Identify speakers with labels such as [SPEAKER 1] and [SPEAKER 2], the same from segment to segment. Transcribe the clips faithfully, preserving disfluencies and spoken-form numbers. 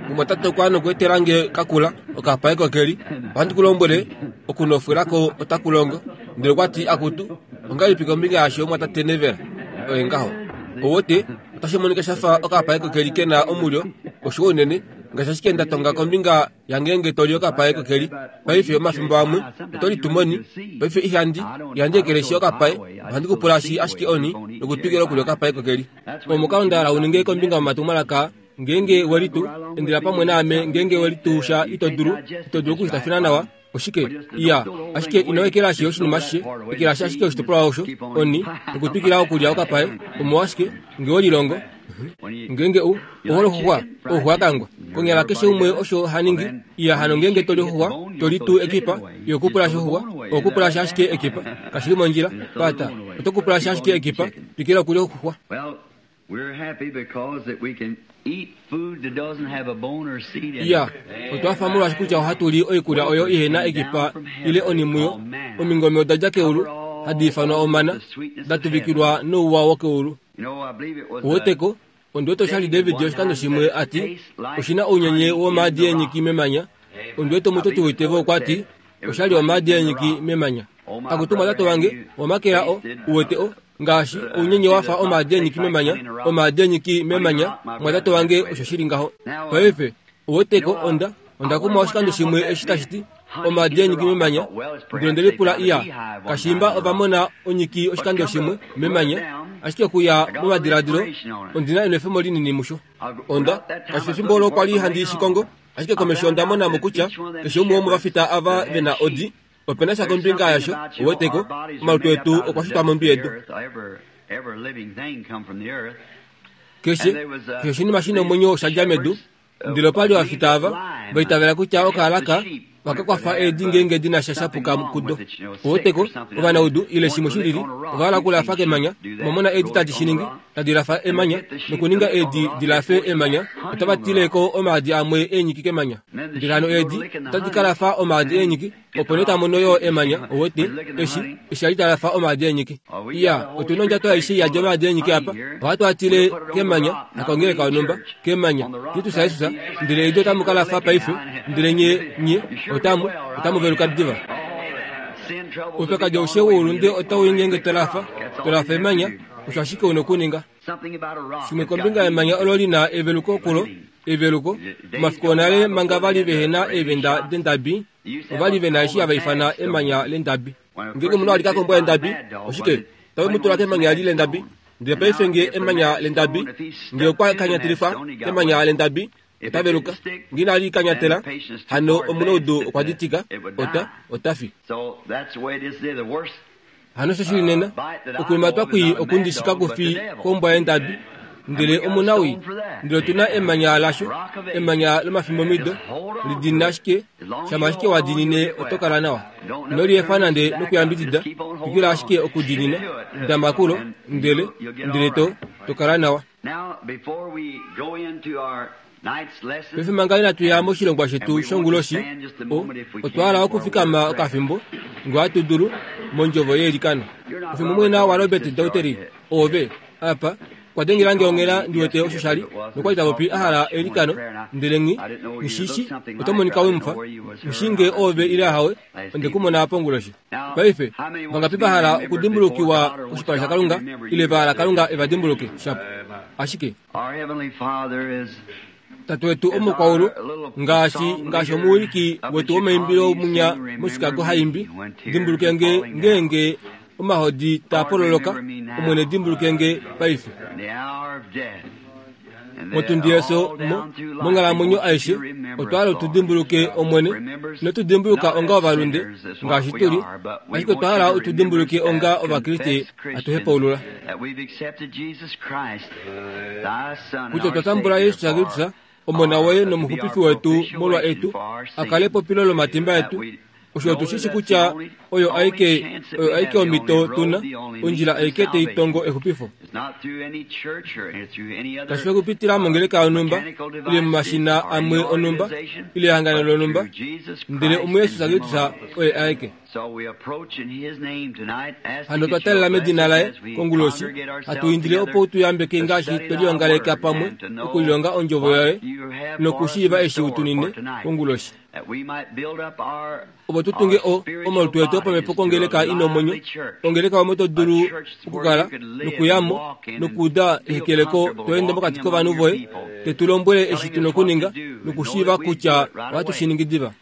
[SPEAKER 1] Mumwatate okwa nokuetela nge kakula okapae kokeli. Ohandi ku lombwele, okunofwelako otaku longo. Ndele okwa ti, akutu, ongahelipi kombinga yasho mumwatate Neville? Oye ngaho. Ouwete, otashi monika sha fa okapae kokeli ke na omulyo, oshiwa unene, ngaashi ashike nda tonga kombinga yangeenge to li okapae kokeli. Paife omafimbo amwe oto litumoni. Paife ihandi, ihandi ekeleshi okapae, ohandi kupulashi ashike oni nokutwikila okulya okapae kokeli. Omukalo nda hala u ninge kombinga yomatumwalaka ngeenge we litu, endela pamwe naame ngeenge we litu sha ito dulu, ito dulu okushitafina nawa. Oshike? Iya, ashike ino ekelashi oshinima ashishe, ekelashi ashike oshitopolwa osho, oni, nokutwikila okulya okapae, omolwashike, nge we lilongo. Ngeenge u ohole oxuxwa, oxuxwa kangwa. Konyala keshe umwe osho ha ningi. Iya hano ngeenge to li oxuxwa, to li tuu ekipa, iho kupulashi oxuxwa, oho kupulashi ashike ekipa. Kashi li mondjila, pata. Oto kupulashi ashike ekipa, twikila okulya oxuxwa. Iya, otwa fa molwaashi kutya ohatu li oikulya oyo ihe na ekipa ile oni muyo. Omingome oda dja keulu, hadi ifanwa omana, da tuvikilwa nouwa wokeulu. Uweteko, ondi wete oshali David oshikando shimwe a ti, oshi na ounyenye womaadi eenyiki memanya. Ondi wete omutoti woitevo okwa ti, oshali omaadi eenyiki memanya. Akutu tate wange, omakela o, uwete o, ngaashi ounyenye wa fa omaadi eenyiki memanya, omaadi eenyiki memanya, mwatate wange osho shili ngaho. Paife, uweteko onda, onda kumwa oshikando shimwe eshi tashi ti, omaadi eenyiki memanya, ndele onde lipula iya, kashiimba ova mona onyiki oshikando shimwe memanya, ashike okuya momadiladilo, ondi na enwefemo linini musho. Onda, kashi efimbo olo kwa li handi shi kongo, ashike komesho onda mona mo kutya, keshe umwe womovafita ava ve na odi, ope na sha kombinga yasho, uweteko, omalutu etu okwa shitwa mondwi yedu. Keshe, keshe oshinima shi na omwenyo osha dja medu, ndele opa li ovafita ava, va itavela kutya okaalaka ohaka kwafa eedi ngeenge di na sha shapuka kudo. Uweteko, ovanaudu ile shimwe shilili, ova hala okulafa kemanya, omwa mona eedi tadi shi ningi, tadi lafa emanya, nokuninga eedi di lafe emanya, otava tile ko omaadi amwe eenyiki kemanya. Ndele hano eedi otadi ka lafa omaadi eenyiki, opo nee tamono yo emanya, uwete, eshi, eshi ali talafa omaadi eenyiki. Iya, otu na ondjato aishe iyadi omaadi eenyiki apa, ohatu a tile kemanya, hakongeleka yonhumba, kemanya, Kristus Jesus, ndele eedi otamu ka lafa paife, ndele nye, nye, otamu, otamu veluka diva. Oupyakadi aushe woulunde otau i ngeenge to lafa, to lafa emanya, osho ashike u na okuninga. Shimwe kombinga yemanya olo li na eveluko kulo, eveluko, omafiku onale manga vali vehe na eevenda dendabi, ova li ve na eshi hava ifana emanya lendabi. Ngeenge omunhu a lika kombwa yendabi, oshike, tave mu tula kemanya li lendabi. Ndele paife nge emanya lendabi, nge okwa kanyatilifwa kemanya lendabi, ota veluka. Nge inali kanyatela, hano omunaudu okwa ditika, ota, ota fi. Hano osho shili nena, okulimatwa kwii okundi shika kufi kombwa yendabi, ndele omunawii. Ndele otu na emanya lasho, emanya lomafimbomido, lidiinina ashike, shama ashike wa diinine oto kala nawa. Ino liefa nande nokuyambidida, twikila ashike okudiinina, dama kulo, ndele, ndele to, to kala nawa. Paife manga inatu ya moshilongwa shetu shonguloshi, o, otwa hala okufikama okafimbo, ngee ohatu dulu, mondjovo yeilikano. Ofimbo mwena waRobert Daugherty, oove, apa, kwa dengela nge onghela ndi wete osho sha li, nokwa li ta popi a hala eilikano, ndele nghi, nghi shi shi, oto monika we mu fa. Nghi shii ngee oove ile ahawe, onde ku mona ponguloshi. Paife, vangapi va hala okudimbulukiwa koshipala shaKalunga, ile va hala Kalunga e va dimbuluke? Shapo. Ashike. Tate wetu omukwaulu, ngaashi, ngaashi omuwiliki wetu womaimbilo munya moChicago ha imbi, dimbuluke nge ngeenge omahodi taa pololoka, Omwene dimbuluke nge paife. Motundi yefyo, mo, monghalamwenyo aishe, otwa hala tu dimbuluke Omwene. Ino tu dimbuluka onga ovalunde, ngaashi tu li, ashike otwa hala tu dimbuluke onga Ovakriste hatu hepaulula kutya otwa tambula Jesus Kristus, Omona woye nomuxupifi wetu molwa etu, a kale epopilo lomatimba etu, Osho otushishi kutya oyo aike oyo aike omhito tuna, ondjila aike teitongo exupifo. Kashi fi okupitila mongeleka yonhumba, ile momashina amwe onhumba, ile ehangano lonhumba, ndele omuJesus Kristus oye aeke. Hano otwa talela medina laye konguloshi, hatu indile opo tuyambeke ngaashi twelihongaleka pamwe okulilonga ondjovo yaye nokushiiva eshi utunine konguloshi. Opo tutunge o omalutu etu opamhepo kongeleka ina omwenyo, ongeleka omo to dulu okukala nokuyamo nokuuda ehekeleko to ende mokati kovanhu voye, te tu lombwele eshi tuna okuninga nokushiiva kutya ohatu shi ningi diva.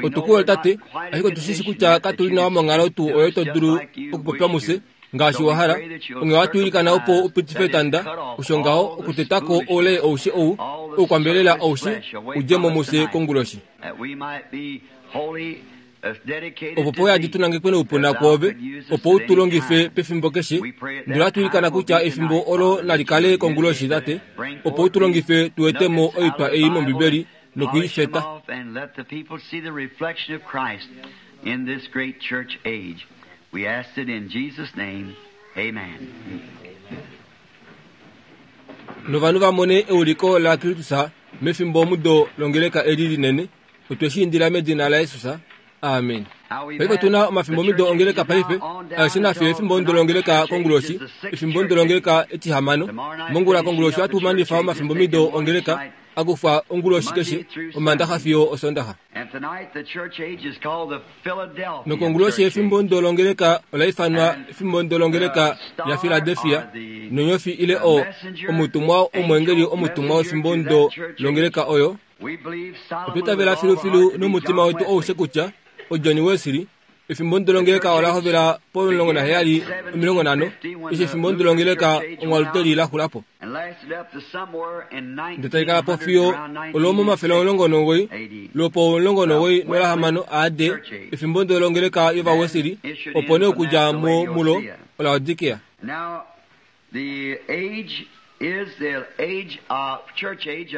[SPEAKER 1] Otukuwe tate, ashike otushishi kutya katuli nawa monghalo tuu oyo to dulu okupopya mufye ngaashi wa hala. Onghee ohatu ilikana opo upitife etanda, osho ngaho okutetako oule oushe ou, oukwambelela oushe, udje mo mufye konguloshi. Opo poyadi tunangekwe noupuna kwoove, opo u tu longife pefimbo keshe. Ndele ohatu ilikana kutya efimbo olo nali kale konguloshi tate, opo u tu longife tu ete mo oitwa ei mOmbibeli nokuifeta.
[SPEAKER 2] We ask it in Jesus' name. Amen.
[SPEAKER 1] Novanhu vamone euliko la Kristus mefimbo omudo longeleka eli linene. Otwe shi indila medina laJesus. Amen. Paife otuna omafimbo omido ongeleka paife, aeshe nafye efimbo omudo longeleka konguloshi, efimbo omudo longeleka etihamano. Mongula konguloshi ohatu manifa omafimbo omido ongeleka akufa onguloshi keshe, omandaxa fiyo osondaxa. Nokonguloshi efimbo ndo longeleka ola ifanwa efimbo ndo longeleka ya Philadelphia, nonyofi ile o omutumwa omwengeli omutumwa wefimbo ndo longeleka oyo. Otwitavela filufilu nomutima wetu oushe kutya oJohn Wesley efimbo ndo longeleka ola hovela pomulongo naheyali omilongo nhano, eshi efimbo ndo longeleka omwaluteli la xulapo. Ndele talikala po fiyo olwomomafele omulongo nomugoyi, lwopo omulongo nomugoyi nolahamano A D, efimbo ndo longeleka yOvawesley, opo nee okudja mo mulo oLaodikea.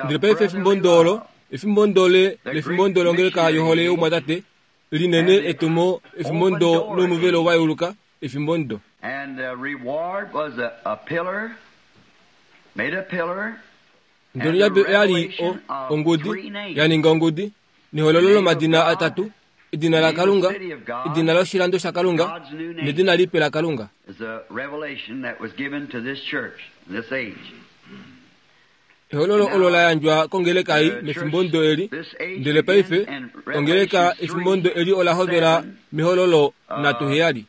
[SPEAKER 1] Ndele paife efimbo ndo olo, efimbo ndo le lefimbo ndo longeleka yohole youmwatate, linene etumo efimbo ndo nomuvelo wayeuluka efimbo ndo. Ndele yabe oyali o ongudi, yaninga ongudi, nehololo lomadina atatu, edina laKalunga, edina loshilando shaKalunga, nedina lipe laKalunga. Ehololo olo la yandjwa kongeleka ei mefimbo ndo eli. Ndele paife ongeleka efimbo ndo eli ola hovela mehololo nhatu heyali.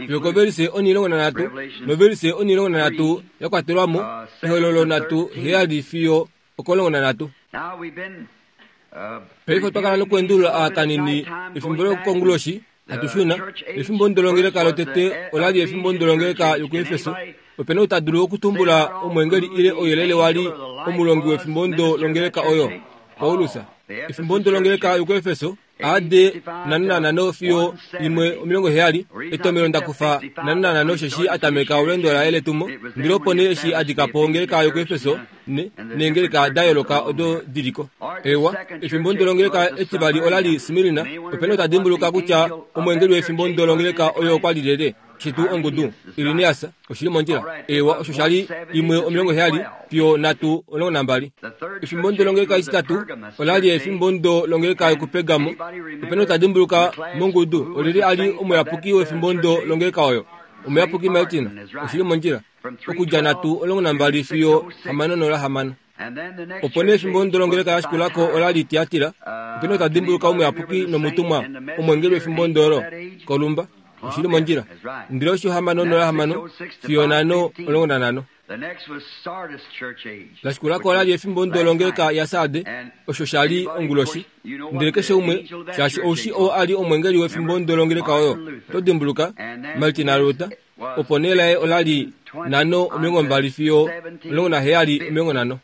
[SPEAKER 1] Yokoverise onilongo nanhatu noverise onilongo nanhatu ya kwatelwamo ehololo nhatu heyali fiyo okolongo nanhatu. Paife otwa kala nokuendulula aakanini efimbo lokonguloshi hatu shuna. Efimbo ndo longeleka lotete olali efimbo ndo longeleka yokuEfeso. Opena ou ta dulu okutumbula omwengeli ile ouyelele wali omulongi wefimbo ndo longeleka oyo, Paulus. Efimbo ndo longeleka yokuEfeso A D nhano nanhano fiyo imwe omilongo heyali, etomelo ndakufa nhano nanhano osheshi atameka olweendo laye letumo. Ndele opo nee eshi adika po ongeleka yokuEfeso ne neengeleka da yooloka odo diliko. Ewa, efimbo ndo longeleka etivali olali Smirna. Opena ou ta dimbuluka kutya omwengeli wefimbo ndo longeleka oyo okwa li lyelye? Shitu ongudu Irinias oshili mondjila. Ewa, osho shali imwe omilongo heyali fiyo nhatu omulongo nambali. Efimbo ndo longeleka etitatu olali efimbo ndo longeleka yokuPergamo. Opena ou ta dimbuluka mongudu olyelye ali omuyapuki wefimbo ndo longeleka oyo? Omuyapuki Martin oshili mondjila. Okudja nhatu omulongo nambali fiyo hamano nola hamano. Opo nee efimbo ndo longeleka yashikulako olali Tiatira. Opena ou ta dimbuluka omuyapuki nomutumwa omwengeli wefimbo ndo olo? Kolumba oshili mondjila. Ndele osho hamano nola hamano fiyo nhano omulongo nanhano. Lashikulako olali efimbo ndo longeleka yaSarde, osho shali onguloshi. Ndele keshe umwe, shaashi oushi oo ali omwengeli wefimbo ndo longeleka oyo, to dimbuluka Martin Luther. Opo nee laye olali nhano omilongo mbali fiyo omulongo naheyali omilongo nhano.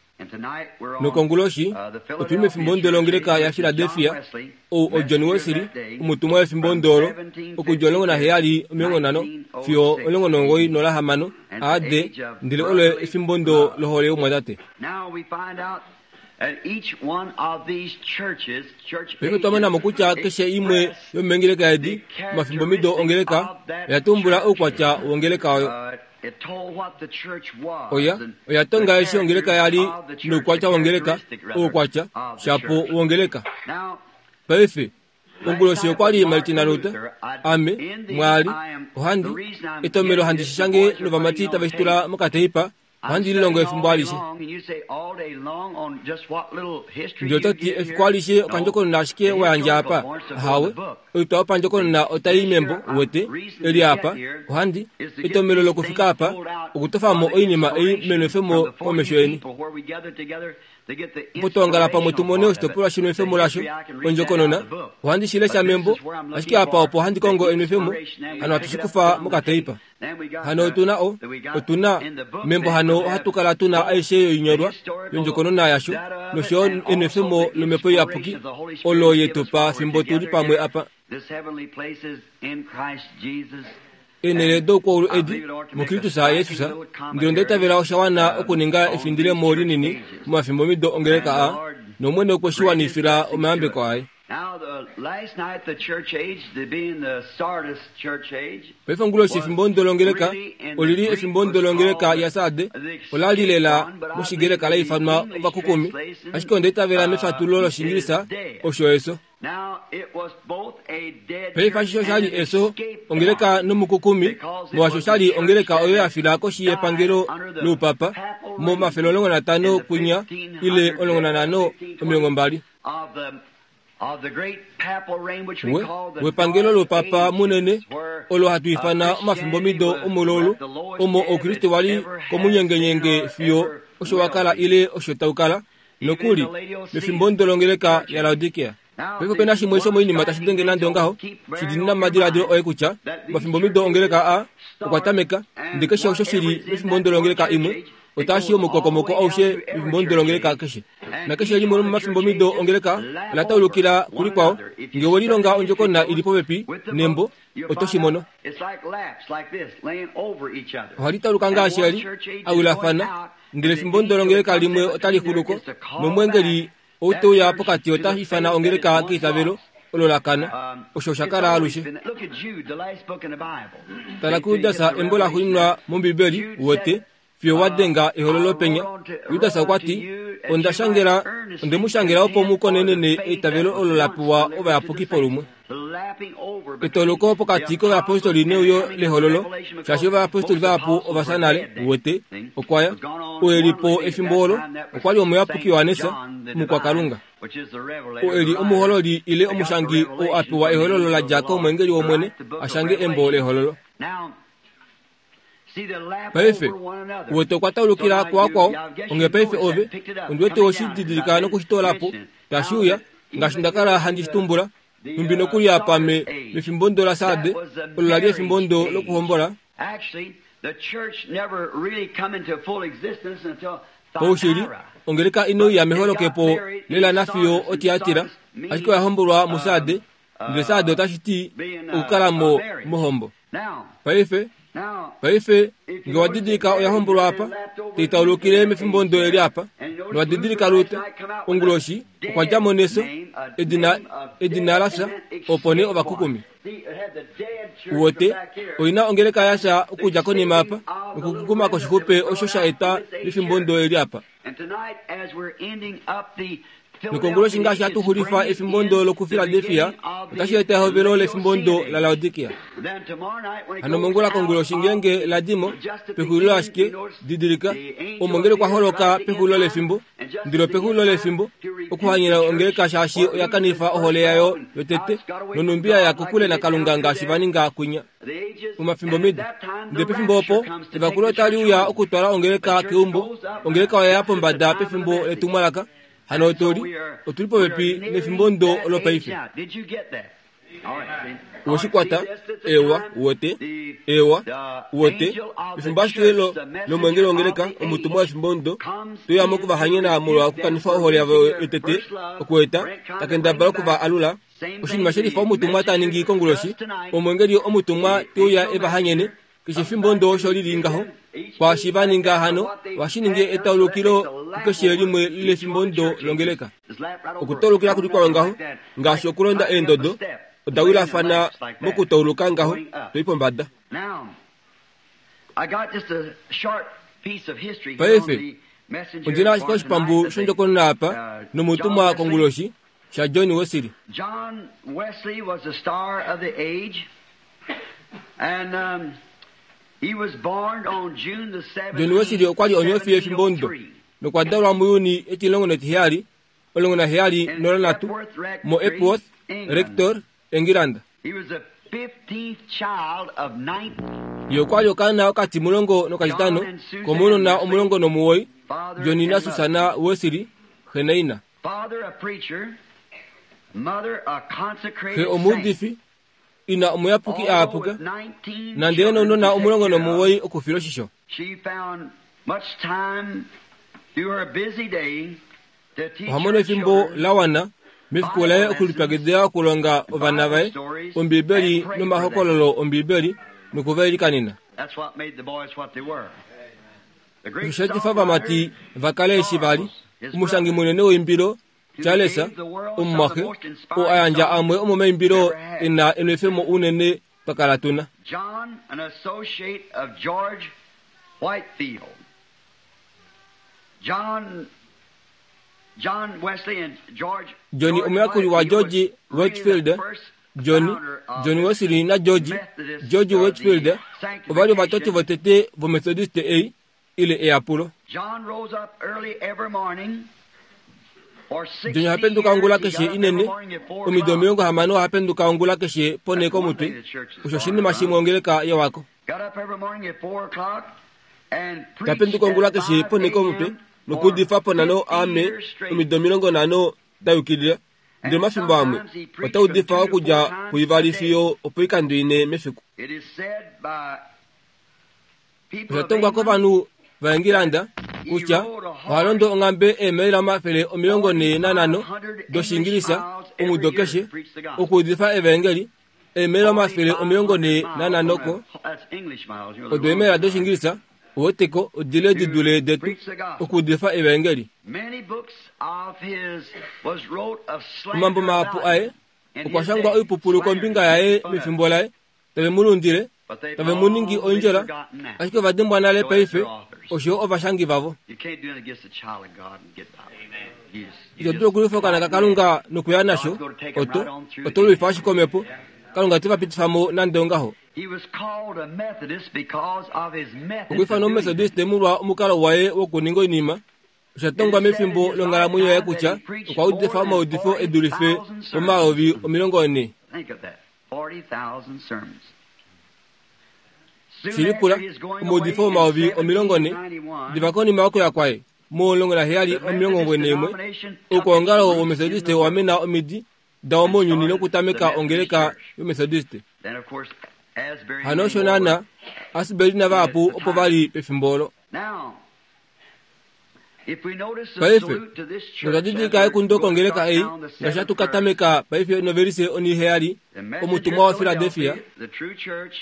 [SPEAKER 1] Nokonguloshi otuli mefimbo ndo longeleka yaPhiladelphia, ou oJohn Wesley omutumwa wefimbo ndo olo, okudja omulongo naheyali omilongo nhano fiyo omulongo nomugoyi nola hamano A D, ndele olo efimbo ndo lohole youmwatate. Paife otwa mona mo kutya keshe imwe yomeengeleka edi omafimbomido ongeleka oya tumbula oukwatya wongeleka oyo. Oya oya tonga eshi ongeleka yali noukwatya wongeleka, oukwatya shapo wongeleka. Paife onguloshi okwali Martin Luther, ame mwali ohandi etomelo handi shishange novamati tave shitula mokateipa ohandi lilongo efimbo alishe. Ndele otati efiku alishe okandjokonona ashike wayandja apa, ahawe, oitwa yopandjokonona otai membo wete, eli apa, ohandi, etomelo lokufika apa, okutofamo oinima ei menwefemo komesho yeni. Opo twongala pamwe tumone oshitopolwa shenwefemo lasho, ondjokonona, ohandi shilesha membo, ashike apa opo handi kongo enwefemo, hano hatu shikufa mokateipa. Hano otuna o, otuna, membo hano ohatu kala tuna aishe yoinyolwa yondjokonona yasho, nosho enwefemo lomhepo iyapuki, olo yetupa fimbo tuli pamwe apa. Enele doukwaulu edi muKristus Jesus, ndele onda itavela osha wana okuninga efindilemo linini momafimbomido ongeleka a, nOmwene okwe shi wanifila omayambeko aye. Paife onguloshi efimbo longeleka olili efimbo longeleka yaSarde, ola li lela moshigreka la ifanwa ovakukumi, ashike onda itavela mefatulo lOshingilisa osho eso. Paife ashishe oshali eso ongeleka nomukukumi, molwaashi oshali ongeleka oyo ya fila koshi yepangelo loupapa momafele omulongo natano kwinya ile omulongo nanhano omilongo mbali. We wepangelo loupapa munene olo hatu ifana omafimbomido omululu, omo Oukristu wali komunyengenyenge fiyo osho wakala ile osho taukala, nokuli mefimbo longeleka yaLaodikea. Paife opena shimwe shomoinima tashi denge nande ongaho, shidinina momadiladilo oye kutya omafimbomido ongeleka a okwa tameka, ndele keshe osho shili mefimbo longeleka imwe otashi omukokomoko aushe mefimbo longeleka keshe. Nakeshe limwe lomomafimbomido ongeleka ola taulukila kulikwao, ngee welilonga ondjokonona ili popepi nembo oto shi mono. Ohali tauluka ngaashi eli awilafana, ndele efimbo longeleka limwe otali xuluko, nomwengeli ou teuya pokati ota ifana ongeleka keitavelo olo la kana, osho osha kala alushe. Tala kuJudas embo la xuuninwa mOmbibeli wete, fiyo wa denga ehololo penya. Judas okwa ti, onda shangela, onde mu shangela opo mu konenene eitavelo olo la pewa ovayapuki polumwe. Etoloko pokati kovayapostoli neuyo lehololo, shaashi ovayapostoli vahapu ova fya nale, wete, okwa ya, oo eli po efimbo olo, okwa li omuyapuki Johannes, omukwakalunga. Oo eli omuhololi ile omushangi oo a pewa ehololo la dja komwengeli wOmwene a shange embo lehololo. Paife wete okwa taulukila kuvakwao, onghee paife ove, ondi wete oshididilika nokushitoola po, tashi uya, ngaashi nda kala handi shitumbula, nhumbi nokuli apa me, mefimbo laSarde, olo la li efimbo lokuhombola. Paushili, ongeleka inouya meholokepo lela nafiyo oTiatira, ashike oya hombolwa muSarde, ndele Sarde otashi ti okukala mo mohombo. Paife, paife nge wa didilika oya hombolwa apa, tai taulukile mefimbo eli apa, nowa didilika Luther, onguloshi okwa dja mo neso, edina, edina la fya, opo nee ovakukumi. Uwote, oina ongeleka ya fya okudja konima apa, nokukukuma koshixupe osho sha eta mefimbo eli apa. Nokonguloshi ngaashi hatu xulifa efimbo lokuFiladelfia, otashi eta ehovelo lefimbo laLaodikea. Hano mongula konguloshi ngeenge la dimo, pexulilo ashike, didilika, omo ngele kwa holoka pexulilo lefimbo, ndilo pexulilo lefimbo, okuhanyena ongeleka shaashi oya kanifa ohole yayo yotete, nonumbi ya kokule naKalunga ngaashi va ninga kwinya. Omafimbomido, ndele pefimbo opo, evakulo otali uya okutwala ongeleka keumbo, ongeleka oya ya pombada pefimbo letumwalaka. Hano otuli, otuli popepi nefimbo ndo lopaife. Uweshikwata, ewa, uwete, ewa, uwete, efimbo ashike lomwengeli wongeleka, omutumwa wefimbo ndo, toyamo okuvahanyena molwa okukanifa ohole yavo yotete, okueta, takendabala okuva alula, oshinima shelifa omutumwa ta ningi konguloshi, omwengeli omutumwa teuya evahanyene, keshe efimbo ndo osho lili ngaho, Kwaashi va ninga hano ohashi ningi etaulukilo kukeshe limwe lefimbo ndo longeleka. Okutaulukila kuli kwawo ngaho ngaashi okulonda eendodo oda wilafana mokutauluka ngaho toi pombada. Paife ondina ashike oshipambu shondjokonona apa nomutumwa konguloshi sha John Wesley.
[SPEAKER 2] John Wesley was the star of the age, and um, he was born on June the
[SPEAKER 1] John Wesley okwa li onyofi yefimbo ndo nokwa dalwa muJuni etilongo netiheyali olongo naheyali nolanhatu mo Epworth Rector, England.
[SPEAKER 2] He was the fifteenth child of nine.
[SPEAKER 1] Ye okwa li okaana okatimulongo nokatitano komounona omulongo nomuwoi, John na Susanna Wesley, xe naina.
[SPEAKER 2] Father a preacher, mother a consecrated
[SPEAKER 1] Xe omuudifi, ina omuyapuki aapuka, nande nounona omulongo nomuwoi okufila oshisho.
[SPEAKER 2] She found much time through her busy day to teach
[SPEAKER 1] Oha mono
[SPEAKER 2] her
[SPEAKER 1] efimbo
[SPEAKER 2] children
[SPEAKER 1] la wana mefiku laye okulipyakidila okulonga ovana vaye Ombibeli nomahokololo Ombibeli nokuvailikanena.
[SPEAKER 2] That's what made the boys what they were. The great
[SPEAKER 1] Osho sha etifa ovamati va kale eshi vali omushangi munene woimbilo Charles omumwaxe oo a yandja amwe omomaimbilo e na enwefemo unene twa tuna.
[SPEAKER 2] John, an associate of George Whitefield. John, John Wesley and George
[SPEAKER 1] John
[SPEAKER 2] George
[SPEAKER 1] omuyakuli wa
[SPEAKER 2] Whitefield
[SPEAKER 1] George
[SPEAKER 2] was really
[SPEAKER 1] Whitefield,
[SPEAKER 2] the first
[SPEAKER 1] John
[SPEAKER 2] founder of
[SPEAKER 1] John
[SPEAKER 2] the
[SPEAKER 1] Wesley na George
[SPEAKER 2] Methodist,
[SPEAKER 1] George
[SPEAKER 2] or the
[SPEAKER 1] Whitefield ova li ovatoti votete vomethodiste ei ile eyapulo.
[SPEAKER 2] John rose up early every morning. For
[SPEAKER 1] John oha penduka ongula
[SPEAKER 2] years, he
[SPEAKER 1] keshe
[SPEAKER 2] got up every
[SPEAKER 1] inene
[SPEAKER 2] morning at four
[SPEAKER 1] omido
[SPEAKER 2] o'clock.
[SPEAKER 1] omilongo hamano oha penduka ongula keshe ponhe komutwe. Osho oshinima shimwe ongeleka yewako.
[SPEAKER 2] Got up every morning at four o'clock and preached
[SPEAKER 1] Tapenduka ongula
[SPEAKER 2] at
[SPEAKER 1] keshe
[SPEAKER 2] five
[SPEAKER 1] ponhe komutwe
[SPEAKER 2] A M
[SPEAKER 1] nokuudifa
[SPEAKER 2] for
[SPEAKER 1] ponhano
[SPEAKER 2] fifty
[SPEAKER 1] ame
[SPEAKER 2] years straight.
[SPEAKER 1] omido omilongo nhano da yukilila. Ndele omafimbo amwe ota udifa okudja puivali fiyo opoikando ine mefiku.
[SPEAKER 2] It is said by people
[SPEAKER 1] Osha
[SPEAKER 2] of
[SPEAKER 1] tongwa
[SPEAKER 2] England
[SPEAKER 1] kovanhu vaEngilanda kutya oha londo onghambe eemaila omafele omilongo nhee nanhano dOshiingilisa omudo keshe okuudifa evaengeli eemaila omafele omilongo nhee nanhano ko
[SPEAKER 2] That's English miles, you know,
[SPEAKER 1] odo eemaila dOshiingilisa oweteko odile di dule detu okuudifa evaengeli.
[SPEAKER 2] Many books of his was wrote of slander
[SPEAKER 1] Omambo mahapu
[SPEAKER 2] about
[SPEAKER 1] aye
[SPEAKER 2] him in
[SPEAKER 1] okwa
[SPEAKER 2] his
[SPEAKER 1] shangwa
[SPEAKER 2] day.
[SPEAKER 1] oipupulu kombinga yaye mefimbo laye tave mu lundile
[SPEAKER 2] But they've
[SPEAKER 1] tave mu ningi
[SPEAKER 2] long been
[SPEAKER 1] oindjola
[SPEAKER 2] forgotten now.
[SPEAKER 1] ashike ova dimbwa nale paife oshoyo ovashangi vavo.
[SPEAKER 2] You can't do it against the child of God and get by. You just- you
[SPEAKER 1] Ito
[SPEAKER 2] just-
[SPEAKER 1] dulu okulwifa okaana kaKalunga nokuya nasho oto oto lwifa ashike omhepo Kalunga te va pitifa mo nande ongaho.
[SPEAKER 2] He was called a Methodist because of his method.
[SPEAKER 1] Okwiifana
[SPEAKER 2] of doing
[SPEAKER 1] omumethodiste molwa omukalo waye wokuninga oinima osha tongwa mefimbo longhalamwenyo yaye kutya okwa udifa omaudifo e dulife pomayovi omilongo nne.
[SPEAKER 2] Think of that. forty thousand sermons. Soon
[SPEAKER 1] Shilipula
[SPEAKER 2] after his going
[SPEAKER 1] omaudifo
[SPEAKER 2] away in
[SPEAKER 1] omayovi omilongo nne
[SPEAKER 2] seventeen ninety-one,
[SPEAKER 1] diva konima yokuya kwaye mu omulongo naheyali
[SPEAKER 2] the
[SPEAKER 1] omilongo
[SPEAKER 2] Methodist
[SPEAKER 1] neimwe
[SPEAKER 2] denomination took
[SPEAKER 1] oukwongalo
[SPEAKER 2] its roots in
[SPEAKER 1] womethodiste
[SPEAKER 2] the
[SPEAKER 1] owa
[SPEAKER 2] world.
[SPEAKER 1] mena omidi dawo mounyuni nokutameka ongeleka yomethodiste.
[SPEAKER 2] Then, of course, Asbury
[SPEAKER 1] Hano
[SPEAKER 2] and
[SPEAKER 1] osho
[SPEAKER 2] many more.
[SPEAKER 1] naana Asbury navahapu opo vali pefimbo olo.
[SPEAKER 2] Now, if we notice the
[SPEAKER 1] Paife,
[SPEAKER 2] salute to this church
[SPEAKER 1] notwa
[SPEAKER 2] as
[SPEAKER 1] didilika
[SPEAKER 2] we're
[SPEAKER 1] ekundo
[SPEAKER 2] going to
[SPEAKER 1] kongeleka
[SPEAKER 2] start
[SPEAKER 1] ei
[SPEAKER 2] down the
[SPEAKER 1] ngaashi
[SPEAKER 2] seventh
[SPEAKER 1] hatu
[SPEAKER 2] verse,
[SPEAKER 1] katameka paife novelise oniheyali
[SPEAKER 2] the messenger
[SPEAKER 1] omutumwa wa
[SPEAKER 2] of Philadelphia,
[SPEAKER 1] Philadelphia
[SPEAKER 2] the true church,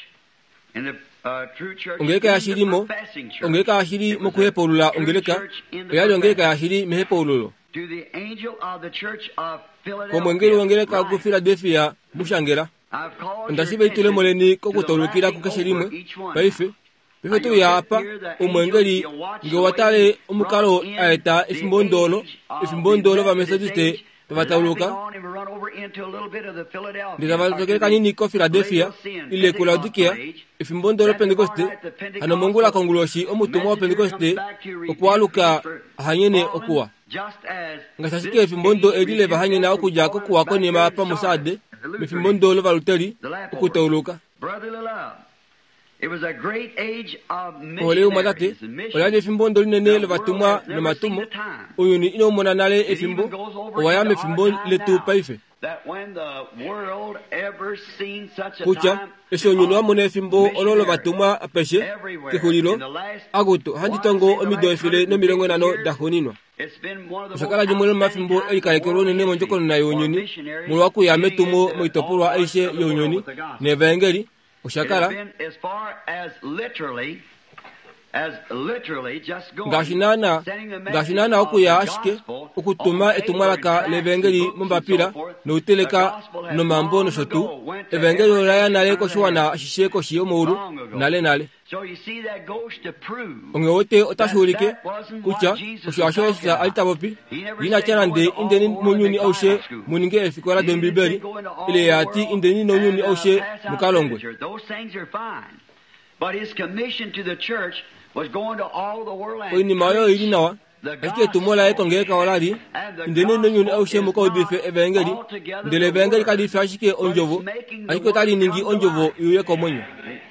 [SPEAKER 2] and the uh, true church
[SPEAKER 1] ongeleka
[SPEAKER 2] in the
[SPEAKER 1] yashilimo
[SPEAKER 2] professing church.
[SPEAKER 1] ongeleka yashili
[SPEAKER 2] It was a
[SPEAKER 1] mokuhepaulula
[SPEAKER 2] true
[SPEAKER 1] ongeleka
[SPEAKER 2] church in the
[SPEAKER 1] oyali ongeleka
[SPEAKER 2] professing.
[SPEAKER 1] yashili mehepaululo
[SPEAKER 2] To the angel of the church of
[SPEAKER 1] komwengeli
[SPEAKER 2] Philadelphia,
[SPEAKER 1] wongeleka ku
[SPEAKER 2] write,
[SPEAKER 1] Philadelphia mushangela
[SPEAKER 2] I've called
[SPEAKER 1] onda
[SPEAKER 2] your
[SPEAKER 1] shiva itulemo
[SPEAKER 2] attention
[SPEAKER 1] leni
[SPEAKER 2] to the
[SPEAKER 1] kokutaulukila
[SPEAKER 2] laughing
[SPEAKER 1] kukeshe
[SPEAKER 2] over
[SPEAKER 1] limwe
[SPEAKER 2] each one.
[SPEAKER 1] paife paife tuya apa omwengeli nge watale omukalo aeta efimbo ndolo efimbo ndolo vamethodiste tavatauluka ndele tavatokele kanini ko Philadelphia ile ku Laodikia efimbo ndolo Pentekoste hano mongula konguloshi omutumwa wa Pentekoste okwaluka hanyene okuwa ngaashi ashike efimbo ndo eli leva hanyena okudja kokuwa konima pamusade mefimbo ndolo valuteli okutauluka. Ohole yomwatate ola li efimbo ndo linene lovatumwa nomatumo ounyuni inaumona nale efimbo owaya mefimbo letu paife kutya eshi ounyuni wamona efimbo olo lovatumwa apeshe kexulilo akutu handi tongo omido efele nomilongo nhano daxuuninwa. Osha kala limwe lomomafimbo elikalekelwa unene mondjokonona younyuni molwa okuya metumo moitopolwa aishe younyuni nevaengeli osha kala Ngaashi naana ngaashi naana okuya ashike okutuma etumwalaka levangeli mombapila nouteleka nomambo nosho tuu, evangeli ola ya nale koshiwana ashishe koshi yomaulu nale nale. Onghee wote otashi ulike kutya osho hasho Jesus a li ta popi. Ina tya nande indeni mounyuni aushe mu ninge eefikola dOmbibeli, ile ye ati indeni nounyuni aushe mu ka longwe. Oinima oyo oili nawa, ashike etumo laye kongeleka ola li indeni nounyuni aushe mu ka udife evangeli, ndele evangeli kali fi ashike ondjovo, ashike otali ningi ondjovo iuye komwenyo.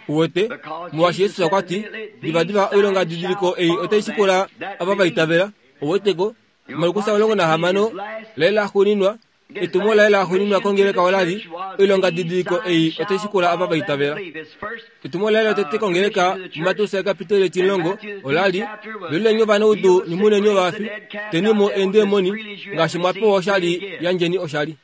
[SPEAKER 1] Uwete, molwaashi Jesus okwa ti, divadiva oilonga didiliko ei otai shikula ava va itavela. Uweteko, Markus omulongo nahamano laye laxuuninwa, etumo laye laxuuninwa kongeleka ola li oilonga didiliko ei otai shikula ava va itavela. Etumo laye lotete kongeleka muMateus ekapiteli etimulongo ola li veluleni ovanaudu nyumuneni ovafi, tenimo eendemoni, ngaashi mwa pewa oshali yandjeni oshali.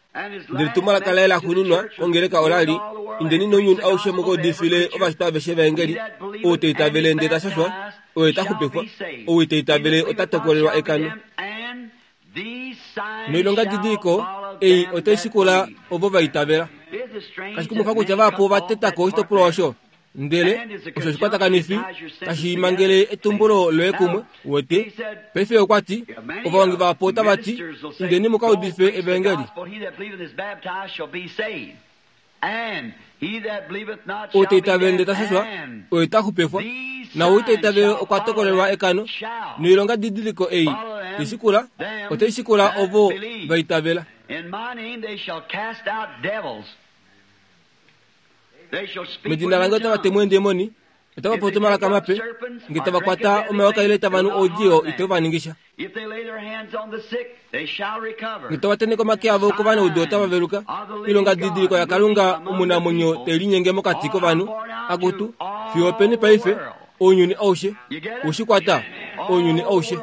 [SPEAKER 1] Ndele etumwalaka laye laxuuninwa kongeleka ola li indeni nounyuni aushe mu ka udifile ovashitwa aveshe evangeli. Ou ta itavele ndele ta shashwa, oye ta xupifwa, ou ita itavele ota tokolelwa ekano. Noilonga didiliko ei otai shikula ovo va itavela. Kashi kumwifa kutya vahapu ova tetako oshitopolwa osho, ndele osho oshikwatakanifi tashi mangele etumbulo loye kumwe. Uwete, paife okwa ti ovahongi vahapu otava ti indeni mu ka udife evangeli. Ou ta itavele ndele ta shashwa, oye ta xupifwa, naou ita itavele okwa tokolelwa ekano. Noilonga didiliko ei tai shikula otai shikula ovo va itavela. Medina lange otava temu eendemoni, otava popi omalaka mape, nge tava kwata omayoka ile tava nu oudiyo ite va ningisha. Nge tava tenheke omake avo kovanaudu otava veluka. Oilonga didiliko yaKalunga omunamwenyo te linyenge mokati kovanhu, akutu fiyo openi paife ounyuni aushe ushi kwata, ounyuni aushe.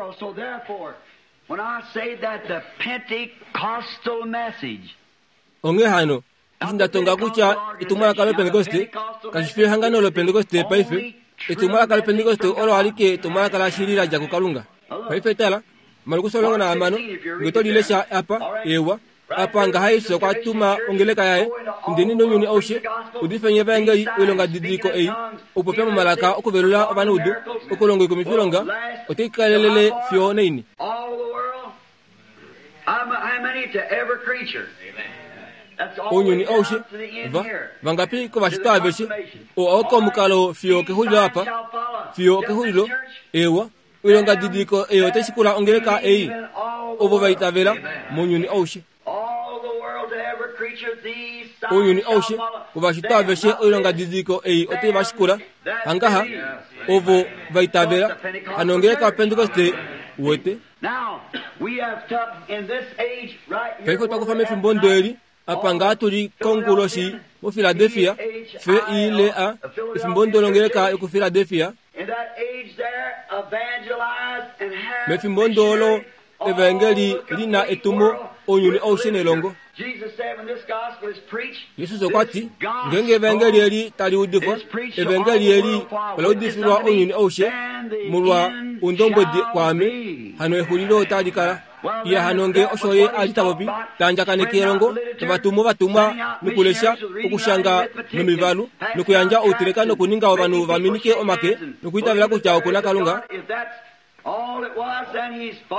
[SPEAKER 1] Onghee hano, eshi nda tonga kutya etumwalaka loPentekoste kashi fi ehangano loPentekoste paife, etumwalaka loPentekoste olo alike etumwalaka lashili la dja kuKalunga. Paife tala, Markus omulongo nahamano, nge to li lesha apa, ewa, apa ngaha Jesus okwa tuma ongeleka yaye, indeni nounyuni aushe, udifeni evangeli oilonga didiliko ei, okupopya momalaka okuvelula ovanaudu, okulonga oikumwifilonga, otai kalelele fiyo naini. Ounyuni aushe, va vangapi kovashitwa aveshe, oo oko omukalo fiyo kexulilo apa, fiyo kexulilo, ewa, oilonga didiliko ei otai shikula ongeleka ei, ovo va itavela mounyuni aushe. Ounyuni aushe, kovashitwa aveshe oilonga didiliko ei otai va shikula, hangaha, ovo va itavela, hano ongeleka yaPentekoste uwete. Paife otwa kufa mefimbo ndo eli, apa ngaa tuli konguloshi muPhiladelphia, F I L A, efimbo ndo longeleka yokuPhiladelphia. Mefimbo ndo olo evangeli lina etumo ounyuni aushe nelongo. Jesus okwa ti, ngeenge evangeli eli tali udifwa, evangeli eli ola udifilwa ounyuni aushe molwa oundombwedi kwaame, hano exulilo otali kala. Iya hano nge osho ye a li ta popi, ta andjakaneke elongo, tava tumu ovatumwa nokulesha, okushanga nomivalu, nokuyandja outeleka nokuninga ovanhu va minike omake nokuitavela kutya oku na Kalunga.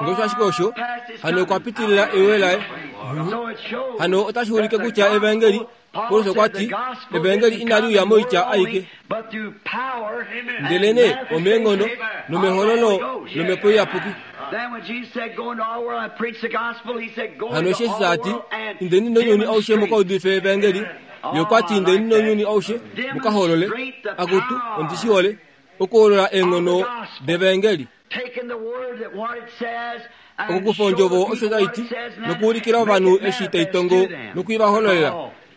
[SPEAKER 1] Nge osho ashike osho, hano okwa pitilila ewe laye. Hano otashi ulike kutya evangeli, Paulus okwa ti, evangeli inali uya moitya aike, ndelenee omeenghono nomehololo lomhepo iyapuki. Hano eshi Jesus a ti, indeni nounyuni aushe mu ka udife evangeli, ye okwa ti indeni nounyuni aushe mu ka holole, akutu ondi shi hole, okuholola eenghono devangeli. Okukufa ondjovo osho tai ti, nokuulikila ovanhu eshi tai tongo nokuivahololela,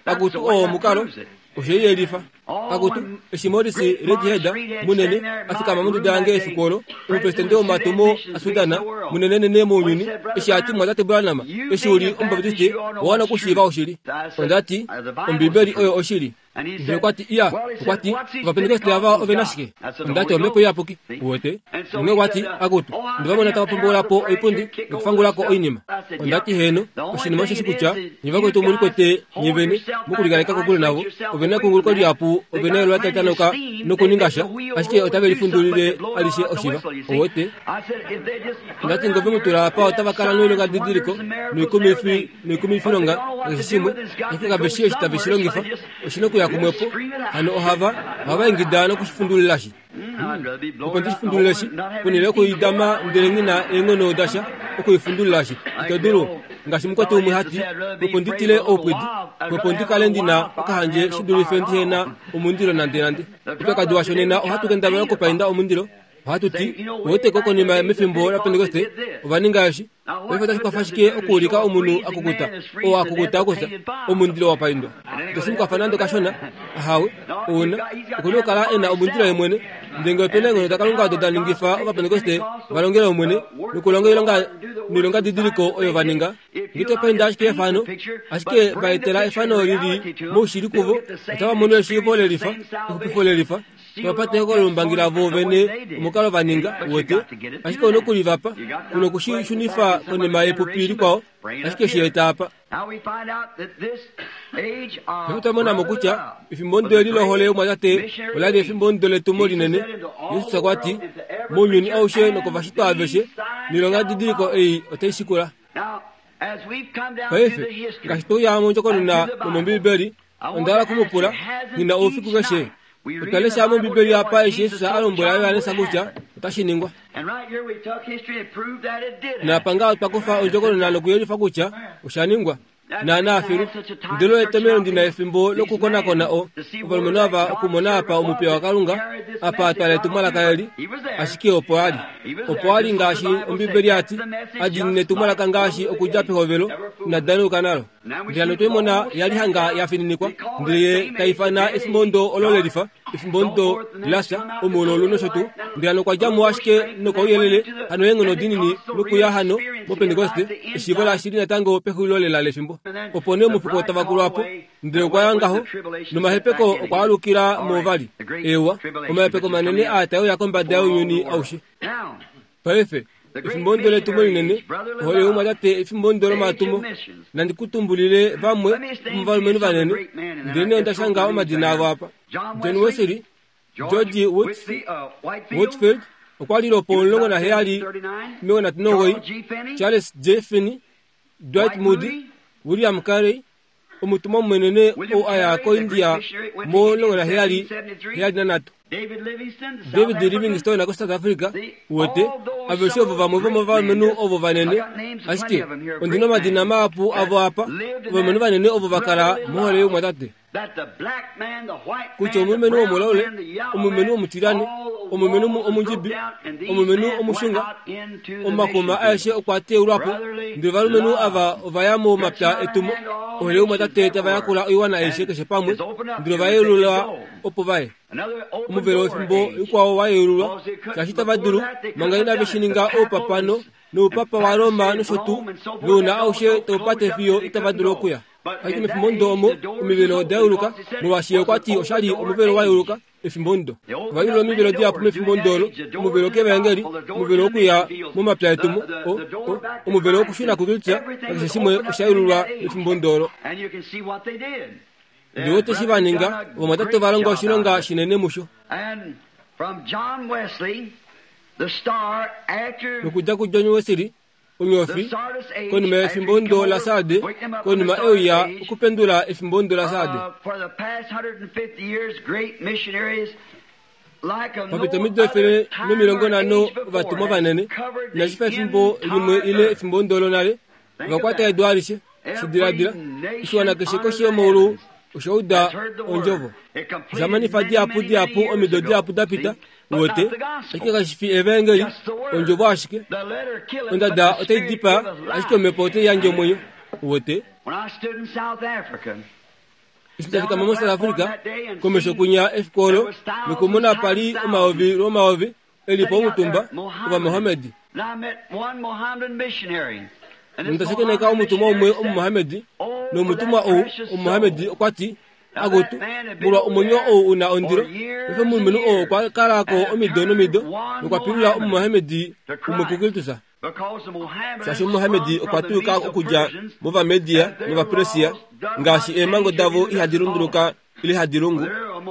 [SPEAKER 1] akutu oo omukalo, osho i yelifa. Akutu, eshi Morris Reidhead munene afikama monduda yange efiku olo, omupresidente womatumo aSudana munenenene mounyuni, eshi ati mwatate Branham, eshi uli omubaptiste, owa wana okushiiva oshili. Ondati, Ombibeli oyo oshili. Ndele okwati iya, okwati Ovapentekoste ava ove na shike? Ondati omhepo iyapuki, uwete. Onghee okwati, akutu, ndevamona tava pomboula po oipundi nokufangula ko oinima. Ondati heeno, oshinima osheshi kutya nye vakwetu omuli kwete nye vene mokulikaleka kokule navo, ove na ekunguluko lihapu, ove na elola tali tanoka nokuninga sha, ashike otave lifundulile alishe oshiva, uwete. Ondati ngove mutula apa otava kala noilonga didiliko noikumifi noikumifilonga nakeshe shimwe, ashike kave shii eshi tave shi longifa, oshina okuya kumwepo, hano ohava ohava ingida nokushifundulila shi. Opo ndishifundulile shi, ponhele yokuidama ndele nghi na eenghono dasha okuifundulila shi. Ito dulu, ngaashi mukwetu umwe hati, opo nditile oupwidi, opo ndikale ndina okahandje shi dulife ndihe na omundilo nande nande. Oupyakadi washo nena ohatu kendabala okupainda omundilo. Ohatu ti, uweteko konima mefimbo laPentekoste, ova ninga eshi. Paife otashi kwafa shike okuulika omunhu akukuta, oo akukuta okufya, omundilo wa paindwa. Itashi mu kwafa nande kashona, ahawe, ouna, okuna okukala e na omundilo ye mwene. Ndele ngee ope na eenghono daKalunga odo da ningifa Ovapentekoste va longele Omwene, nokulonga oilonga noilongadidiliko oyo va ninga, ngee to painda ashike efano, ashike va etela efano lili moushili kuvo, otava mono eshiivo lelifa, exupifo lelifa, tava ehokololombangi lavo vene omukalo va ninga, uwete. Ashike ouna okulivapa, una okushishunifa konima yepupi likwao, ashike shi eta apa. Paife otwa mona mo kutya efimbo ndo eli lohole yomwatate ola li efimbo ndo letumo linene. Jesus okwa ti, mounyuni aushe nokovashitwa aveshe, noilonga didiliko ei otai shikula. Paife, ngaashi tweuya mondjokonona nomOmbibeli, onda hala okumupula, nghi na oufiku keshe. Otwa lesha mOmbibeli apa eshi Jesus a lombwela Johannes kutya otashi ningwa. Naapa ngaho otwa kufa ondjokonona nokuyelifa kutya osha ningwa. Naana filu, ndele etomhelo ndi na efimbo lokukonakona o ovalumenhu ava okumona apa omupiya waKalunga, apa atwala etumwalaka eli, ashike opo a li. Opo a li ngaashi Ombibeli ya ti, a diinine etumwalaka ngaashi okudja pehovelo, ina danauka nalo. Ndele hano otwe mona ya li hanga ya fininikwa, ndele ye ta ifana efimbo ndo olo lelifa, efimbo ndo lafya, omuololo nosho tuu. Ndele hano okwa dja mo ashike nokouyelele, hano eenghono dinini nokuya hano moPentekoste, eshiivo lashili natango pexulilo lela lefimbo. Opo nee omufuko tava kulwa po, ndele okwa ya ngaho, nomahepeko okwa alukila mo vali. Eewa, omahepeko manene aa tae uya kombada younyuni aushe. Paife, efimbo ndo letumo linene, ohole yomwatate efimbo ndo lomatumo. Nandi ku tumbulile vamwe vomovalumenhu vanene, ndele nee onda shanga omadina avo apa. John Wesley, George Whitefield, okwa li lopo omulongo naheyali omilongo nhatu nomugoyi, Charles J. Finney, Dwight Moody, William Carey, omutumwa munene ou a ya koIndia mo omulongo naheyali heyali nanhatu. David Livingstone koSouth Africa, uwete, aveshe ovo vamwe vomovalumenhu ovo vanene, ashike ondina omadina mahapu avo apa, ovalumenhu vanene ovo va kala mohole yomwatate. Kutya omulumenhu womulaule, omulumenhu womutilane, omulumenhu omundjibi, omulumenhu omushunga, omakuma aeshe okwa teulwa po, ndele ovalumenhu ava ova ya momapya etumo, ohole yomwatate tava yakula oiwana aishe keshe pamwe, ndele ova yeululwa opo vaye. Omuvelo wefimbo likwao wa yeululwa, shaashi tava dulu, manga inave shi ninga oupapano noupapa waRoma nosho tuu, nouna aushe taupate fiyo itava dulu okuya. Ashike mefimbo ndo omo omivelo oda yeuluka, molwaashi okwa ti osha li omuvelo wa yeuluka efimbo ndo. Ova yeulula omivelo dihapu mefimbo ndo olo, omuvelo kevaengeli, omuvelo wokuya momapya etumo, o, o, omuvelo wokushuna kuKristus, nakeshe shimwe osha yeululwa mefimbo ndo olo. Ndele ote shi va ninga, ovamwatate ova longa oshilonga shinene musho. Nokudja kuJohn Wesley, onyofi, konima yefimbo ndo laSarde, konima euya okupendula efimbo ndo laSarde. Papita omido efele nomilongo nhano ovatumwa vanene, inashi fa efimbo limwe ile efimbo ndo lonale, ova kwata edu alishe, shidiladila, oshiwana keshe koshi yomaulu osha uda ondjovo. Osha manifa dihapu dihapu omido dihapu da pita, uwete, ashike kashi fi evaengeli, ondjovo ashike. Ondada otai dipaa, ashike omhepo otai yandje omwenyo, uwete. Eshi tafika mo South Africa komesho kunya efiku olo nokumona pali omayovi lwomayovi elipo omutumba ovamohamedi. Nondasekeneka omutumwa umwe omumohamedi nomutumwa ou omumohamedi okwa ti akutu molwa omwenyo ou una ondilo. Paife omulumenhu oo okwa kalako omido nomido nokwa pilula omumohamedi umwe kuKristus. Shaashi omumohamedi okwa tuuka okudja movamedia novapersia ngaashi eemhango davo ihadi lunduluka ile hadi lungu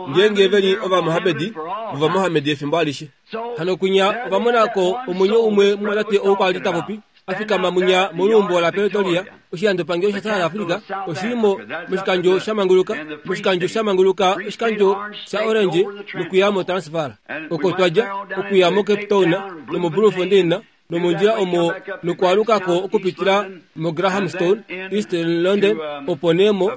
[SPEAKER 1] ngeenge veli ovamohamedi vovamohamedi efimbo alishe. Hano kunya ovamonako omwenyo umwe mumwatate ou kwali tapopi afikama munya moluumbo la Pretoria oshilandopangelo sha South Africa oshilimo moshikandjo shamanguluka moshikandjo shamanguluka oshikandjo sha Orange nokuya mo Transvaal oko twadja okuya mo Cape Town nomo Bloemfontein nomondjila omo nokwalukako okupitila mo Grahamstown East London opo nee mo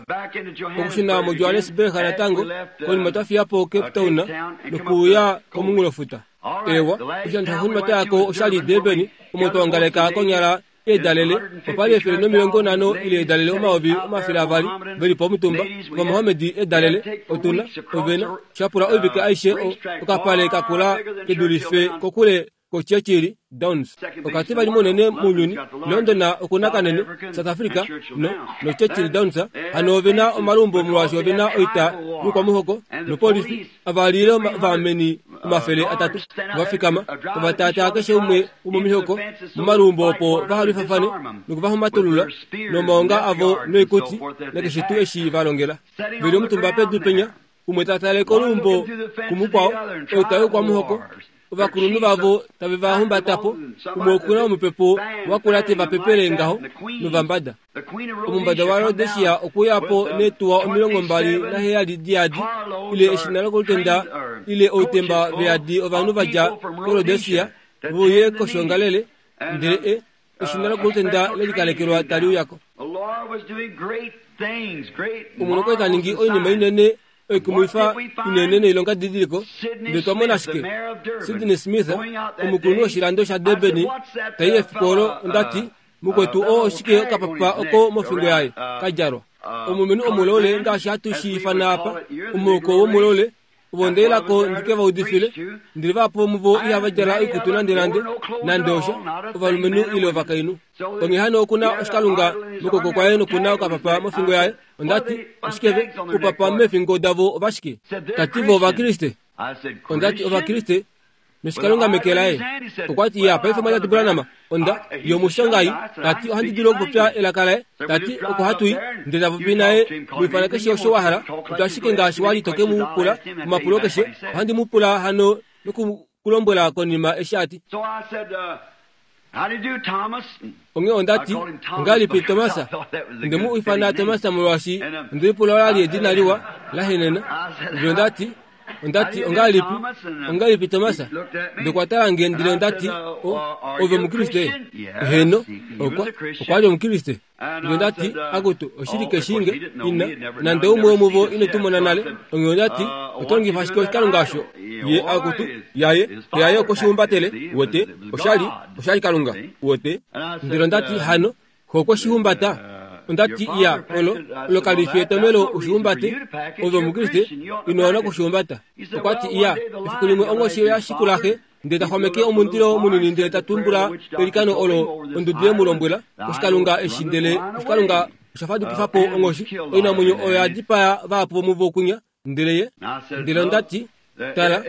[SPEAKER 1] okushuna mo Johannesburg natango konima twafiyapo Cape Town nokuya komunghulofuta. Ewa oshilando shaxuuninwa twayako oshali Durban omo twaongaleka konyala eedalele opali efele nomilongo nhano ile eedalele omayovi omafele avali velipo omutumba ovamohamedi eedalele otuna ovena shapula oivike aishe okapale kakula kedulife kokule ko Churchill Downs okati vali munene mounyuni London okuna kanene South Africa no no Churchill Downs hano ovena omalumbo molwaashi ovena oita yokwamuhoko nopolifi avalile vameni omafele atatu vafikama ovataataa keshe umwe womomihoko momalumbo opo vahalwifafane nokuvahumatulula nomaonga avo noikuti nakeshe tuu eshi valongela veli omutumba pedu penya umwe tatale kolumbo kumukwao oita yokwamuhoko ovakulunhu vavo tave vahumbatapo umwe okuna omupepo wakula te vapepele ngaho novambada. Omumbada wa Rhodesia okuyapo neetuwa omilongo mbali naheyali diyadi ile eshina lokolutenda ile outemba veyadi ovanhu vadja koRhodesia veuye koshongalele ndele e eshina lokolutenda lelikalekelwa tali uyako. Omwene okwa taningi oinima inene oikumwifa inene noilonga didiliko ndele twamona ashike Sydney Smith omukulunhu woshilando sha Durban tai efiku olo ondati mukwetu oo oshike okapapa oko mofingo yaye kadjalwa omulumenhu omulole ngaashi hatu shi ifana apa omuoko womulole ovo ndeilako ndike vaudifile ndele vahapu vomuvo ihava djala oikutu nande nande nande osha ovalumenhu ile ovakainhu. Onghee hano okuna oshikalunga mokwooko kwaye nokuna okapapa mofingo yaye ondati oshikeve upapa mefingo davo ovashike tati vo ovakriste ondati ovakriste noshikalunga meke laye okwati ya paife mwatate Branham onda yomushongai tati ohandi dulu okupopya elaka laye tati oko hatui ndele tapopi naye muifana keshe osho wa hala popya ashike ngaashi wali toke mu pula omapulo keshe ohandi mu pula hano nokukulombwela konima eshi ati. Onghee ondati ongahelipi Thomas nde mu ifana Thomas molwaashi ondelipula olali edina liwa lahenena ndele ondati ondati ongahelipi ongahelipi Thomas ndokwatala nge ndele ondati ove omukriste heno okwa okwali omukriste ndele ondati akutu oshili keshinge ina nande umwe womuvo inotumona nale onghee ondati otolongifa ashike oshikalunga osho ye akutu yaye yaye okwoshiumbatele wote oshali oshali kalunga wote ndele ondati hano kokwoshiumbata ondati ya olo olo kalifi etomelo oshiumbate ove omukriste inoona kushiumbata okwati ya efiku limwe onghoshi yashikulaxe ndele taxwameke omundilo munini ndele tatumbula elikano olo ondudu yemulombwela oshikalunga eshi ndele oshikalunga oshafadukifapo onghoshi oinamwenyo oyo yadipaya vahapu vomuvo kunya ndele ye ndele ondati tala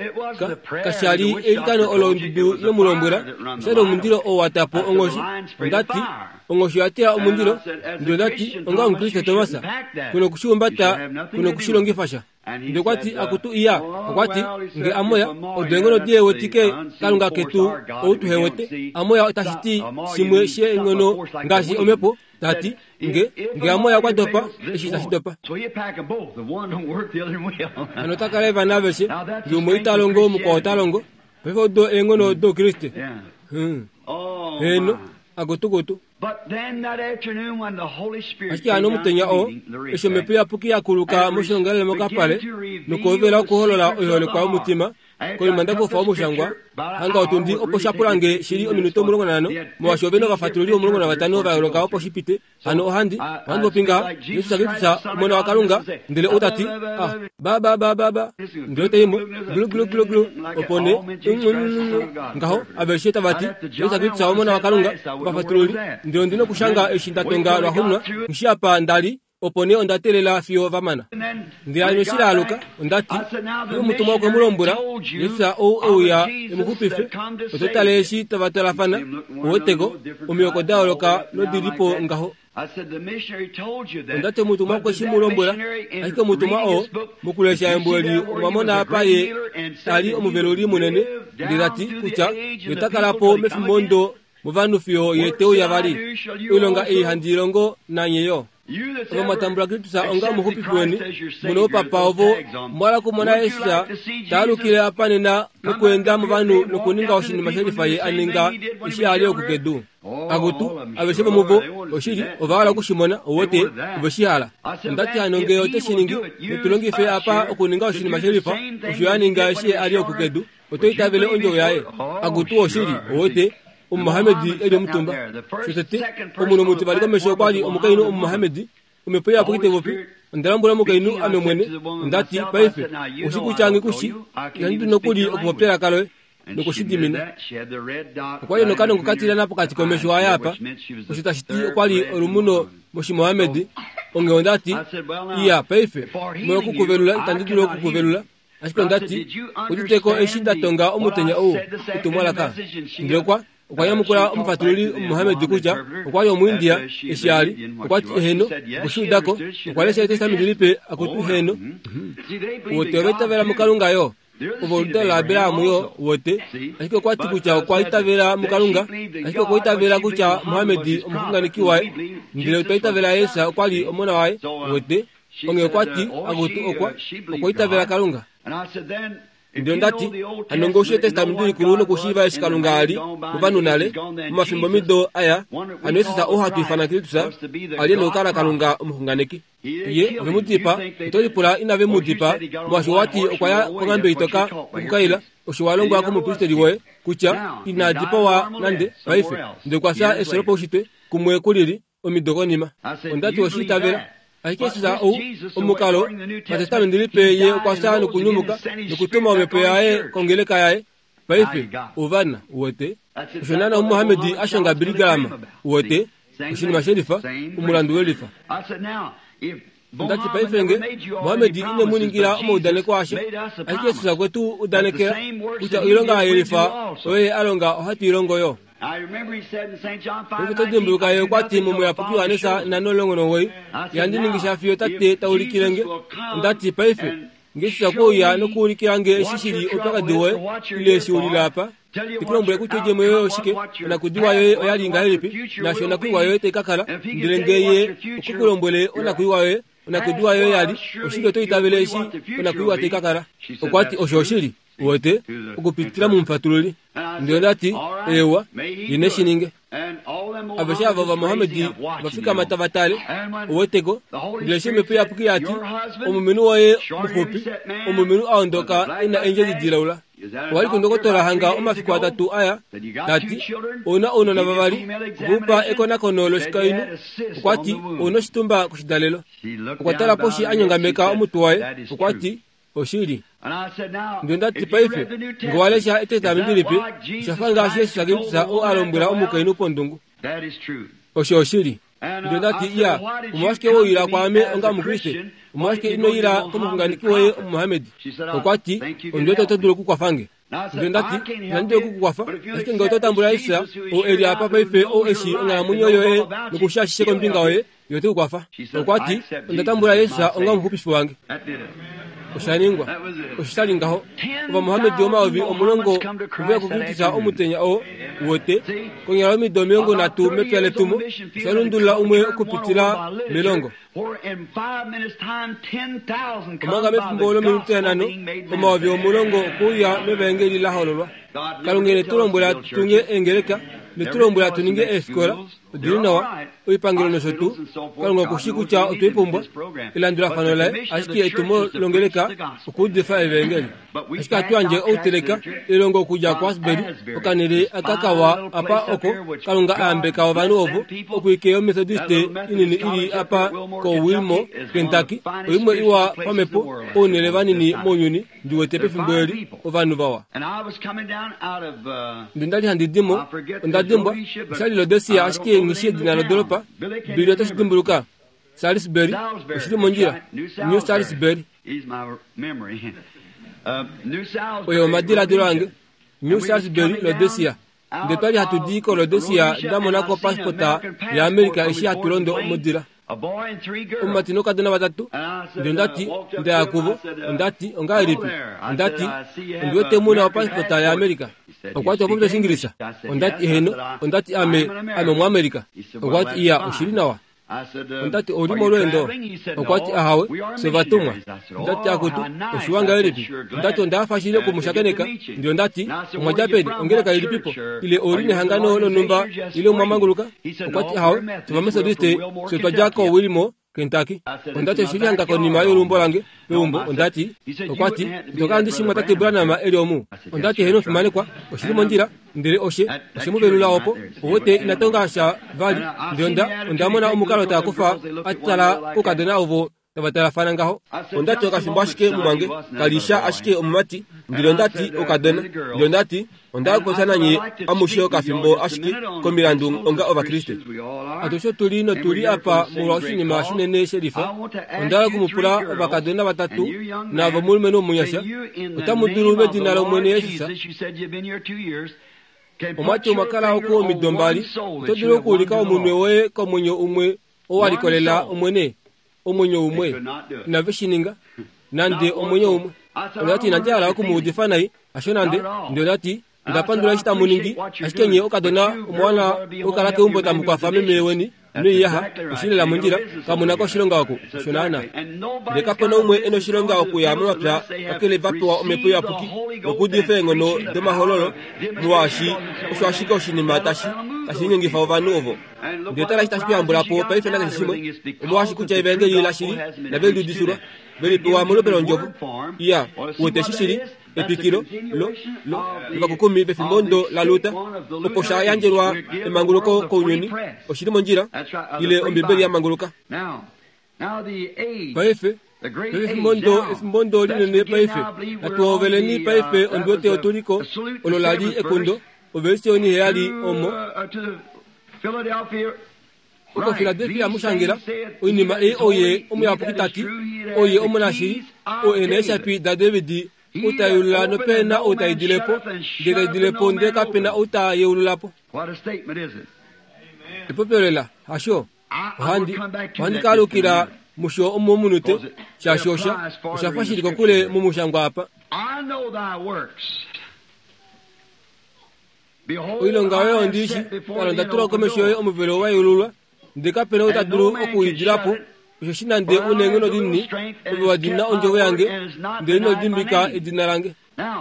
[SPEAKER 1] kashali elikano olo ondudu yemulombwela oshali omundilo oo watapo onghoshi ondati onghoshi oyatila omundilo ndele ondati onga omukriste Thomas kuna okushiumbata kuna okushilongifa sha ndele okwati akutu iya okwati nge amoya odo eenghono dihewetike kalunga ketu ou tuhewete amoya otashi ti shimwe sheenghono ngaashi omhepo tati nge nge amoya okwa dopa eshi tashi dopa hano otakala vana aveshe nge umwe ita longo mukwao ota longo paife odo eenghono doukriste heno akutukutu. Ashike hano omutenya oo eshi omhepo iyapuki yakuluka moshilongalele mokapale nokuhovela okuholola oiholekwa yomutima Konima ndakufa omushangwa hanga otundi opo shapulange shili ominute omulongo nanhano molwaashi ove novafatululi omulongo navatano va yooloka opo shipite hano ohandi ohandi popi ngaha Jesus Kristus omona waKalunga ndele ou tati ah ba ba ba ba ba ndele taimo glu glu glu glu opo nee ngaho aveshe tavati Jesus Kristus omona waKalunga ovafatululi ndele ondina okushanga eshi ndatonga lwaxuuninwa ngishi apa ndali opo nee onda teelela fiyo vamana ndele hano eshi laaluka ondati omutumwa okwe mu lombwela Jesus ou euya emuxupife oto tale eshi tava twalafana oweteko omihoko da yooloka nodilipo ngaho ondati omutumwa okwe shi mu lombwela ashike omutumwa oo mokulesha embo eli omwa mona apa ye ali omuveluli munene ndele tati kutya ye ota kalapo mefimbo ndo movanhu fiyo ye teuya vali oilonga ei handi ilongo nanye yo ova mwatambula Kristus onga omuxupifi weni muna oupapa ovo mwala kumona Jesus taalukile apa nena nokuenda movanhu nokuninga oshinima shelifa ye aninga eshi ali okukedu akutu aveshe vomuvo oshili ova hala okushimona owote ove shi hala ondati hano ngee ote shi ningi netulongife apa okuninga oshinima shelifa osho aninga eshi ali okukedu oto itavele ondjovo yaye akutu oshili owote omumohamedi eli omutumba shotete omunhu omutivali komesho okwali omukainhu omumohamedi omhepo iyapuki tevopi onda lombwela omukainhu ame mwene ondati paife oshikutyange kushi ihandi dulu nokuli okupopya elaka loye nokushidimina okwali nokanongo katilana pokati komesho aye apa osho tashi ti okwali olumuno moshimohamedi onghee ondati iya paife molwokukuvelula itandi dulu okukuvelula ashike ondati uditeko eshi ndatonga omutenya ou etumwalaka ndele okwa okwa nyamukula omufatululi omumohamedi kutya okwali omuindia eshi ali okwati eheno okushiudako okwa lesha etestamenti lipe akutu heno wote ova itavela muKalunga yo ovo oludalo laAbraham yo wote ashike okwati kutya okwa itavela muKalunga ashike okwa itavela kutya Mohamedi omuxunganeki waye ndele otwa itavela Jesus okwali omona waye wote onghee okwati akutu okwa okwa itavela Kalunga ndele ondati hano ngee oushi etestamenti likulu nokushiiva eshi Kalunga ali movanhu nale momafimbo mido aya hano Jesus ou hatu ifana Kristus ali nokukala Kalunga omuxunganeki ye ove mu dipa oto lipula inave mu dipa molwaashi owati okwa ya konghambe itoka okukaila osho wa longwa komupristeli woye kutya ina dipawa nande paife ndele okwa fya efyo lopaushitwe kumwe kulili omido konima ondati oshiitavela ashike Jesus ou omukalo patestamenti lipe ye okwa fya nokunyumuka nokutuma omhepo yaye kongeleka yaye paife ovana uwete osho naana omumohamedi ashonga Billy Graham uwete oshinima shelifa omulandu welifa ondati paife nge Mohamedi ine mu ningila omaudaneko asha ashike Jesus okwe tu udanekela kutya oilonga yelifa oyo alonga ohatu ilongo yo Paife oto dimbuluka ye okwati momuyapuki Johannes nhano omulongo nomugoyi ihandi ningi sha fiyo tate taulikile nge ondati paife nge Jesus okwe uya nokuulikila nge eshi shili oupyakadi woye ile eshi ulile apa tekulombwele kutya oidjemo yoye oshike onakudiwa yoye oyali ngahelipi naashi onakuiwa yoye tai kakala ndele ngee ye okwe kulombwele onakuiwa yoye onakudiwa yoye yali oshili oto itavele eshi onakuiwa tai kakala okwati osho oshili wote okupitila mumufatululi ndele ondati ewa ine shininge aveshe ava vamohamedi vafikama tava tale oweteko ndele eshi omhepo iyapuki yati omulumenhu woye muxupi omulumenhu aondoka ena eendjedi dilaula owali kundokotola hanga omafiku atatu aya tati ouna ounona vavali okwe upa ekonakono loshikainhu okwati ouna oshitumba koshidalelo okwa tala poshi anyongameka omutwe waye okwati oshili ndele ondati paife nge walesha etestamenti lipe oshafa ngaashi Jesus Kristus ou alombwela omukainhu pondungu osho oshili ndele ondati iya omolwashike woila kwaame onga omukriste omolwashike inoila komuxunganeki woye omumohamedi okwati ondiwete oto dulu okukwafange ndele ondati ihandi dulu okukukwafa ashike ngee oto tambula Jesus ou eli apa paife ou eshi onghalamwenyo yoye nokusha ashishe kombinga yoye ye ote kukwafa okwati onda tambula Jesus onga omuxupifi wange oshaningwa osho shali ngaho ovamohamedi omayovi omulongo oveya kuKristus omutenya oo wote konyala omido omilongo nhatu mepya letumo osha lundulula umwe okupitila melongo omanga mefimbo lominute nhano omayovi omulongo okuuya mevaengeli la hololwa Kalunga ine tu lombwela tutunge eengeleka ine tu lombwela tu ninge eefikola Odili nawa oipangelo nosho tuu Kalunga okushi kutya otweipumbwa elandulafano laye ashike etumo longeleka okuudifa evangeli ashike hatu yandje outeleka elongo okudja kuAsbury okanele akakawa apa oko Kalunga ayambeka ovanhu ovo okuike yoMethodist inini ili apa koWilmore Kentucky oimwe iwa pamhepo ounele vanini mounyuni ndiwete pefimbo eli ovanhu vawa ndendali handi dimo onda dimbwa oshali Rhodesia ashike ngishi edina lodoropa Billy otashi dimbuluka Salisbury oshili mondjila New Salisbury oyo omadiladilo ange New Salisbury Rhodesia nde twali hatu di ko Rhodesia ndamonako pasipota ya Amerika eshi hatu londo modila omumati nokadona vatatu ndele ondati ndaya kuvo ondati ongahelipi ondati ondiwete muna opasipota ya Amerika okwati opopya Oshingilisa ondati eheno ondati ame ame omuAmerika okwati iya oshili nawa ondati oli molweendo okwati ahawe sovatumwa ondati akutu oshiwa ngahelipi ondati ondafa shili okumushakeneka ndele ondati omwadja peni ongeleka ilipipo ile oli nehangano lonumba ile omwamanguluka okwati ahawe sovamethodiste sotwadja koWilmore Kentucky ondati oshili hanga konima yolumbo lange peumbo ondati okwati itokala ndishimwa tate Branham eli omu ondati heno fimanekwa oshili mondjila ndele oshe oshe muvelula opo owete inatonga sha vali ndele onda ondamona omukalo taakufa atala kukadona ovo tavatalafana ngaho ondati okafimbo ashike mumwange kalisha ashike omumati ndele ondati okadona ndele ondati ondakopya nanye amushe okafimbo ashike komilandu onga ovakriste atushe tuli notuli apa molwa oshinima shinene shelifa ondala okumupula ovakadona vatatu navo omulumenhu omunyasha otamu dulu medina lOmwene Yesus omwati omwakala oku omido mbali oto dulu okuulika omunwe woye komwenyo umwe owalikolela Omwene omwenyo umwe inave shininga nande omwenyo umwe ondati inandi hala okumuudifa nai asho nande ndele ondati ndapandula eshi tamu ningi ashike nye okadona omwana okala keumbo tamukwafa meme weni noiyaha oshilela mondjila kamunako oshilonga oku osho naana ndele kapena umwe ena oshilonga okuya momapya kakele vapewa omhepo iyapuki nokuudifa eenghono domahololo molwaashi osho ashike oshinima tashi tashi linyengifa ovanhu ovo ndele tala eshi tashi kuyambulapo paife nakeshe shimwe omolwaashi kutya evangeli lashili nave liudifilwa velipewa molupe londjovo iya wete eshi shili etwikilo lo lo lovakukumi pefimbo ndo la Luther opo sha yandjelwa emanguluko kounyuni oshili mondjila ile Ombibeli ya manguluka paife pefimbo ndo efimbo ndo linene paife natuoveleni paife ondiwete otuliko olo lali ekundo oversi oniheyali omo oko Philadelphia mushangela oinima ei oye omuyapuki tati oye omunashili o ena eeshapi da David outayulula nopena outaidilepo ndele taidilepo ndele kapena outayeululapo epopyolela hasho ohandi ohandi kalukila musho omomunute shaashi osha oshafa shili kokule mumushangwa apa oilonga yoye ondishi kala ndatula komesho yoye omuvelo wayeululwa ndele kapena ou ta dulu okuidilapo osho shi nande uneenghono dinini ove wa dina ondjovo yange ndele ino dimbika edina lange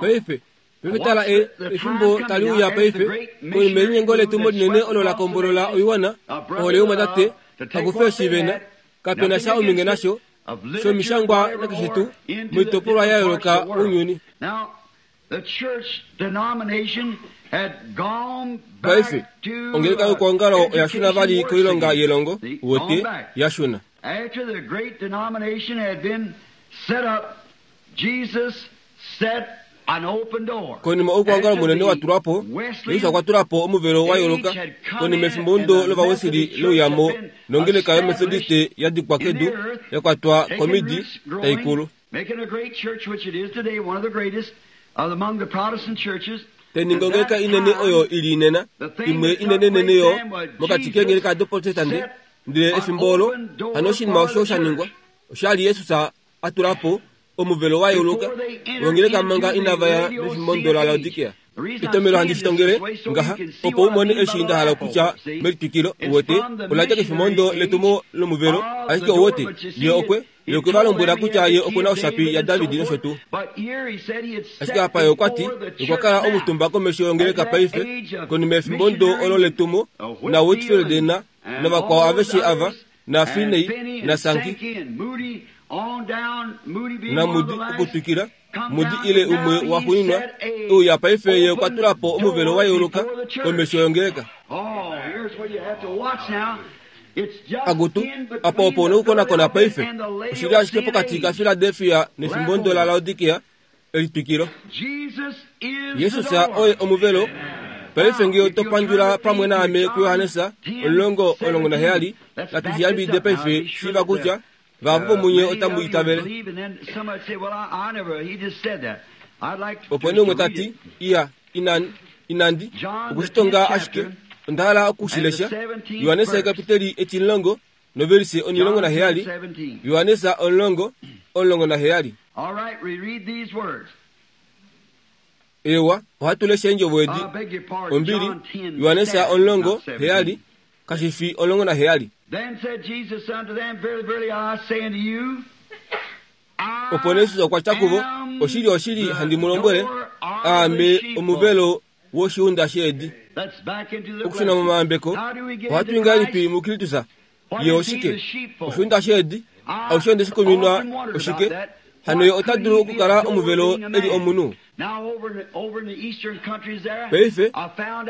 [SPEAKER 1] paife paife tala e efimbo tali uya paife konima elinyengo letumo linene olo la kombolola oiwana ohole youmwatate akufe oshivena kapena sha ominge nasho shomishangwa nakeshe tuu moitopolwa ya yooloka ounyuni paife ongeleka yokuongalo oya shuna vali koilonga yelongo wote ya shuna
[SPEAKER 2] After the great denomination had been set up, Jesus set an open door.
[SPEAKER 1] Konima okuongalo munene watulwapo Yesu okwatulapo omuvelo wa yooloka konima efimbo ndo lovawesili louyamo nongeleka yomethodiste ya dikwa kedu ya kwatwa komidi taikulu teninga ongeleka inene oyo ili inena imwe inenenene yo mokati keengeleka doprotestante ndele efimbo olo hano oshinima osho shaningwa oshali Yesus atulapo omuvelo wa yooloka wongeleka manga inavaya mefimbo ndo la Laodikea etomelo handi shitongele ngaha opo umone eshi nda hala okutya melitwikilo uwete oladja kefimbo ndo letumo lomuvelo ashike uwete ye okwe Ye okwe va lombwela kutya ye oku na oshapi yaDavid nosho tuu. Ashike apa ye okwa ti okwa kala omutumba komesho yongeleka paife, konima yefimbo ndo olo letumo, na Whitfield na navakwao aveshe ava, na Finney na Sankey na Moody okutwikila, Moody ile umwe waxuuninwa, ouya paife ye okwa tula po omuvelo wa yeuluka komesho yongeleka. Akutu, apa opo nokukonakona paife, oshili ashike pokati kaFiladelfia nefimbo ndo laLaodikea, elitwikilo. Jesus oye omuvelo. Paife ngee oto pandjula pamwe naame kuJohannes omulongo omulongo naheyali, natu shi yambidide paife shiiva kutya vahapu vomunye otamu itavele. Opo nee umwe ta ti, iya, inandi, inandi, okushitonga ashike, onda hala okushilesha. Johannes ekapiteli etimulongo novelise omulongo naheyali. Johannes omulongo omulongo naheyali. Ewa, ohatu lesha eendjovo edi. Ombili, Johannes omulongo heyali, kashi fi omulongo naheyali. Opo nee Jesus okwa tya kuvo, oshili oshili handi mu lombwele, aame omuvelo woshiunda sheedi. Okushuna momayambeko, ohatu i ngahelipi muKristus? Ye oshike? Oshiunda sheedi, aushe onde shi kuminwa oshike? Hano ye ota dulu okukala omuvelo e li omunhu. Paife,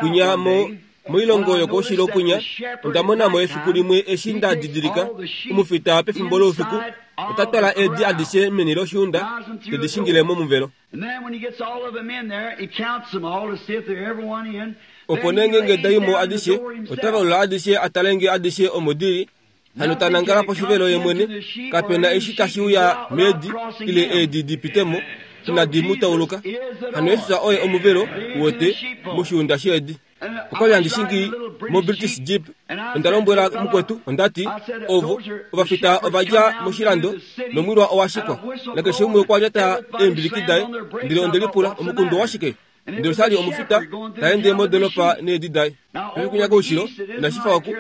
[SPEAKER 1] kunya mo moilongo yokoushilo kunya, onda mona mo efiku limwe eshi nda didilika omufita pefimbo loufiku ota twala eedi adishe meni loshiunda tedi shingile momuvelo. Opo nee ngeenge da i mo adishe, ota valula adishe a tale ngee adishe omo di li. Hano ta nangala poshivelo ye mwene, kapena eshi tashi uya meedi ile eedi di pite mo, inadi mu tauluka. Hano Jesus oye omuvelo wote moshiunda sheedi. Okwali handi shingi mo British Jeep, onda lombwela mukwetu, onda ti, ovo ovafita ova dja moshilando nomwilwa owa shikwa, nakeshe umwe okwa lyata eembiliki daye, ndele onde lipula omukundu owashike? Ndele oshali omufita ta ende modolopa needi daye. Pefikunya koushilo inashi fa oku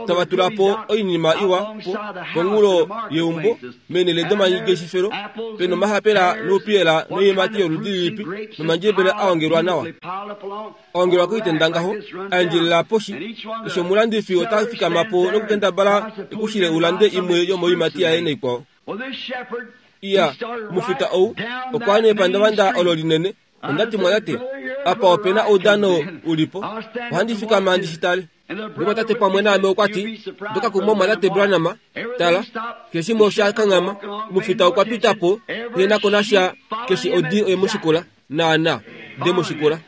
[SPEAKER 1] tava tula po oinima iwa po ponghulo yeumbo meenhele domangeshefelo, pena omahapela noupiyela noiimati yoludi lilipi nomandjebele a ongelwa nawa, a ongelwa koitenda ngaho, a endjelela poshi. Keshe omulandifi ota fikama po nokukendabala ekushile ulande imwe yomoiimati yaye naikwao. Iya, omufita ou okwa ya nepandavanda olo linene. Onda ti mwatate, apa opena oudano ulipo, ohandi fikama ndi shi tale. Nomwatate pamwe naame okwa ti, ndoka kumwe mwatate Branham, tala, keshe shimwe osha kanghama, omufita okwa pita po, ye nako nasha keshe odi oye mu shikula, naana, de mu shikula.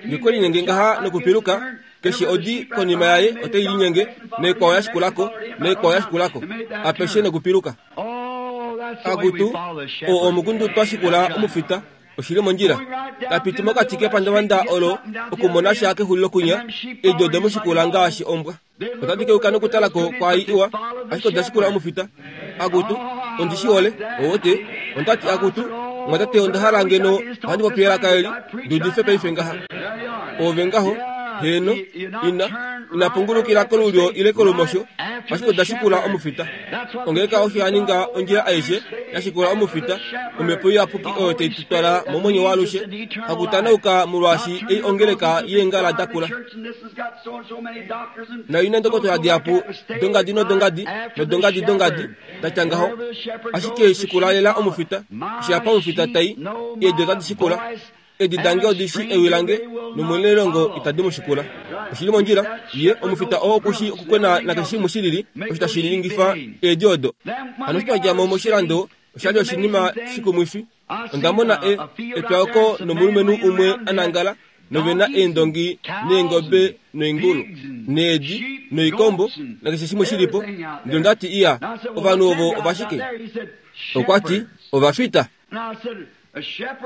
[SPEAKER 1] Ngekwe linyenge ngaha nokupiluka, keshe odi konima yaye otai linyenge, naikwao ya shikulako, naikwao ya shikulako, apeshe nokupiluka. Akutu, oo omukundu twa shikula omufita, oshili mondjila. Tapiti mokati kepandavanda olo okumona sha kexulilo kunya, eedi ode mu shikula ngaashi ombwa. Otadi keuka nokutalako kwaai iwa, ashike oda shikula omufita. Akutu, ondi shi hole, owote, ondati akutu, mwatate onda hala ngeno ohandi popi elaka eli, ndi udife paife ngaha. Ove ngaho, heno, ina, ina pungulukila kolulyo ile kolumosho, ashike oda shikula omufita. Ongeleka osho ya ninga ondjila aishe ya shikula omufita, omhepo iyapuki oyo tai tu twala momwenyo waalushe, hakutanauka molwaashi ei ongeleka yeengala dakula. Nayo ina ndokotola dihapu dongadi nodongadi nodongadi dongadi datya ngaho, ashike shikula lela omufita. Eshi apa omufita tai, eedi otadi shikula. Eedi dange odi shi ewi lange, nomwenelongo itadi mu shikula. Oshili mondjila, ye omufita oo okushi okukwena nakeshe shimwe shilili, osho tashi ningifa eedi odo. Hano eshi twa dja mo moshilando, oshali oshinima shikumwifi. Onda mona e, epya oko nomulumenhu umwe a nangala, novena eendongi neengobe noingulu needi noikombo nakeshe shimwe shilipo. Ndele onda ti, iya, ovanhu ovo ovashike? Okwa ti, ovafita.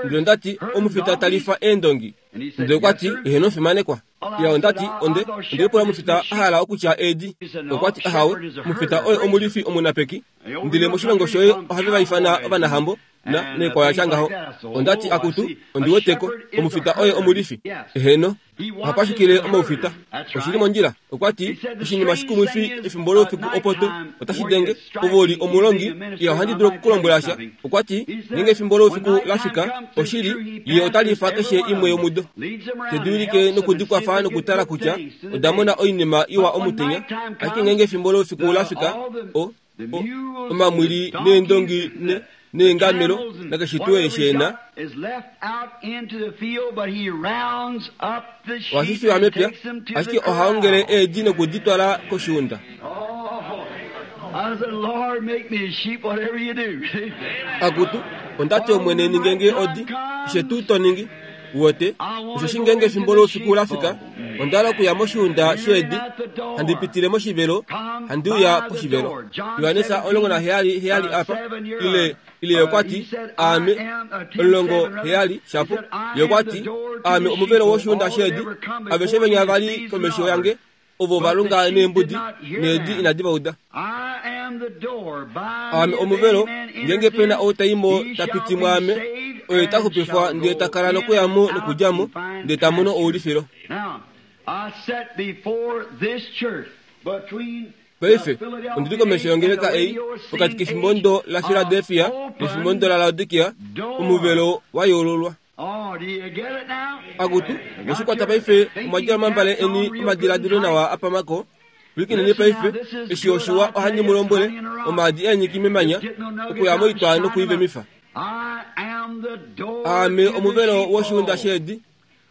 [SPEAKER 1] Ndele onda ti, omufita talifa eendongi. Ndele okwa ti, eheno fimanekwa. Iya, onda ti, onde, onde lipula omufita a hala okutya eedi. Okwa ti, ahawe, omufita oye omulifi omunapeki. Ndele moshilongo shoye ohave va ifana ovanahambo, na neikwao yatya ngaho. Onda ti akutu, ondi weteko, omufita oye omulifi. Eheno, oha pashukile omaufita. Oshili mondjila. Okwa ti, oshinima shikumwifi efimbo loufiku opo to otashi denge, ove uli omulongi, iya ohandi dulu okukulombwela sha. Okwa ti, ngeenge efimbo loufiku la fika, oshili, ye ota lifa keshe imwe yomudo. Te di wilike nokudikwafa nokutala kutya oda mona oinima iwa omutenya, ashike ngeenge efimbo loufiku la fika, o, o, omamwili neendongi ne neengamelo nakeshe tuu eshi ena ohashi fiwa mepya, ashike oha ongele eedi nokudi twala koshiunda. Akutu, onda ti Omwene ninge nge odi, keshe tuu to ningi. Wote, osheshi ngeenge efimbo loufiku la fika, onda hala okuya moshiunda sheedi, handi pitile moshivelo, handi uya poshivelo. Johannes omulongo naheyali heyali apa, ile, ile okwa ti, aame, omulongo heyali, shapo, ye okwa ti, aame omuvelo woshiunda sheedi, aveshe venya vali komesho yange, ovo va lunga neembudi, needi inadi va uda. Aame omuvelo, ngeenge pena ou ta i mo ta piti mwaame, oye ta xupifwa ndele ta kala nokuya mo nokudja mo, ndele ta mono oulifilo. Paife, ondi li komesho yongeleka ei, pokati kefimbo la Philadelphia nefimbo la Laodikia, omuvelo wa yeululwa. Akutu, mweshikwata paife, omwa djala omambale eni omadiladilo nawa apamako. Pwilikineni paife, eshi oshiwa ohandi mu lombwele, omaadi eenyiki memanya, okuya moitwa nokuivemifa. Aame omuvelo woshiunda sheedi.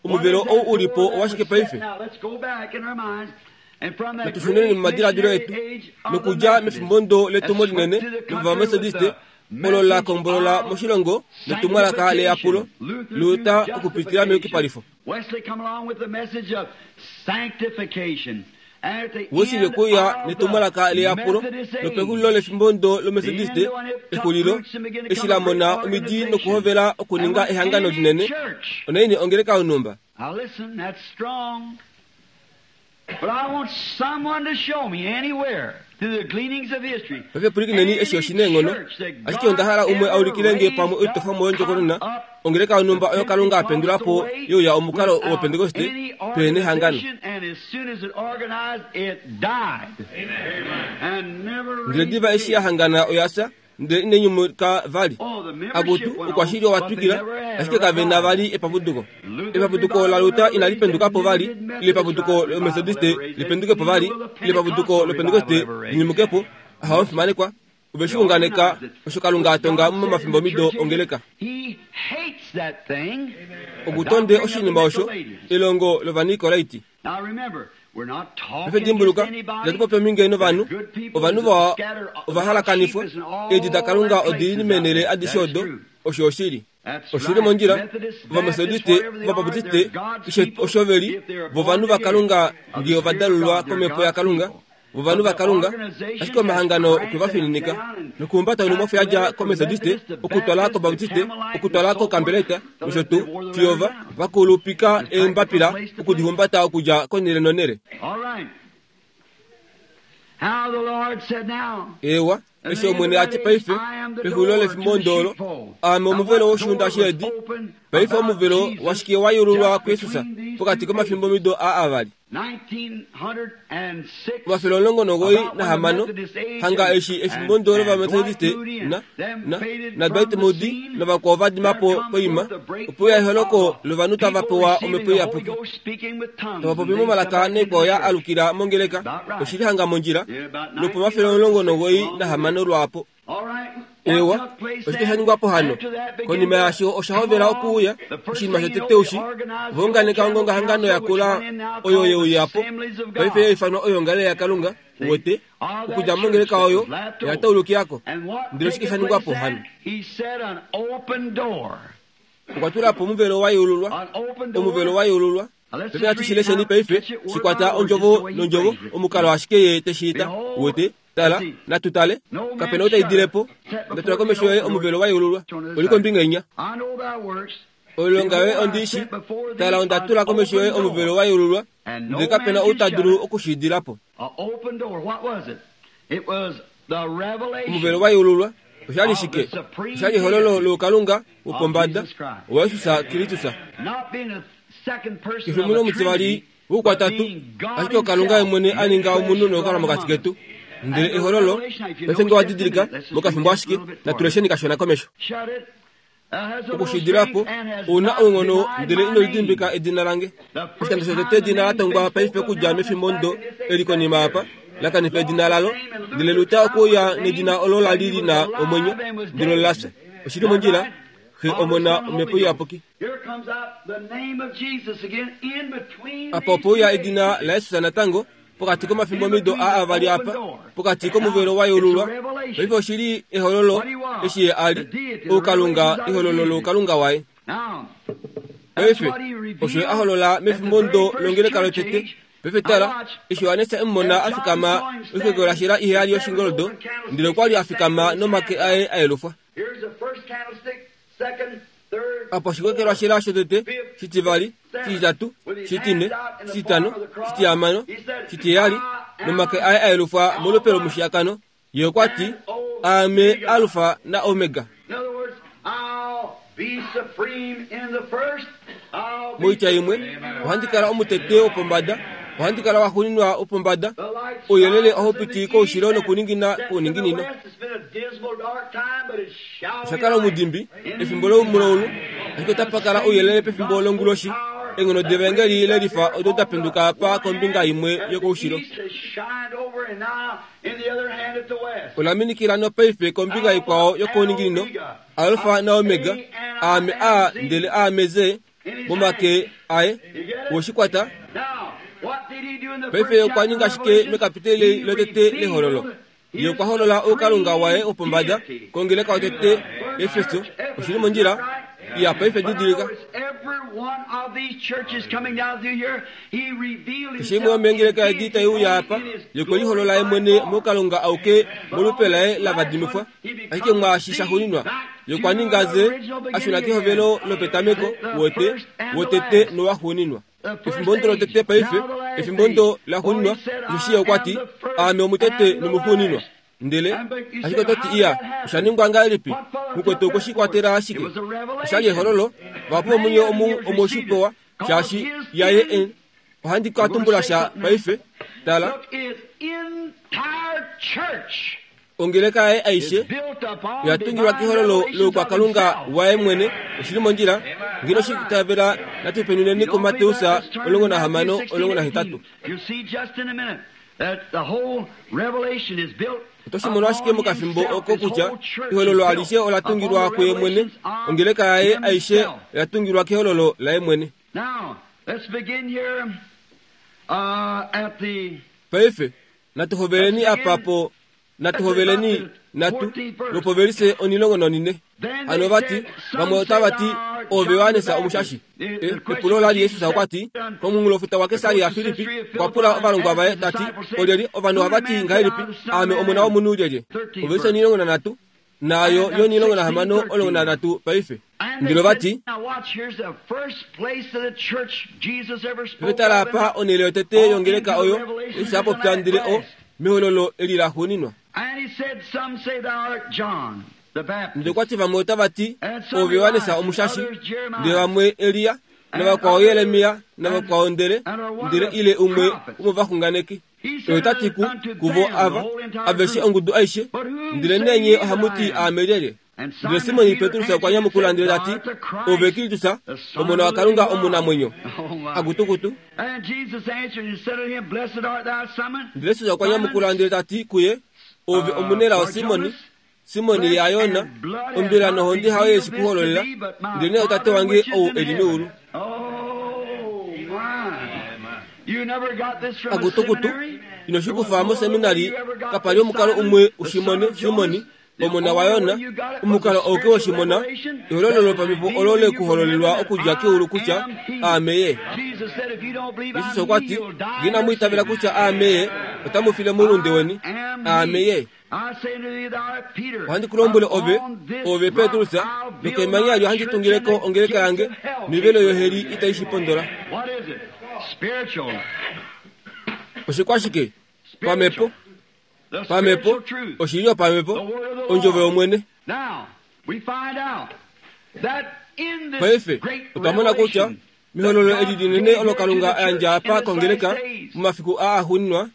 [SPEAKER 1] Omuvelo ou ulipo owashike paife? Natushuneni momadiladilo etu, nokudja mefimbo letumo linene lOvametodiste, olo la kombolola moshilongo netumwalaka leyapulo, Luther okupitila meyukipalifo. Wesley okuya netumwalaka leyapulo, nopexulilo lefimbo lOmetodiste, exulilo, eshi la mona omidi nokuhovela okuninga ehangano linene, onaini ongeleka yonhumba. Paife pwilikineni eshi oshineenghono, ashike onda hala umwe a ulikile nge pamwe oitofwamo yondjokonona, ongeleka yonhumba oyo Kalunga a pendula po yeuya omukalo wOpentekoste pehena ehangano. Ndele diva eshi ya hangana oya fya, ndele inai nyumuka vali. Akutu, oukwashili owa twikila, ashike kave na vali epapuduko. Epapuduko laLuther inali penduka po vali, ile epapuduko lOmetodiste lipenduke po vali, ile epapuduko lOpentekoste linyumuke po. Ahawe omufimanekwa, ove shi unganeka osho Kalunga a tonga momafimbomido ongeleka. Okutonde oshinima osho, elongo lOvanikolaiti. Paife dimbuluka, itatu popi ominge novanhu, ovanhu vawa ovahalakanifwa, eedi daKalunga odi li meenhele adishe odo, osho oshili. Oshili mondjila, Ovametodiste, Ovabaptiste, keshe osho ve li, vovanhu vaKalunga ngee ovadalulwa komhepo yaKalunga, vovanhu vaKalunga, ashike omahangano okwe va fininika nokuhumbata onhumwafo yadja kOmetodiste, okutwala kObaptiste, okutwala kOkambeleta, nosho tuu, fiyo va vakulupika eembapila okudihumbata okudja konhele nonhele. Eewa, eshi Omwene a ti paife, pexulilo lefimbo olo, aame omuvelo woshiunda sheedi. Paife omuvelo washike wa yeululwa kuJesus pokati komafimbomido aa avali? Omafele omulongo nomugoi nahamano, hanga eshi efimbo lOvametodiste na, na, na Dwight Moody navakwao va dima po poima, opo uya eholoko lovanhu tava pewa Omhepo Iyapuki, tava popi momalaka naikwao ya alukila mongeleka, oshili hanga mondjila, lwopomafele omulongo nomugoi nahamano lwaapo. Eewa, oshike sha ningwa po hano? Konima yaasho osha hovela okuuya, oshinima shotete ushi, ovaunganeka ongongahangano yakula oyo yeuya po, paife yaifanwa oyoongalele yaKalunga, uwete, okudja mongeleka oyo, oya taulukilako. Ndele oshike sha ningwa po hano? Okwa tula po omuvelo wa yeululwa, omuvelo wa yeululwa. Paife natu shi lesheni paife, shikwata ondjovo nondjovo, omukalo ashike ye te shi ita, uwete. Tala, natu tale, kapena ou ta idile po. Onda tula komesho yoye omuvelo wa yeululwa, oli kombinga inya. Oilonga yoye ondi i shi. Tala, onda tula komesho yoye omuvelo wa yeululwa, ndele kapena ou ta dulu oku shi idila po. Omuvelo wa yeululwa, Oshali shike? Oshali ehololo loukalunga wopombada waJesus Kristus. Kefi omunhu omutivali woukwatatu, ashike okalunga yemwene a ninga omunhu nokukala mokati ketu. Ndele ehololo, paife nge wa didilika, mokafimbo ashike, natulesheni kashona komesho. Okushidila po, ouna ounghono ndele ino lidimbika edina lange. Oshikando shotete edina la tongwa paife okudja mefimbo ndo eli konima apa, la kanifa edina lalo, ndele luta okuuya nedina olo la li lina omwenyo, ndele ola fya. Oshili mondjila, Xe Omona Omhepo Iyapuki. Apa opo uya edina laJesus natango, pokati komafimbo mido a avali apa, pokati komuvelo wa yeululwa. Paife oshili ehololo eshi ye a li, oukalunga, ehololo loukalunga waye. Paife, osho ye a holola mefimbo ndo longeleka lotete. Paife tala, eshi Johannes e mu mona a fikama oikokelwashela iheyali yoshingoldo, ndele okwa li a fikama nomake aye a yelufwa. Apa oshikokelwashela shotete, shitivali, shititatu, shitine, shititano, shitihamano, shitiheyali, nomake aye a yelufwa molupe lomushiyakano. Ye okwa ti, Aame Alfa na Omega. Moitya imwe, ohandi kala omutete wopombada, ohandi kala waxuuninwa wopombada. Ouyelele ohau piti koushilo nokuningina kouninginino. Osha kala omudimbi efimbo loumulaulu, ashike otapa kala ouyelele pefimbo longuloshi. Eenghono devaengeli lelifa odo da penduka apa kombinga imwe yokoushilo. Ola minikila nopaife kombinga ikwao yokouninginino, Alfa naOmega, Aame A ndele Aame Z, momake aye. Woshikwata. Paife okwa ninga shike mekapiteli lotete lehololo? Ye okwa holola oukalunga waye wopombada kongeleka yotete Efeso. Oshili mondjila? Iya, paife didilika. Keshe imwe yomeengeleka edi tai uya apa, ye okwe liholola ye mwene moukalunga auke molupe laye la vadimifwa. Ashike mwaashi sha xuuninwa, ye okwa ninga ze a shuna kehovelo lopetameko, wote, wotete nowaxuuninwa. Efimbo ndo lotete paife, efimbo ndo laxuuninwa, osheshi ye okwa ti, Aame omutete nomuxuuninwa. Ndele ashike oto ti, iya, osha ningwa ngahelipi? Mukwetu okwe shi kwatela ashike. Oshali ehololo, vahapu vomunye omu omwe shi pewa, shaashi yaye en. Ohandi ka tumbula sha paife. Tala. Ongeleka yaye aishe oya tungilwa kehololo loukwakalunga waye mwene. Oshili mondjila. Ngeno shi itavela, natu penuneni kuMateus omulongo nahamano omulongo nahetatu. Oto shi mono ashike mokafimbo oko kutya ehololo alishe ola tungilwa kuye mwene. Ongeleka yaye aishe oya tungilwa kehololo laye mwene. Paife, natu hoveleni apa po, natu hoveleni, natu, lopovelise onilongo nonine. Hano vati, vamwe otava ti, Ove Johannes omushashi. E, epulo la li Jesus okwa ti, komunghulofuta waKesaria Filippi, okwa pula ovalongwa vaye ta ti, Olyelye ovanhu ohava ti ngahelipi, Aame Omona wOmunhu lyelye? Ovelise onilongo nanhatu, naayo yonilongo nahamano omulongo nanhatu paife. Ndele ova ti, Paife tala apa onhele yotete yongeleka oyo Jesus a popya ndele o, mehololo eli laxuuninwa. Ndele okwa ti vamwe otava ti, Ove Johannes omushashi, ndele vamwe Elia, navakwao Jeremia, navakwao ndele, ndele ile umwe womovaxunganeki. Oye ota ti ku, kuvo ava, aveshe ongudu aishe, ndele nee nye ohamu ti aame lyelye? Ndele Simon Petrus okwa nyamukula ndele ta ti, Ove Kristus, Omona waKalunga omunamwenyo. Akutukutu. Ndele Jesus okwa nyamukula ndele ta ti kuye, Ove omunelao Simon, Simon yaJona, ombila nohonde hayo ye shi ku hololela, ndelenee oTate wange ou e li meulu. Akutukutu, ino shi kufa moseminari, kapa li omukalo umwe u shi mone, Simon, omona waJona, omukalo auke woshimona, ehololo lopamhepo olo le ku hololelwa okudja keulu kutya aame ye. Jesus okwa ti, Ngee inamu itavela kutya aame ye, otamu file moulunde weni. Aame ye. Ohandi ku lombwele ove, ove Petrus, nokemanya eli ohandi tungile ko ongeleka yange, noivelo yoheli itai shi pondola. Oshikwashike? Pamhepo. Pamhepo, oshili yopamhepo, ondjovo yOmwene. Paife otwa mona kutya mehololo eli linene olo Kalunga a yandja apa kongeleka momafiku aa axuuninwa,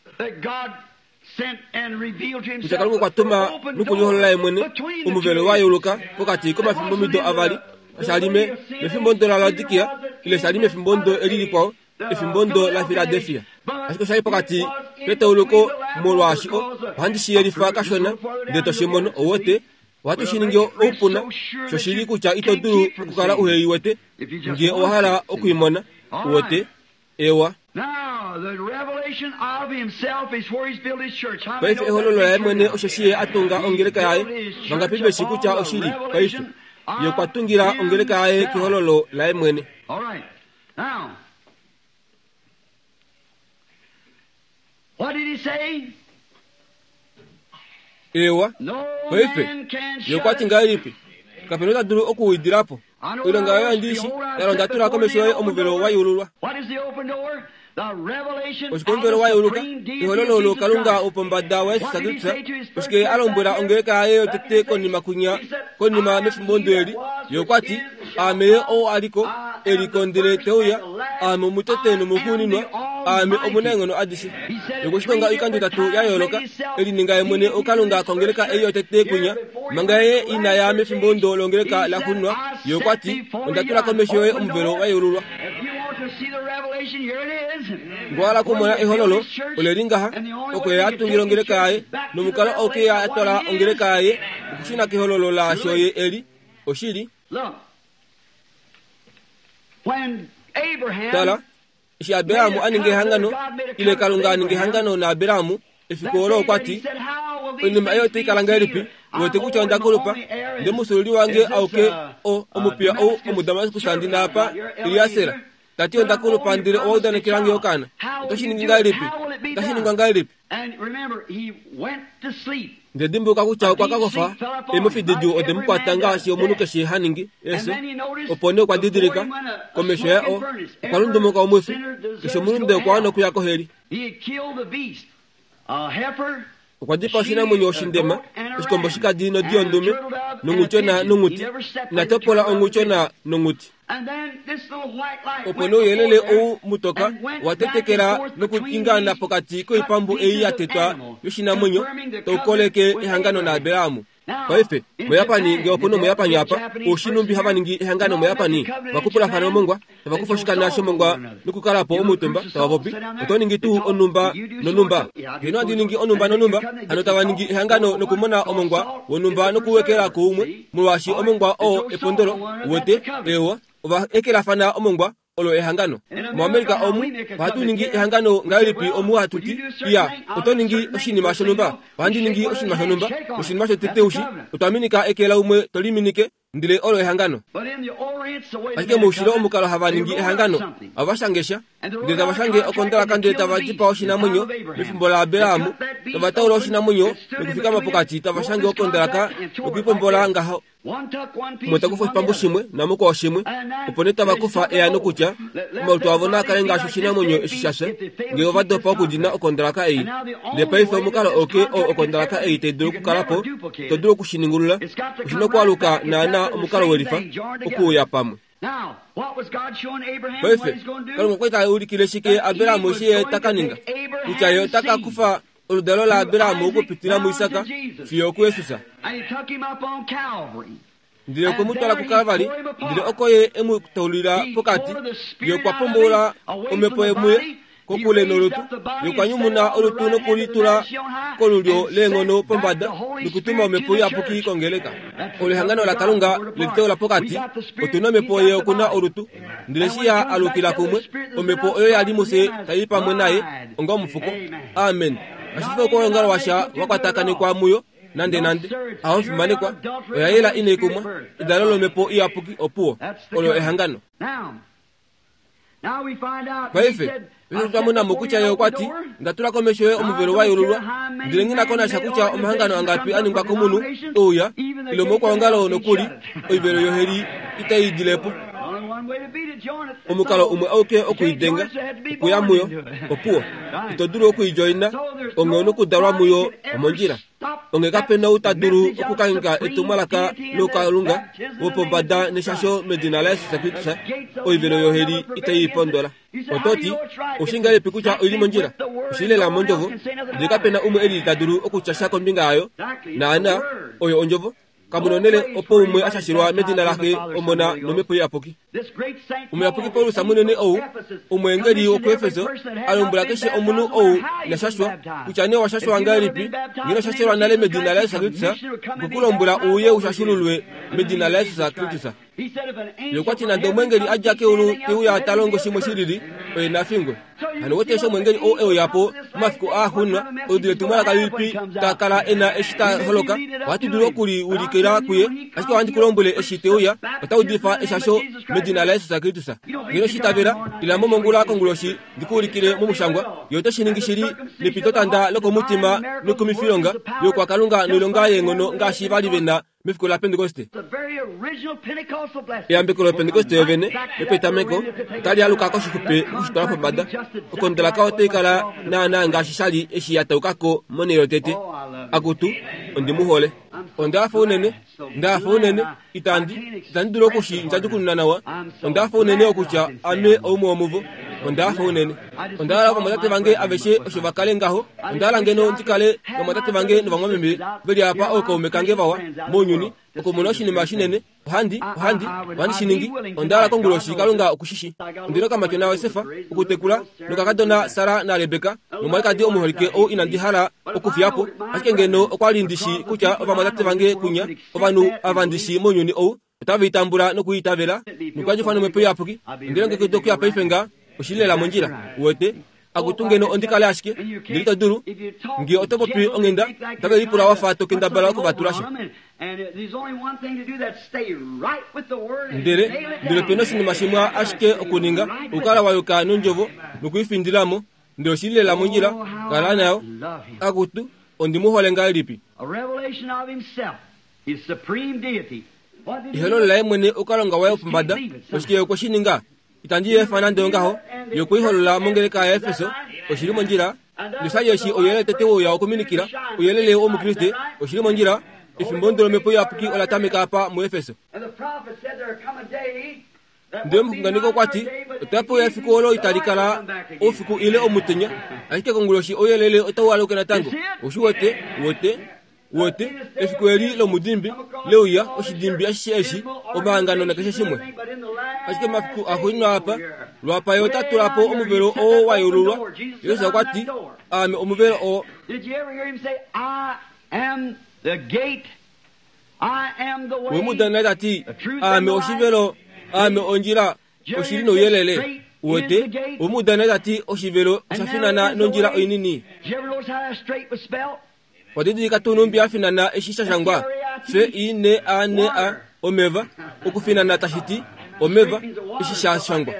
[SPEAKER 1] kutya Kalunga okwa tuma nokuliholola ye mwene omuvelo wa yeuluka pokati komafimbomido avali, osha li mefimbo ndo laLaodikia ile sha li mefimbo ndo eli likwao, efimbo ndo laFiladelfia. Ashike osha li pokati petauluko, molwaashi ohandi shi yelifa kashona ndele to shi mono. Ouwete, ohatu shi ningi oupuna shoshili kutya ito dulu okukala uhe i wete ngee owa hala okuimona. Uwete, ewa. Paife ehololo laye mwene osheshi ye a tunga ongeleka yaye. Vangapi veshi kutya oshili? Paife ye okwa tungila ongeleka yaye kehololo laye mwene. Ewa, paife ye okwa ti ngahelipi? Kapena ota dulu okuwidila po. Oilonga yoye ondiishi, tala onda tula komesho yoye omuvelo wa yeululwa. Oshike omuvelo wa yeuluka? Ehololo olo Kalunga wopombada waJesus Kristus. Oshike a lombwela ongeleka yaye yotete konima kunya, konima mefimbo ndo eli? Ye okwa ti, Aame ye ou a liko, e liko ndele te uya, aame omutete nomuxuuninwa, aame omunaenghono adishe. Ye okwe shi tonga oikando itatu ya yooloka, e lininga ye mwene oKalunga kongeleka ei yotete kunya, manga ye ina ya mefimbo ndo longeleka la xuuninwa. Ye okwa ti, onda tula komesho yoye omuvelo wa yeululwa. Ngee owa hala okumona ehololo, ole li ngaha, oko ye a tungila ongeleka yaye, nomukalo auke ye a twala ongeleka yaye okushuna kehololo laasho ye e li. Oshili. Tala, eshi Abraham a ninga ehangano, ile Kalunga a ninga ehangano naAbraham, efiku olo okwa ti, oinima ei otai kala ngahelipi? Uwete kutya onda kulupa, ndele mufyuululi wange auke o omupiya ou omuDamaskus ndi na apa, Eliaser. Ta ti onda kulupa ndele owa udanekela nge okaana. Oto shi ningi ngahelipi? Otashi ningwa ngahelipi? Ndele dimbuluka kutya okwa ka kofa, eemofi didjuu ode mu kwata ngaashi omunhu keshe ha ningi, efyo. Opo nee okwa didilika, komesho yaye o, okwa lundumuka omwifi, keshe omulunde okwa wana okuya koheli. Okwa dipaa oshinamwenyo oshindema, oshikombo shikadi nodi yondume, nonghutyona nonghuti. Ina topola onghutyona nonghuti. Opo nee ouyelele ou mutoka owa tetekela nokutingaana pokati koipambu ei ya tetwa yoshinamwenyo, tau koleke ehangano naAbraham. Paife, moYapani, ngee opu na Omuyapani apa, oushi numbi hava ningi ehangano moYapani? Ovakupulafana omongwa, tava kufa oshikana shomongwa nokukala po omutumba, tava popi, Oto ningi tuu onhumba nonhumba? Ngeno handi ningi onhumba nonhumba, hano tava ningi ehangano nokumona omongwa wonhumba nokuwekela kuumwe, molwaashi omongwa oo epondolo. Uwete? Eewa, ova ekelafana omongwa, olo ehangano. MoAmerica omu ohatu ningi ehangano ngahelipi omu hatu ti, iya, oto ningi oshinima shonhumba, ohandi ningi oshinima shonhumba, noshinima shotete ushi, otwa minika eke laumwe to liminike, ndele olo ehangano. Ashike moushilo omukalo hava ningi ehangano, ohava shange sha, ndele tava shange okondalaka ndele tava dipaa oshinamwenyo mefimbo laAbraham, tava taula oshinamwenyo nokufikama pokati tava shange okondalaka nokuipombola ngaho. Umwe ta kufa oshipambu shimwe namukwao shimwe, opo nee tava kufa eano kutya omalutu avo naa kale ngaashi oshinamwenyo eshi sha fya, ngee ova dopa okudina okondalaka ei. Ndele paife omukalo auke oo okondalaka ei tai dulu okukala po, ito dulu okushiningulula, oshi na okwaluka naanaa omukalo welifa, okuuya pamwe. Paife, Kalunga okwa li ta ulikile shike Abraham eshi ye ta ka ninga? Kutya ye ota ka kufa oludalo laAbraham okupitila muIsak fiyo okuJesus. Ndele okwe mu twala kuKalvari, ndele oko ye e mu taulila pokati. Ye okwa pomboula omhepo muye kokule nolutu. Ye okwa nyumuna olutu nokulitula kolulyo leenghono pombada nokutuma omhepo iyapuki kongeleka. Olo ehangano laKalunga leliteula pokati. Otu na omhepo, ye oku na olutu. Ndele eshi ya alukila kumwe, omhepo oyo ya li mufye tai i pamwe naye onga omufuko. Amen. Kashi fi okwoongalo washa wa kwatakanekwa muyo nande nande. Aho omufimanekwa, oya yela inai kumwa. Edalo lomhepo iyapuki opuwo. Olo ehangano. Paife, paife otwa mona mo kutya ye okwa ti, Onda tula komesho yoye omuvelo wa yeululwa, ndele nghi na ko nasha kutya omahangano angapi a ningwa komunhu ouya, ile omaukwaongalo nokuli, oivelo yoheli itai idile po. Omukalo umwe auke okuidenga, okuya muyo, opuwo. Ito dulu okuidjoina, onghee nokudalwa muyo omondjila. Onge kape na ou ta dulu okukangheka etumwalaka lokalunga wopombada neshasho medina laJesus Kristus, oivelo yoheli itai pondola. Oto ti, oshi ngahelipi kutya oili mondjila? Oshi lela mondjovo, ndele kape na umwe eli ta dulu okutya sha kombinga yayo. Naana, oyo ondjovo. Kamu nonele opo umwe ashashilwa medina laxe Omona nomhepo iyapuki. Omuyapuki Paulus munene ou omweengeli wokuEfeso a lombwela keshe omunhu ou inashashwa kutya nee owashashwa ngahelipi ngeno shashelwa nale medina laJesus Kristus, okukulombwela uye ushashululwe medina laJesus Kristus. Ye okwa ti nande omweengeli a dja keulu te uya ta longo shimwe shilili, oye na fingwe. Hano wete eshi omweengeli ou e uya po momafiku aaxuuninwa, oludi letumwalaka lilipi ta kala e na eshi ta holoka? Ohatu dulu okuliulikila kuye, ashike ohandi ku lombwele eshi te uya, ota udifa eshasho medina laJesus Kristus. Ngeno shi itavela, ila mo mongula konguloshi ndi ku ulikile momushangwa. Ye ote shi ningi shili nepitotanda lokomutima nokumifilonga yokwakalunga noilonga yeenghono ngaashi va li ve na mefiku laPentekoste. Eyambeko loPentekoste yovene yopetameko otali aluka koshixupe okushitwala pombada. Okondolaka otai kala naanaa ngaashi sha li eshi ya tauka ko monhele yotete. Akutu, ondi mu hole. Onda hafa unene, nda hafa unene, itandi, itandi dulu okushi ndjadjukununa nawa. Onda hafa unene okutya ame oumwe womuvo. Onda hafa unene. Onda hala ovamwatate vange aveshe osho va kale ngaho. Onda hala ngeno ndi kale novamwatate vange novamwameme ve li apa ookaume kange vawa mounyuni okumona oshinima shinene. Ohandi, ohandi, ohandi shi ningi. Onda hala konguloshi Kalunga okushishi. Ondi nokamatyona Josef okutekula nokakadona Sara naRebeka nomwalikadi omuholike ou inandi hala okufiya po. Ashike ngeno okwa li ndi shi kutya ovamwatate vange kunya, ovanhu ava ndi shi mounyuni ou, otave i tambula nokuitavela nokuyadifwa nomhepo iyapuki. Ondi longekida okuya paife nga oshili lela mondjila. Uwete? Akutu ngeno ondi kale ashike ndele ito dulu. Nge oto popi onghenda, otave lipula wa fa to kendabala okuvatula sha. Ndele ndele ope na oshinima shimwe ashike okuninga, okukala wa yuka nondjovo nokuifindila mo, ndele oshili lela mondjila, kala nayo. Akutu, ondi mu hole ngahelipi. Ehololo laye mwene okalonga waye wopombada, oshike ye okwe shi ninga? Itandi efa nande ongaho. Ye okwe i holola mongeleka yaEfeso, oshili mondjila. Noshali eshi ouyelele tete wouya okuminikila, ouyelele wOmukriste, oshili mondjila. Efimbo lomhepo iyapuki ola tameka apa muEfeso. Ndele omuxunganeki okwa ti, otape uya efiku olo itali kala oufiku ile omutenya, ashike konguloshi ouyelele otau aluka natango. Oshi wete, wete, wete, efiku eli lomudimbi leuya, oshidimbi ashishe eshi, omahangano nakeshe shimwe. Ashike mafiku axuuninwa apa, lwapa ye ota tula po omuvelo oo wa yeululwa. Jesus okwa ti, aame omuvelo oo. We mu dana ta ti, aame oshivelo, aame ondjila, oshili nouyelele. Uwete, we mu dana ta ti oshivelo osha finana nondjila oinini. Wadidilika tuu numbi ya finana eshi sha shangwa F I N A N A omeva, okufinana tashi ti omeva, eshi sha shangwa.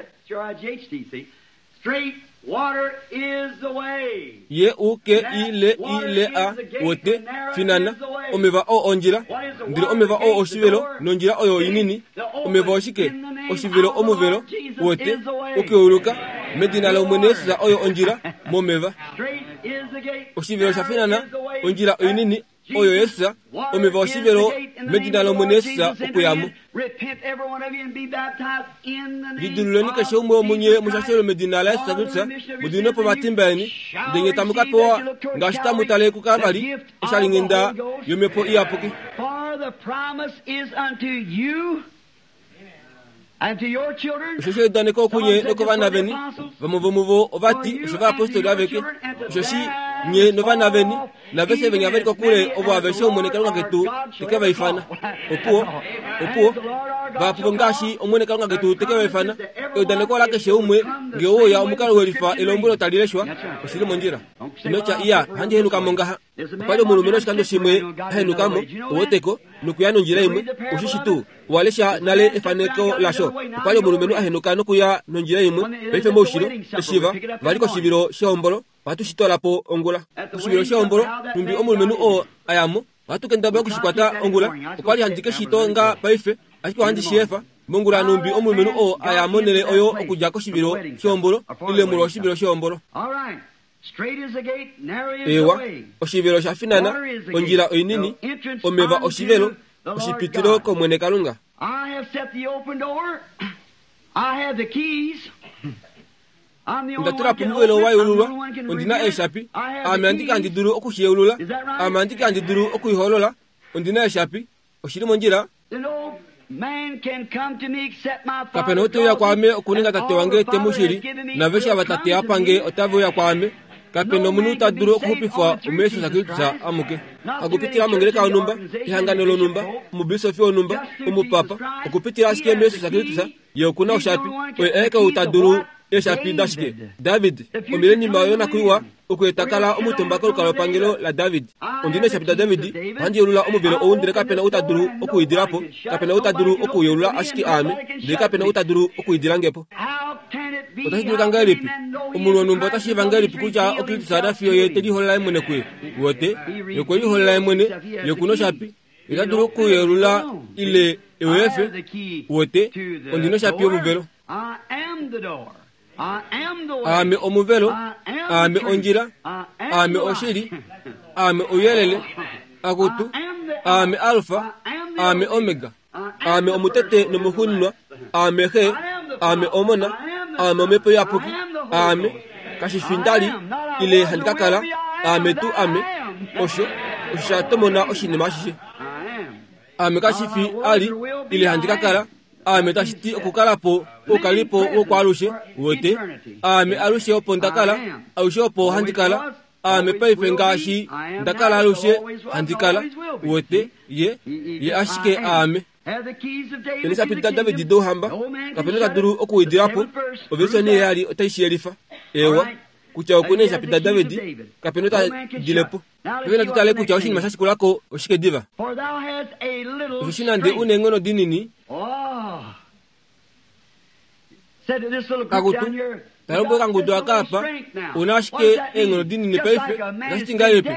[SPEAKER 1] Ye U K I L I L A wote finana, omeva oo ondjila, ndele omeva oo oshivelo nondjila oyo inini. Omeva oshike? Oshivelo omuvelo, wote okuyeuluka medina lOmwene Jesus oyo ondjila momeva. Oshivelo sha finana, ondjila oinini oyo Jesus, omeva oshivelo medina lOmwene Jesus okuyamo. Lidiluleni keshe umwe womunye mushashelwe medina laJesus Kristus, mudiminwe po omatimba eni, ndele nye tamu ka pewa ngaashi tamu tale kuKalvari oshalinghenda yomhepo iyapuki. Osheshi eudaneko okunye nokovana veni, vamwe vomuvo ova ti oshovayapostoli aveke, osheshi nye novana veni naveshe venya ve li kokule ovo aveshe Omwene Kalunga ketu te ke va ifana. Opuwo, opuwo, vahapu ngaashi Omwene Kalunga ketu te ke va ifana. Eudaneko ola keshe umwe nge ouya omukalo welifa elombwelo tali leshwa, oshili mondjila. Ino tya iya, ohandi henuka mo ngaha. Opa li omulumenhu oshikando shimwe a henuka mo, uweteko, nokuya nondjila imwe, oshishi tuu. Owa lesha nale efaneko lasho. Opa li omulumenhu a henuka nokuya nondjila imwe, paife moushilo, eshi va, va li koshivilo shehombolo, ohatu shi twala po ongula. Koshivilo shehombolo, nhumbi omulumenhu oo a ya mo, ohatu kendabala oku shi kwata ongula. Okwa li handi ke shi tonga paife, ashike ohandi shi efa. Mongula nhumbi omulumenhu oo a ya monhele oyo okudja koshivilo shehombolo, ile molwa oshivilo shehombolo. Ewa, oshivelo sha finana, ondjila oinini, omeva oshivelo, oshipitilo komwene Kalunga. Ndatula pomuvelo wa yeululwa, ondina eeshapi, ame andike handi dulu okushiyeulula, ame andike handi dulu okuiholola, ondina eeshapi, oshili mondjila. Kapena ou te uya kwaame okuninga tate wange te mu shili, naveshe ava tate apa nge otave uya kwaame. Kapena omunhu ta dulu okuxupifwa omuYesus Kristus amuke. Okupitila mongeleka yonhumba, ehangano lonhumba, omubisofi wonhumba, omupapa, okupitila ashike muYesus Kristus, ye okuna oshapi, oye aeke ou ta dulu eeshapi dashike. David, omilenima yonakuiwa, okueta kala omutumba kolukalwapangelo laDavid. Ondina eeshapi daDavid, ohandi yeulula omuvelo ou ndele kapena ou ta dulu okuidila po, kapena ou ta dulu okuyeulula ashike aame, ndele kapena ou ta dulu okuidila nge po. Otashi dulika ngahelipi? Omunhu wonhumba ota shiiva ngahelipi kutya oKristus ana fiyo ye te liholola ye mwene kuye? Wote, ye okwe liholola ye mwene, ye okuna oshapi, ye ota dulu okuyeulula ile eweefe. Wote, ondina oshapi yomuvelo. Aame omuvelo, aame ondjila, aame oshili, aame ouyelele, akutu, aame Alfa, aame Omega, aame omutete nomuxuuninwa, aame Xe, aame Omona, aame Omhepo Iyapuki, aame kashifi ndali ile handi ka kala, aame tuu ame, osho osho sha tomona oshinima ashishe. Aame kashifi ali ile handi ka kala, aame tashi ti okukala po oukalipo wokwaalushe, wote, aame alushe opo nda kala, alushe opo handi kala, aame paife ngaashi nda kala alushe handi kala, wote, ye, ye ashike aame. Elishapi daDavid douhamba, kapena ta dulu okuidila po, ovelisoni heyali otai shi yelifa. Ewa, kutya okuna eeshapi daDavid, kapena ta dile po. Paife natu tale kutya oshinima sha shikulako oshike diva. Osheshi nande una eenghono dinini, akutu, talombwela okangudu aka apa, una ashike eenghono dinini paife, otashi ti ngahelipi?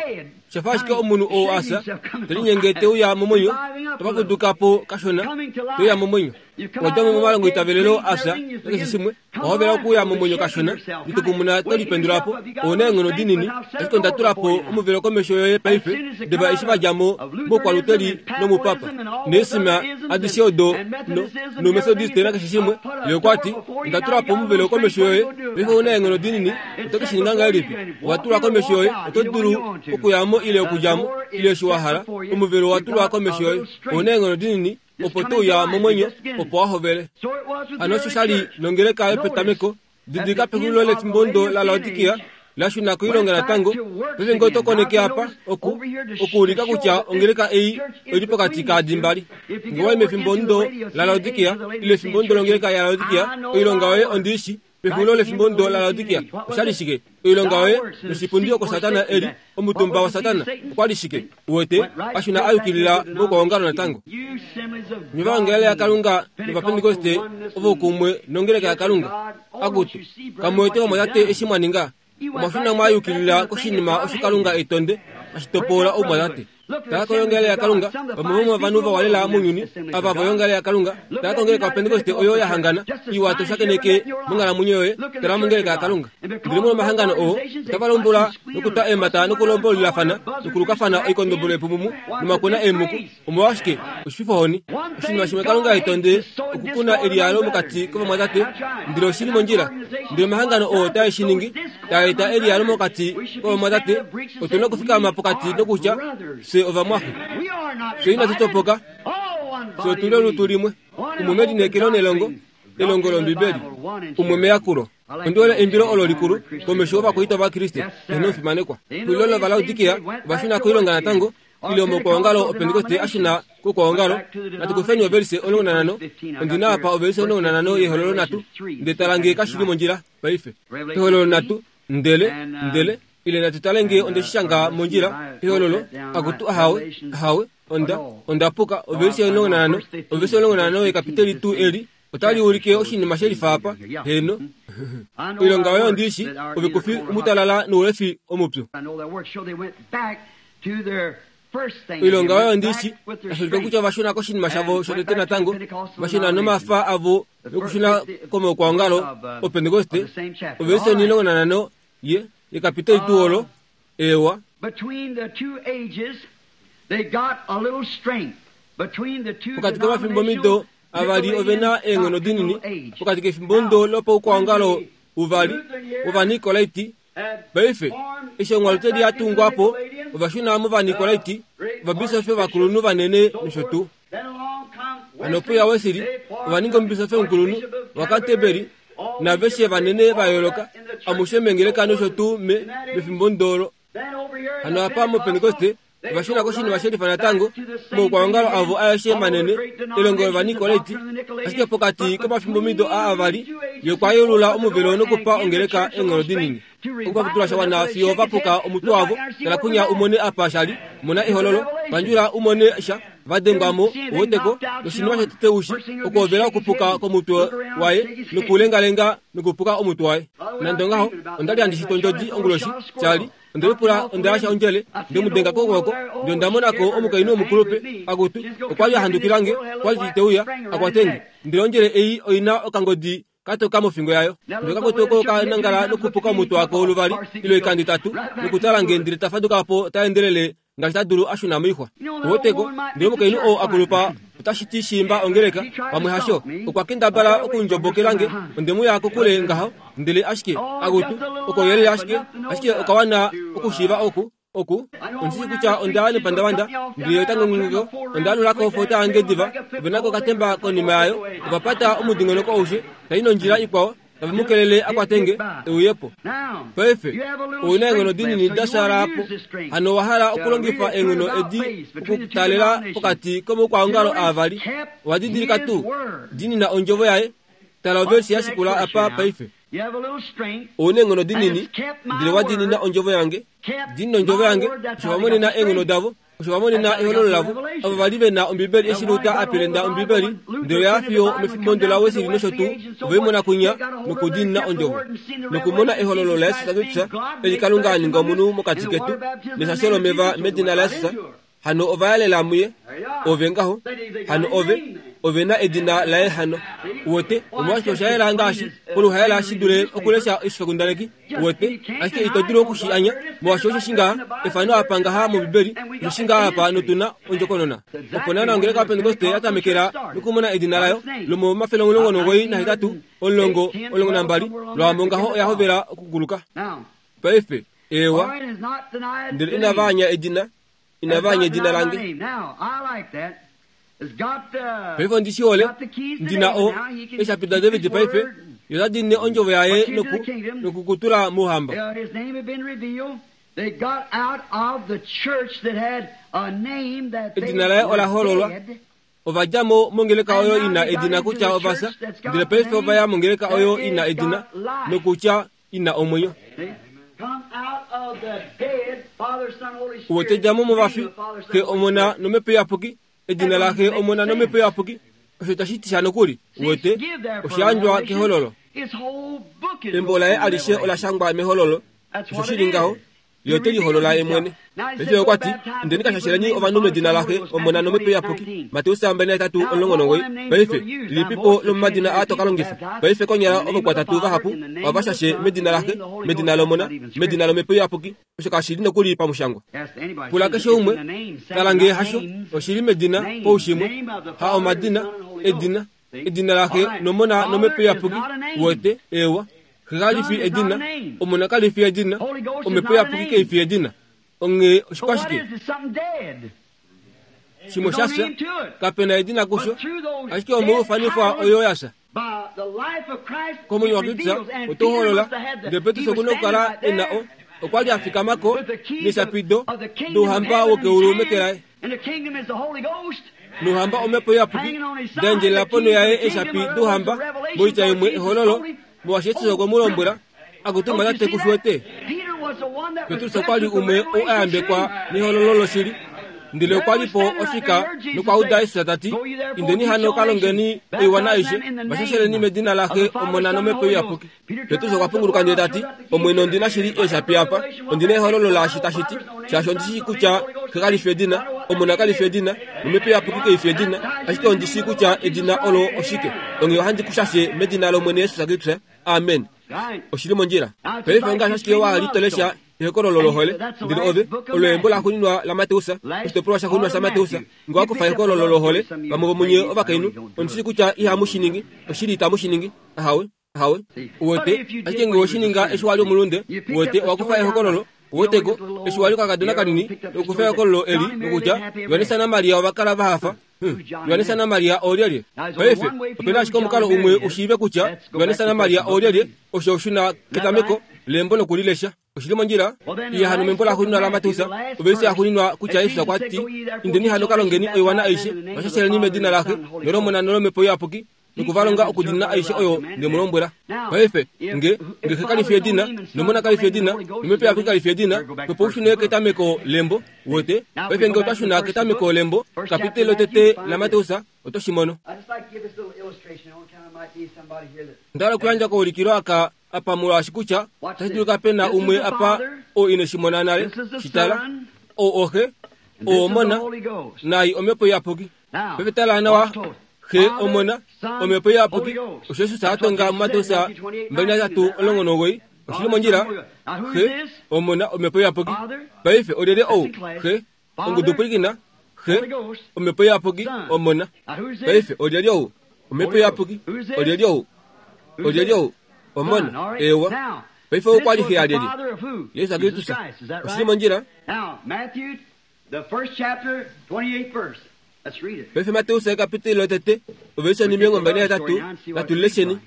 [SPEAKER 1] Shafa ashike omunhu oo asa, te linyenge te uya momwenyo, tava kuduka po kashona, te uya momwenyo. Wadja mo momalongo itavelelo asa, nakeshe shimwe, owa hovela okuuya momwenyo kashona, litukumuna to lipendula po, ouna eenghono dinini, ashike onda tula po omuvelo komesho yoye paife, diva eshi va dja mo moukwaluteli nomupapa, neesima adishe odo no, noumethodiste nakeshe shimwe, ye okwa ti, onda tula po omuvelo komesho yoye, paife ouna eenghono dinini, oto ke shi ninga ngahelipi? Owa tulwa komesho yoye, oto dulu okuya mo ile okudja mo, ile eshi wa hala, omuvelo owa tulwa komesho yoye, ouna eenghono dinini, opo to uya momwenyo, opo wa hovele. Hano osho sha li nongeleka yopetameko, didilika pexulilo lefimbo la Laodikia, la shuna koilonga natango. Paife ngee oto koneke apa, oku, okuulika kutya ongeleka ei oili pokati kaadi mbali. Ngee wai mefimbo la Laodikia, ile efimbo longeleka ya Laodikia, oilonga yoye ondiishi, pexulilo lefimbo la Laodikia, osha li shike? Oilonga yoye noshipundi oko Satana eli, omutumba wa Satana, okwa li shike? Uwete, ashuna ayukilila mokwaongalo natango. Nye vaongele yaKalunga novapentekoste ovo kumwe nongeleka yaKalunga. Akutu, kamuwete vamwatate eshi mwa ninga, omwashuna mwayukilila koshinima osho Kalunga etonde, ashitopola oumwatate. Tala koyongele yaKalunga, vamwe vomovanhu vawalela mounyuni, ava voyongele yaKalunga, tala kongeleka yoPentekoste oyo ya hangana, iwa to shakeneke monghalamwenyo yoye, tala mongeleka yaKalunga. Ndele molwomahangano oo, otava lombula nokutwa eemhata nokulombololafana, nokulukafana oikondombolo yepumumu nomakuna eemuku. Omolwashike? Oshififohoni. Oshinima shimwe Kalunga etonde okukuna eliyalo mokati kovamwatate, ndele oshili mondjila. Ndele omahangano oo tae shi ningi, taa eta eliyalo mokati kovamwatate, otu na okufikama pokati nokutya, fye ovamwaxe. Fye inatu topoka, fye otu li olutu limwe. Umwe melineekelo nelongo, elongo lOmbibeli, umwe meyakulo. Ondi hole eimbilo olo likulu komesho ovakwaita vaKriste, eheno omufimanekwa. Pexulilo lOvalaodikia ova shuna koilonga natango, ile omokwaongalo oPentekoste a shuna kokwaongalo. Natu kufeni ovelise omulongo nanhano, ondina apa ovelise omulongo nanhano yehololo nhatu, ndele tala ngee kashili mondjila paife. Ehololo nhatu, ndele, ndele, ile natu tale ngee onde shi shanga mondjila, ehololo, akutu ahawe, ahawe, onda, onda puka, ovelise omulongo nanhano, ovelise omulongo nanhano yekapiteli tuu eli, otali ulike oshinima shelifa apa, heno. Oilonga yoye ondiishi, ove kufi omutalala noulefi omupyu. Oilonga yoye ondiishi, tashi ulike kutya ova shuna koshinima shavo shotete natango, va shuna nomafa avo nokushuna komaukwaongalo oPentekoste, ovelise omulongo nanhano ye yekapiteli tuu olo ewa.
[SPEAKER 2] Between the two ages, they got a little strength. Between the two
[SPEAKER 1] Pokati komafimbomido avali ove na eenghono dinini pokati kefimbo ndo lopaukwaongalo uvali wovanikolaiti. Paife eshi onghaluteli ya tungwa po ovashuna movanikolaiti ovabisofi ovakulunhu vanene nosho tuu. Hano puya Wesili ova ninga omubisofi omukulunhu waCanterbury naveshe vanene va yooloka amushe mengeleka nosho tuu me mefimbo ndolo. Hano apa moPentekoste ovashuna koshinima shelifa natango moukwaongalo avo aeshe manene elongo lovanikolaiti. Ashike pokati komafimbomido a avali yokwayulula omuvelo nokupa ongeleka eenghono dinini. Okupaputula shawana fiyo vapuka omutwe wavo. Tala kunya umone apa shali mona ehololo pandjula umone sha vadengwamo oweteko noshinima shotete ushi okuhovela okupuka komutwe waye nokulengalenga nokupuka omutwe waye. Nande ongaho onda li handi shita ondjodi onguloshi shali onde lipula onda yasha ondjele ndemudenga kokwooko ndele onda monako omukainhu omukulupe akutu okwa li ahandukilange okwa li teuya akwatenge ndele ondjele ei oina okangodi katoka mofingo yayo. Ndele okakutu oko kanangala nokupuka omutwe wako luvali ile oikando itatu nokutala nge ndele tafaduka po taendelele ngaashi ta dulu ashuna moixwa. Oweteko ndele omukainhu oo akulupa otashi ti shimba ongeleka pamwe hasho okwa kendabala okundjobokelange onde muya kokule ngaho ndele ashike akutu okoyelele ashike ashike okawana okushiiva oku oku ondishi kutya onda nepandavanda ndele otangongongeko onda alulako ofota yange diva ovenako okatemba konima yayo ovapata omudingonoko aushe tai nondjila ikwao tave mukelele akwatenge euyepo. Paife ouna eenghono dinini da po hano owa hala okulongifa eenghono edi okutalela pokati komaukwaongalo avali. Owa didilika tuu dinina ondjovo yaye. Tala oversi yashikula apa paife. Ouna eenghono dinini ndele wa dinina ondjovo yange. Dinina ondjovo yange osho vamonena eenghono davo osho vamonena ehololo lavo. Avo vali vena ombibeli eshi Luta apelenda ombibeli ndele oya fiyo mefimbo la Wesili nosho tuu ovaimona kunya nokudinina ondjovo nokumona ehololo laYesus Kristus eli Kalunga a ninga omunhu mokati ketu neshasho lomeva medina laYesus. Hano ovayalela muye ove ngaho hano ove ove na edina laye hano uwete omolwashike osha ngaashi oluhaela shi dule okulesha oshifakundaneki uwete ashike ito dulu okushi anya molwaashi osho shingaha efano apa ngaha mOmbibeli osho shingaha apa notuna ondjokonona. Opo naana ongeleka yaPentekoste yatamekela nokumona edina layo lomomafele omulongo nomugoyi nahetatu omulongo omulongo nambali lwaamo ngaho oya hovela okukuluka. Paife ewa ndele inava anya edina inava anya edina lange. Paife ondishihole ndina o eshapi da David paife yota dine ondjovo yaye noku nokukutula mouhamba. Edina laye ola hololwa. Ovadjamo mongeleka oyo ina edina kutya ovasa ndele paife ovaya mongeleka oyo ina edina nokutya ina omwenyo. Uwetedjamo movafi xe omona nomhepo iyapuki edina laxe omona nomhepo iyapuki osho tashi ti sha nokuli uwete oshiyandjwa kehololo. Embo laye alishe ola shangwa mehololo osho shili ngaho ye ote liholola ye mwene. Paife okwa ti indeni kashasheleni ovanhu medina laxe omona nomhepo iyapuki Mateus mbali nahetatu omulongo nomugoyi. Paife lilipipo lomomadina aa toka longifa. Paife konyala ovakwatatu vahapu ovashashe medina laxe medina lomona medina lomhepo iyapuki osho kashili nokuli pamushangwa. Pula keshe umwe tala ngee hasho oshili medina poushimwe ha omadina edina edina laxe nomona nomhepo iyapuki uwete ewa xe kalifi edina omona kalifi edina omhepo iyapuki keifi edina. Onghee oshikwashike shimwe shafya kapena edina kusho ashike omoufanifwa oyo yasha komwenyo waKristus oto holola ndele Petrus okuna okukala ena o okwa li afikamako neshapido douhamba wokeulu meke laye nouhamba omhepo iyapuki daendjelela ponho yaye eshapi douhamba moitya imwe ehololo molwaashi Jesus okwe mu lombwela akutuma tate kushiwete. Petrus okwa li umwe ou ayambekwa nehololo loshili ndele okwa li po ofika nokwauda Jesus tati indeni hano kalongeni oiwana aishe vashasheleni medina laxe omona nomhepo iyapuki. Petrus okwa punguluka ndele tati Omwene ondina shili eeshapi apa ondina ehololo laashi tashi ti shaashi ondishi kutya xe kalifi edina omona kalifi edina nomhepo iyapuki keifi edina ashike ondishi kutya edina olo oshike onghee ohandi kushashe medina lOmwene Jesus Kristus. Amen. Oshili mondjila. Paife ongaashi ashike wa li to lesha ehokololo lohole, ndele ove olo embo laxuuninwa laMateus, oshitopolwa shaxuuninwa shaMateus. Nge wa kufa ehokololo lohole, vamwe vomunye ovakainhu, ondi shii kutya ihamu shi ningi, oshili itamu shi ningi. Ahawe, ahawe. Uwete, ashike nge we shi ninga eshi wa li omulunde, uwete, owa kufa ehokololo. Uweteko, eshi wa li okakadona kanini, nokukufa ehokololo eli, nokutya Johannes naMaria ova kala va hafa. Johannes naMaria oolyelye? Paife, opena ashike omukalo umwe u shiive kutya Johannes naMaria oolyelye, osho oshuna ketameko lembo nokulilesha. Oshili mondjila. Iya hano membo laxuuninwa laMateus, ovelise yaxuuninwa kutya Jesus okwa ti, indeni hano ka longeni oiwana aishe, vashasheleni medina laXe nolOmona nolomhepo iyapuki, nokuvalonga okudina aishe oyo nde mu lombwela. Paife, nge nge Xe kali fi edina, nOmona kali fi edina, nomhepo iyapuki kali fi edina, opo u shune ketameko lembo, uwete. Paife nge otwa shuna ketameko lembo, kapiteli lotete laMateus, oto shi mono. Onda hala okuyandja koulikilo aka apa molwaashi kutya otashi dulika pe na umwe apa oo ine shi mona nale. Shi tala, ou oXe, ou Omona, naai Omhepo Iyapuki. Paife tala nawa, Xe, Omona, Omhepo Iyapuki, osho Jesus a tonga muMateus mbali nahetatu omulongo nomugoyi. Oshili mondjila. Xe, Omona, Omhepo Iyapuki. Paife olyelye ou? Xe, ongudu pwilikina. Xe, Omhepo Iyapuki, Omona. Paife olyelye ou? Omhepo Iyapuki. Olyelye ou? Olyelye ou? Omona. Ewa. Paife ou okwa li xe yalyelye? Jesus Kristus. Oshili mondjila. Paife Mateus ekapiteli lotete, ovelise onhimilongo mbali nahetatu, natu lilesheni.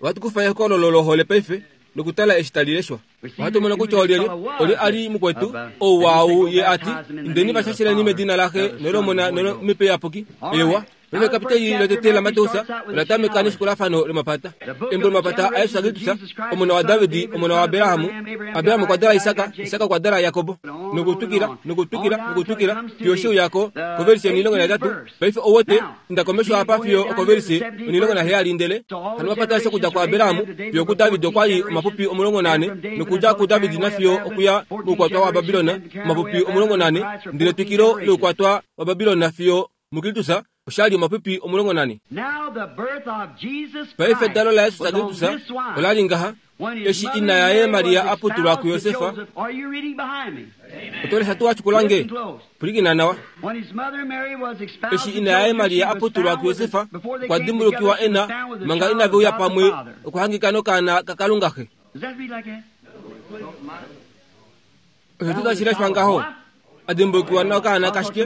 [SPEAKER 1] Ohatu kufa ehokololo lohole paife nokutala eshi tali leshwa. Ohatu mono kutya olyelye, olye a li mukwetu, ou waau ye a ti, indeni vashasheleni medina laXe nolomona nolomhepo iyapuki. Ewa. Paife ekapiteli lotete laMateus ola tameka neshikulafano lomapata. Embo lomapata aJesus Kristus, omona waDavid, omona waAbraham. Abraham okwa dala Isak, Isak okwa dala Jakob. Nokutwikila, nokutwikila, nokutwikila, fiyo she uyako kovelise onhilongo nahetatu. Paife ouwete, inda komesho apa fiyo okovelise onhilongo naheyali ndele hano omapata aeshe okudja kuAbraham fiyo kuDavid okwa li omapupi omulongo naane, nokudja kuDavid nafiyo okuya moukwatwa waBabilon omapupi omulongo naane, ndele twikilo loukwatwa waBabilon fiyo muKristus oshali omapupi omulongo nane. Paife edalo laJesus Kristus ola li ngaha, eshi ina yaye Maria a putulwa kuJosef. Oto lesha tuu washikula nge? Pwilikina nawa. Eshi ina yaye Maria a putulwa kuJosef, okwa dimbulukiwa e na, manga inave uya pamwe, okuhangika nokaana kaKalunga Xe. Osho tuu tashi leshwa ngaho? A dimbulukiwa nokaana kashike?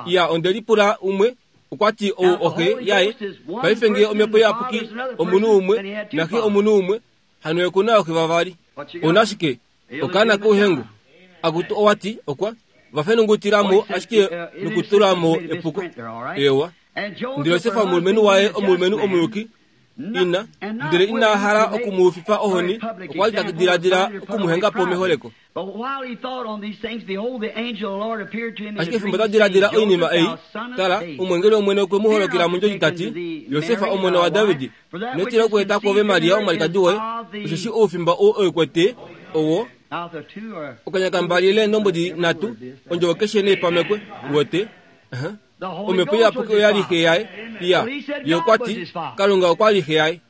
[SPEAKER 1] Iya, onde lipula umwe, okwa ti ou oxe yaye. Paife nge Omhepo Iyapuki omunhu umwe, naXe omunhu umwe, hano oku na ooxe vavali. Ouna ashike okaana kouhengu. Akutu owa ti okwa vafenungutila mo ashike nokutula mo epuko. Ewa. Ndele Josef omulumenhu waye omulumenhu omuyuki, ina, ndele ina hala okumuufifa ohoni, okwa li ta diladila okumuhenga po meholeko. Ashike fimbo ta diladila oinima ei, tala, omweengeli wOmwene okwe mu holokela mondjodi ta ti, Josef omona waDavid, ino tila okweeta kwoove Maria omwalikadi woye, osheshi oufimba ou e kwete owo okanya kambali leendombwedi nhatu, ondjovo keshe neipamekwe. Uwete? Omhepo Iyapuki oya li xe yaye. Iya, ye okwa ti Kalunga okwa li xe yaye.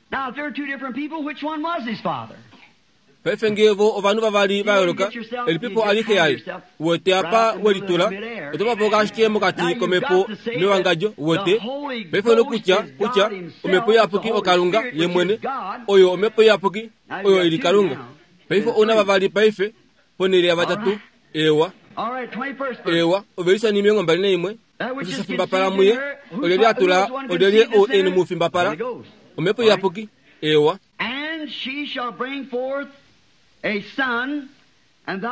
[SPEAKER 1] Paife nge vo ovanhu vavali va yooloka, elipipo a li xe yaye? Uwete apa we litula, oto papoka ashike mokati komhepo newangadjo. Uwete? Paife onokutya kutya Omhepo Iyapuki oKalunga ye mwene, oyo Omhepo Iyapuki, oyo ili Kalunga. Paife ouna vavali paife, ponhele yavatatu. Ewa. Ewa, ovelise onhimilongo mbali naimwe. Osho sha fimbapala muye, olyelye a tula, olyelye ou e mu fimbapala? Omhepo Iyapuki. Ewa.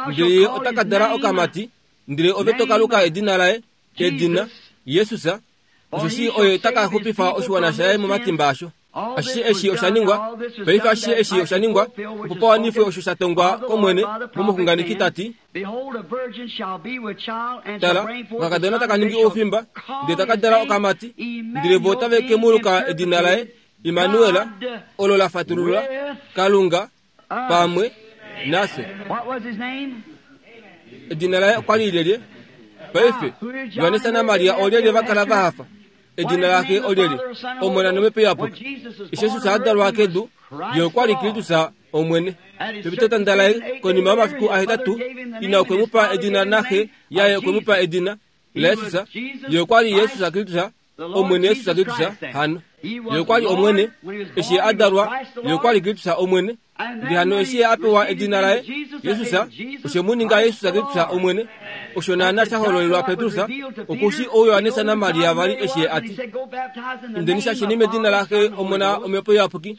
[SPEAKER 1] Ndele ye ota ka dala okamati, ndele ove to ka luka edina laye, edina Jesus, osheshi oye ta ka xupifa oshiwana shaye momatimba asho. Ashishe eshi osha ningwa, paife ashishe eshi osha ningwa, opo pa wanifwe osho sha tongwa kOmwene momuxunganeki ta ti, Tala, okakadona taka ningi oufimba, ndele taka dala okamati, ndele vo otave ke mu luka edina laye Immanuel, olo la fatulula Kalunga pamwe nafye. Edina laye okwa li lyelye? Paife, Johannes naMaria olyelye va kala va hafa? Edina laxe olyelye? Omona nomhepo Iyapuki. Eshi Jesus a dalwa kedu, ye okwa li Kristus Omwene. Pepitotanda laye konima yomafiku ahetatu ina okwe mu pa edina naxe yaye okwe mu pa edina laYesus. Ye okwa li Yesus Kristus, Omwene Yesus Kristus. Hano ye okwa li Omwene eshi a dalwa, ye okwa li Kristus Omwene. Ndele hano eshi a pewa edina laye Yesus, oshe mu ninga Yesus Kristus Omwene. Osho naana sha hololelwa Petrus okushi ouYohanesa naMaria vali eshi a ti, indeni shasheni medina laxe Omona Omhepo Iyapuki.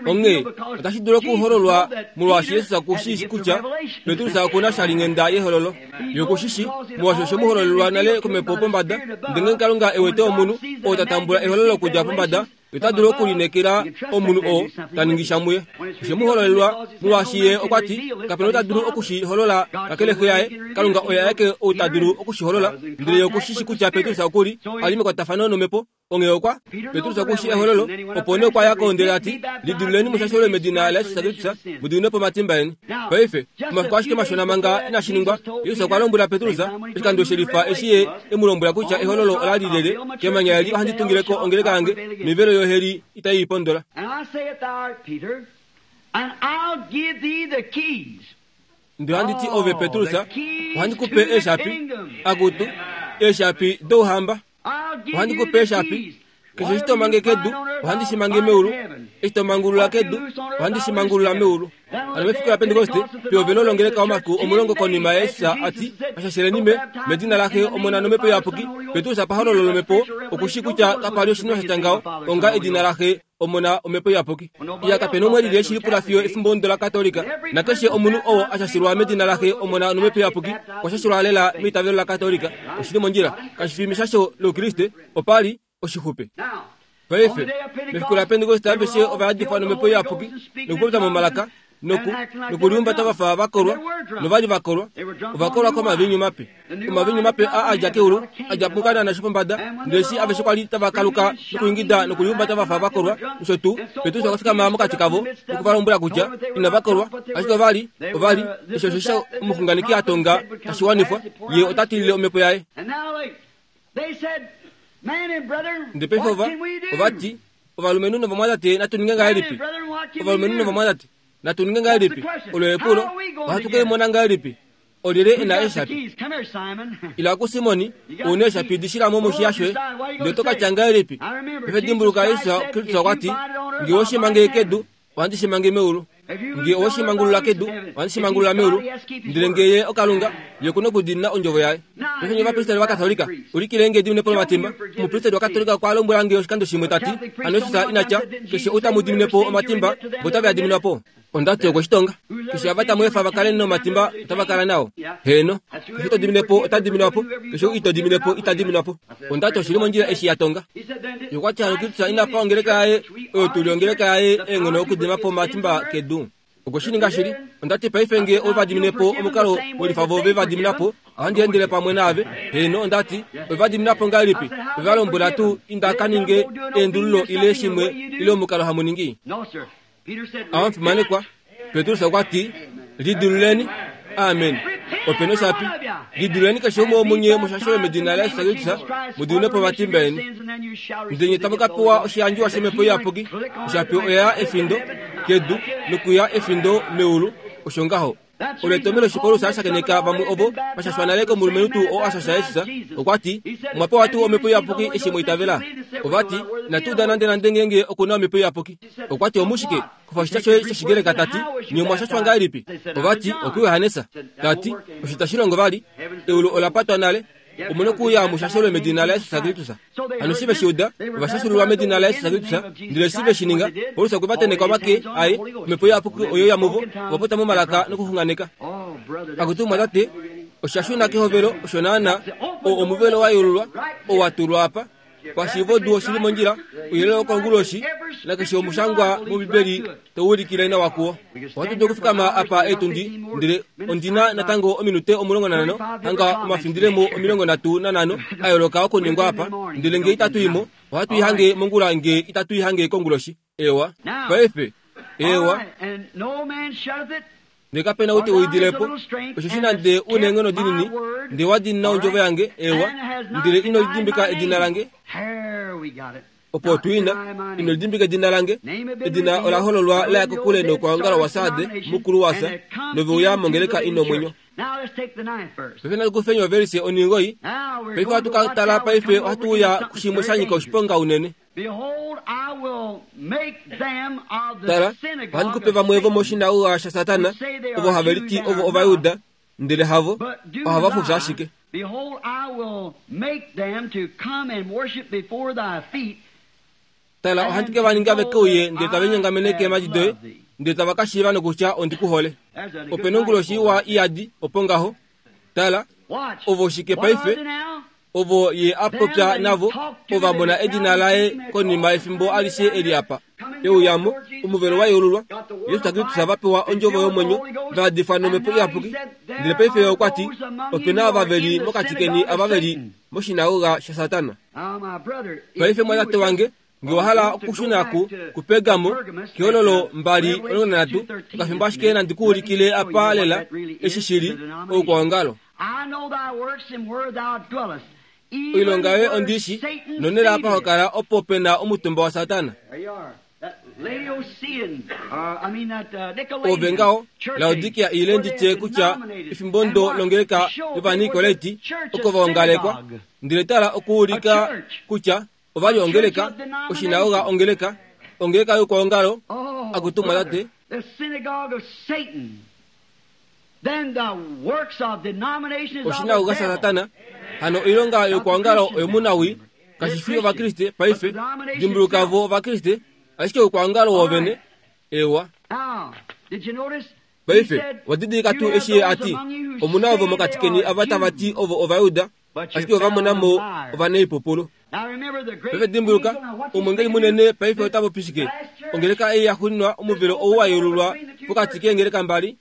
[SPEAKER 1] Onghee otashi dulu okuhololwa molwaashi Yesus okushi kutya Petrus okuna shalinghenda yehololo. Ye okushishi molwaashi oshe mu hololelwa nale komhepo pombada. Ndele ngenge Kalunga e wete omunhu oo ta tambula ehololo okudja pombada, ota dulu okulineekela omunhu oo ta ningi sha muye. Oshe mu hololelwa molwaashi ye okwa ti kapena ota dulu okushiholola kakele xe yaye. Kalunga oye aeke ou ta dulu okushiholola. Ndele ye okushishi kutya Petrus okuli a li mekwatafano nomhepo. Onghee okwa Petrus okushi ehololo, opo nee okwa ya ko ndele a ti, lidululeni mushashelwe medina laYesus Kristus, mu diminwe po omatimba eni. Paife, omafiku ashike mashona manga inashi ningwa, Jesus okwa lombwela Petrus oshikando shelifa eshi ye e mu lombwela kutya ehololo ola li lele, kemanya eli ohandi tungile ko ongeleka yange, mivelo yoheli itai i pondola. Ndele ohandi ti ove Petrus, ohandi ku pe eeshapi, akutu, eeshapi douhamba. Ohandi ku pe eeshapi. Keshe eshi to mange kedu, ohandi shi mange meulu. Eshi to mangulula kedu, ohandi shi mangulula meulu. Hano mefiku laPentekoste, pehovelo longeleka omafiku omulongo konima yaYesus a ti, Shasheleni me, medina laXe, Omona nOmhepo Iyapuki, Petrus pahololo lomhepo okushi kutya kapa li oshinima sha tya ngaho onga edina laXe, Omona, Omhepo Iyapuki. Iya kapena umwe lili eshi lipula fiyo efimbo ondo laKatolika. Nakeshe omunhu oo a shashilwa medina laXe, Omona nOmhepo Iyapuki okwa shashilwa lela meitavelo laKatolika. Oshili mondjila. Kashi fi meshasho loukriste, opa li oshixupe. Paife, mefiku laPentekoste aveshe ova yadifwa nomhepo iyapuki nokupopya momalaka noku nokuliumbata vafa vakolwa, novali vakolwa, ovakolwa komaviinyu mape. Omaviinyu mape a a dja keulu, a dja muKanaan shopombada. Ndele eshi aveshe kwa li tava kaluka nokuingida nokuliumbata vafa vakolwa nosho tuu, Petrus okwa fikama mokati kavo noku va lombwela kutya inava kolwa, ashike ova li, ova li, eshi osho omuxunganeki a tonga tashi wanifwa, ye ota tilile omhepo yaye. Ndele paife ova, ova ti, ovalumenhu novamwatate natu ninge ngahelipi? Ovalumenhu novamwatate natu ninge ngahelipi? Olo epulo, ohatu ke mona ngahelipi? Olyelye e na eeshapi? Ila kuSimoni, ou na eeshapi di shila mo moshiya shoye, ndele oto ka tya ngahelipi? Paife dimbuluka Yesus Kristus okwa ti, nge owe shi mange kedu, ohandi shi mange meulu. Nge owe shi mangulula kedu, ohandi shi mangulula meulu. Ndele nge ye oKalunga, ye oku na okudiinina ondjovo yaye. Paife nye ovapristeli vaKatolika, ulikile nge ediminepo lomatimba. Omupristeli waKatolika okwa lombwela nge oshikando shimwe ta ti, hano Jesus ina tya, keshe ou tamu dimine po omatimba, vo otave a diminwa po. Onda ti okwe shi tonga. Keshe ava tamu efa va kale nomatimba, otava kala nao. Heeno. Keshe to dimine po, ota diminwa po. Keshe ou ito dimine po, ita diminwa po. Onda ti oshili mondjila eshi ya tonga. Ye okwa ti hano Kristus ina pa ongeleka yaye, oyo tu li ongeleka yaye, eenghono okudima po omatimba kedu. Okwe shi ninga shili. Onda ti paife nge ove va dimine po omukalo welifa vo ve va dimina po, ohandi endele pamwe naave. Heeno, onda ti, ove va dimina po ngahelipi? Ove va lombwela tuu inda ka ninge eendululo ile shimwe ile omukalo hamu ningi? Awamufimanekwa, Petrus okwa ti, lidululeni. Amen. Ope noshapi. Lidululeni keshe umwe womunye mushashelwe medina laYesus Kristus, mu diminwe po omatimba eni. Ndele nye tamu ka pewa oshiyandjiwa shOmhepo Iyapuki. Oshapi oya efindo kedu nokuya efindo meulu. Osho ngaho. Olo etomhelo eshi Paulus a shakeneka vamwe ovo va shashwa nale komulumenhu tuu oo a shasha Jesus. Okwa ti, omwa pewa tuu Omhepo Iyapuki eshi mwa itavela? Ova ti, inatu uda nande nande ngeenge oku na Omhepo Iyapuki. Okwa ti, omushike? Kufa oshitya shoye shOshigreka ta ti, nye omwa shashwa ngahelipi? Ova ti, okuJohannes. Ta ti, osho itashi longo vali. Eulu ola patwa nale. Omu nokuuya mushashelwe medina laYesus Kristus. Hano eshi ve shi uda, ova shashululwa medina laYesus Kristus. Ndele eshi ve shi ninga, Paulus okwe va tenheka omake aye, Omhepo Iyapuki oye uya muvo, ova popya momalaka nokuxunganeka. Akutu mwatate, osha shuna kehovelo osho naana, oo omuvelo wa yeululwa, oo wa tulwa apa. Pashiivo du oshili mondjila, ouyelele wokonguloshi, nakeshe omushangwa mOmbibeli tau ulikile nawa kuwo. Ohatu dulu okufikama apa eetundi, ndele ondi na natango ominute omulongo nanhano, hanga omafindilemo omilongo nhatu nanhano a yooloka okuningwa apa, ndele nge itatu i mo, ohatu i hange mongula nge itatu i hange konguloshi. Ewa. Paife, ewa. Ndele kape na ou te uidile po, osheshi nande u neenghono dinini, ndele wa diinina ondjovo yange, ewa, ndele ino lidimbika edina lange. Opo tuina ino lidimbika edina lange edina ola hololwa la kokule nokwaongala wasade mukulu wasa noveuya mongeleka ino omwenyo. Paife natukufeni ovelise oningoi paife ohatu ka tala paife ohatu uya kushimwe sha nyika oshiponga unene. Tala, ohandi kupe vamwe vomoshinagoga shaSatana ovo have liti ovo Ovayuda ndele havo ohava fufya ashike. Tala, ohandi ke va ninga ve ke uye ndele tava linyongamene keemhadi doye ndele tava ka shiiva nokutya ondi ku hole. Ope na onguloshi iwa iyadi opo ngaho. Tala, ovo shike paife? Ovo ye a popya navo ova mona edina laye konima yefimbo alishe eli apa. Euyamo, omuvelo wa yeululwa, Jesus Kristus va pewa ondjovo yomwenyo, va yadifwa nomhepo iyapuki. Ndele paife ye okwa ti, ope na ava veli mokati keni ava veli moshinagoga shaSatana. Paife mwatate wange, nge wa hala okushuna ku kuPergamo kehololo mbali omulongo nanhatu, okafimbo ashike nandi ku ulikile apa lela eshi shili oukwaongalo. Oilonga yoye ondishi nonela apa ho kala opo pe na omutumba waSatana. Ove ngaho Laodikia ile nditye kutya efimbo ndo longeleka yOvanikoleti oko vaongalekwa, ndele tala okuulika kutya ovali ongeleka oshinagoga ongeleka ongeleka youkwaongalo akutumwa tate. Oshinagoga shaSatana hano oilonga youkwaongalo oyomunawi kashi fi Ovakriste paife. Dimbuluka vo Ovakriste ashike oukwaongalo wovene. Ewa. Paife wadidilika tuu eshi ye a ti omuna ovo mokati keni ava tava ti ovo Ovayuda ashike ova mona mo ovanaipupulu. Paife dimbuluka omwengeli munene paife ota popi shike? Ongeleka ei ya xuninwa omuvelo ou wa yeululwa pokati keengeleka mbali.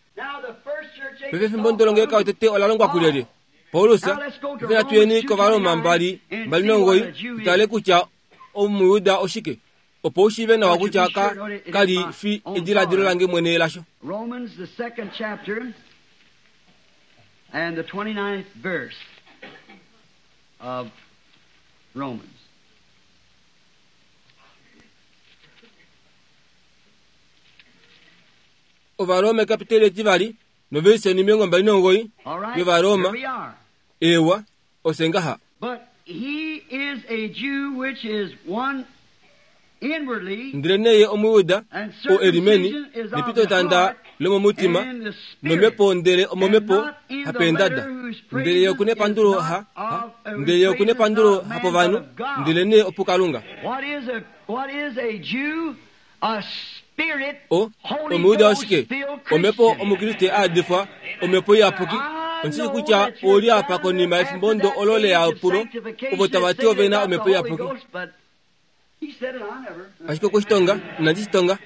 [SPEAKER 1] Paife efimbo ndo longeleka yotete ola longwa kulyelye? Paulus. Paife natu yeni kOvaroma mbali mbali nomugoyi tutale kutya Omuyuda oshike, opo u shiive nawa kutya ka kali fi ediladilo lange mwene lasho.
[SPEAKER 2] Romans the second chapter and the twenty-ninth verse of Romans.
[SPEAKER 1] Ovarome kapiteli etivali novelise omilongo mbali nomugoyi yOvaroma. Ewa osengaha.
[SPEAKER 2] But he is a Jew which is one inwardly,
[SPEAKER 1] ndele neye Omuyuda o elimeni nepitotanda lomomutima nomhepo ndele omomhepo hapeendada ndele ye okuna epandulo ha, ha ndele ye okuna epandulo hapovanhu ndele nee opuKalunga.
[SPEAKER 2] What is a what is a Jew? A spirit
[SPEAKER 1] O Omuyuda oshike? Omhepo Omukriste a yadifwa omhepo iyapuki. Ondishi kutya oli apa konima yefimbo ndo olo leyapulo ovo tava ti ove na omhepo iyapuki. Ashike okushitonga inandi shitonga.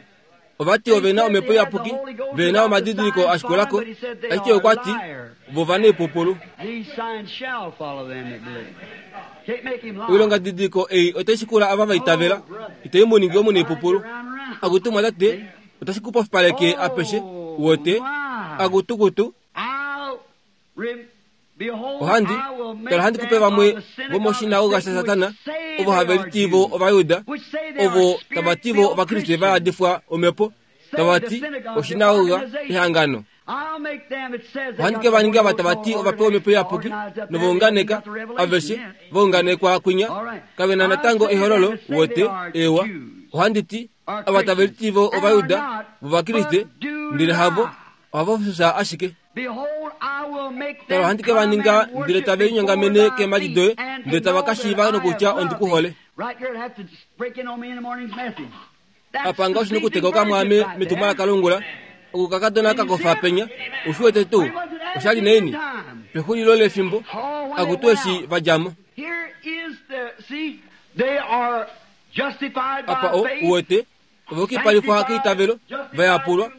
[SPEAKER 1] Ova ti ove na omhepo iyapuki, ve na omadidiliko a shikulako, ashike okwa ti vo ovanaipupulu. Oilonga didiliko ei otai shikula ava va itavela, itai mu ningi omunaipupulu. Akutumwa tate, otashi ku pofipaleke apeshe, wote, akutukutu. Ohandi tala ohandi kupe vamwe vomoshinagoga shaSatana ovo have liti vo Ovayuda ovo tava ti vo Ovakriste va yadifwa omhepo tava ti oshinagoga ehangano. Ohandi ke va ninga va tava ti ova pewa omhepo iyapuki novaunganeka aveshe vaunganekwa kwinya kave na natango ehololo wote. Ewa, ohandi ti ava tave liti vo Ovayuda vOvakriste ndele havo ohava fufya ashike. Tala ohandi ke va ninga ndele tave linyongamene keemhadi doye ndele tava ka shiiva nokutya ondi ku hole. Apa nga oshina okuteka okamwaame metumwalaka longula okukakadona kakofa penya ushi wete tuu oshali neini pexulilo lefimbo akutu eshi va djamo. Apa o uwete ova yukipalifwa keitavelo va yapulwa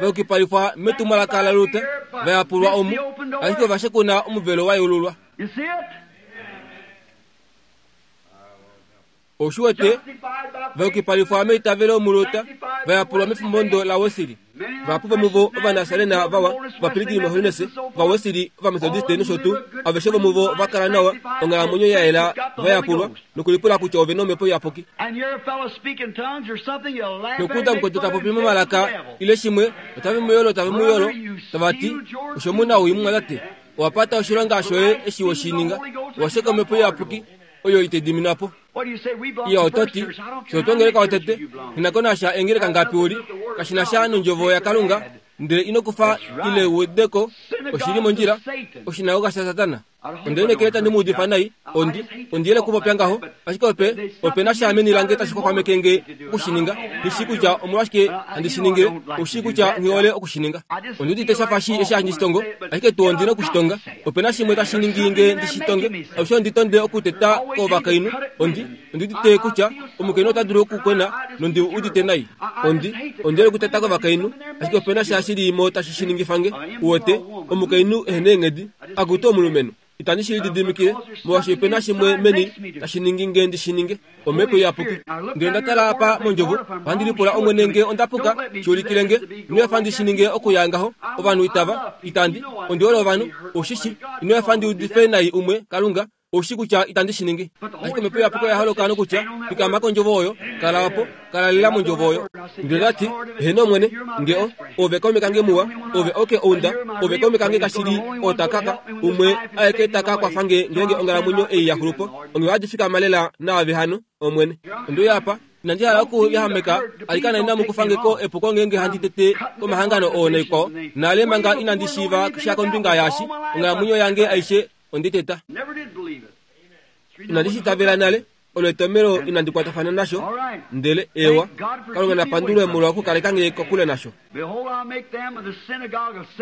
[SPEAKER 1] va yukipalifwa metumwalaka laLuther va yapulwa omu ashike ova shekuna omuvelo wa yeululwa. Oshi wete va yukipalifwa meitavelo muLuther va yapulwa mefimbo ndo laWesley. Vahapu vomuvo Ovanasarena vawa, Ovapilgrim Holiness, Ovawesili, Ovamethodiste nosho tuu, aveshe vomuvo va kala nawa, onghalamwenyo ya yela, va yapulwa, nokulipula kutya ove na omhepo iyapuki. Nokuuda mukwetu ta popi momalaka ile shimwe, otave mu yolo, tave mu yolo, tava ti, osho mu na owii mumwatate, owa pata oshilonga shoye eshi we shi ninga, owa sheka omhepo iyapuki, oyo ite diminwa po. Iya oto ti, fye otwa ngeleka otete, nghi ko nasha engeleka ngapi uli, kashi na sha nondjovo yaKalunga, ndele ino kufa ile u wede ko, oshili mondjila, oshinagoga shaSatana. Onde lineekela tandi mu udifa nai, ondi, ondi yele okupopya ngaho, ashike ope, ope na sha meni lange tashi xwaxwameke nge okushininga, nghi shii kutya omolwashike handi shi ningile, ou shii kutya nghi hole okushininga. Ondi udite sha fa shi eshi handi shi tongo, ashike tuu ondi na okushitonga. Ope na shimwe tashi ningi nge ndi shi tonge, alushe ondi tonde okuteta kovakainhu, ondi, ondi udite kutya omukainhu ota dulu okukwena nondi udite nai. Ondi, ondi yele okuteta kovakainhu, ashike ope na sha shili mo tashi shi ningifa nge, uwete, omukainhu ehena eenghedi, akutu omulumenhu. Itandi shi lididimikile, molwaashi ope na shimwe meni tashi ningi nge ndi shi ninge, omhepo iyapuki. Ndele nda tala apa mondjovo, ohandi lipula Omwene nge onda puka, shi ulikile nge, ino efa ndi shi ninge okuya ngaho, ovanhu itava, itandi, ondi hole ovanhu, oushi shi, ino efa ndi udife nai umwe, Kalunga, oushi kutya itandi shi ningi. Ashike omhepo iyapuki oya holoka nokutya, fikama kondjovo oyo, kala opo, kala lela mondjovo oyo. Ndele ndati, eheno Omwene, nge o, ove kaume kange muwa, ove oke ounda, ove kaume kange kashili otakaka, umwe aeke taka kwafa nge ngeenge onghalamwenyo ei ya xulupo, onghee ohadi fikama lela naave hano, Omwene. Onde uya apa, inandi hala okuyahameka, alikana inamu kufa nge ko epuko ngeenge handi tete komahangano oo naikwao, nale manga inandi shiiva sha kombinga yaashi, onghalamwenyo yange aishe ondi teta. Inandi shi itavela nale, olo etomelo inandi kwatafana nasho, ndele ewa, Kalunga na pandulwe molwa okukaleka nge kokule nasho.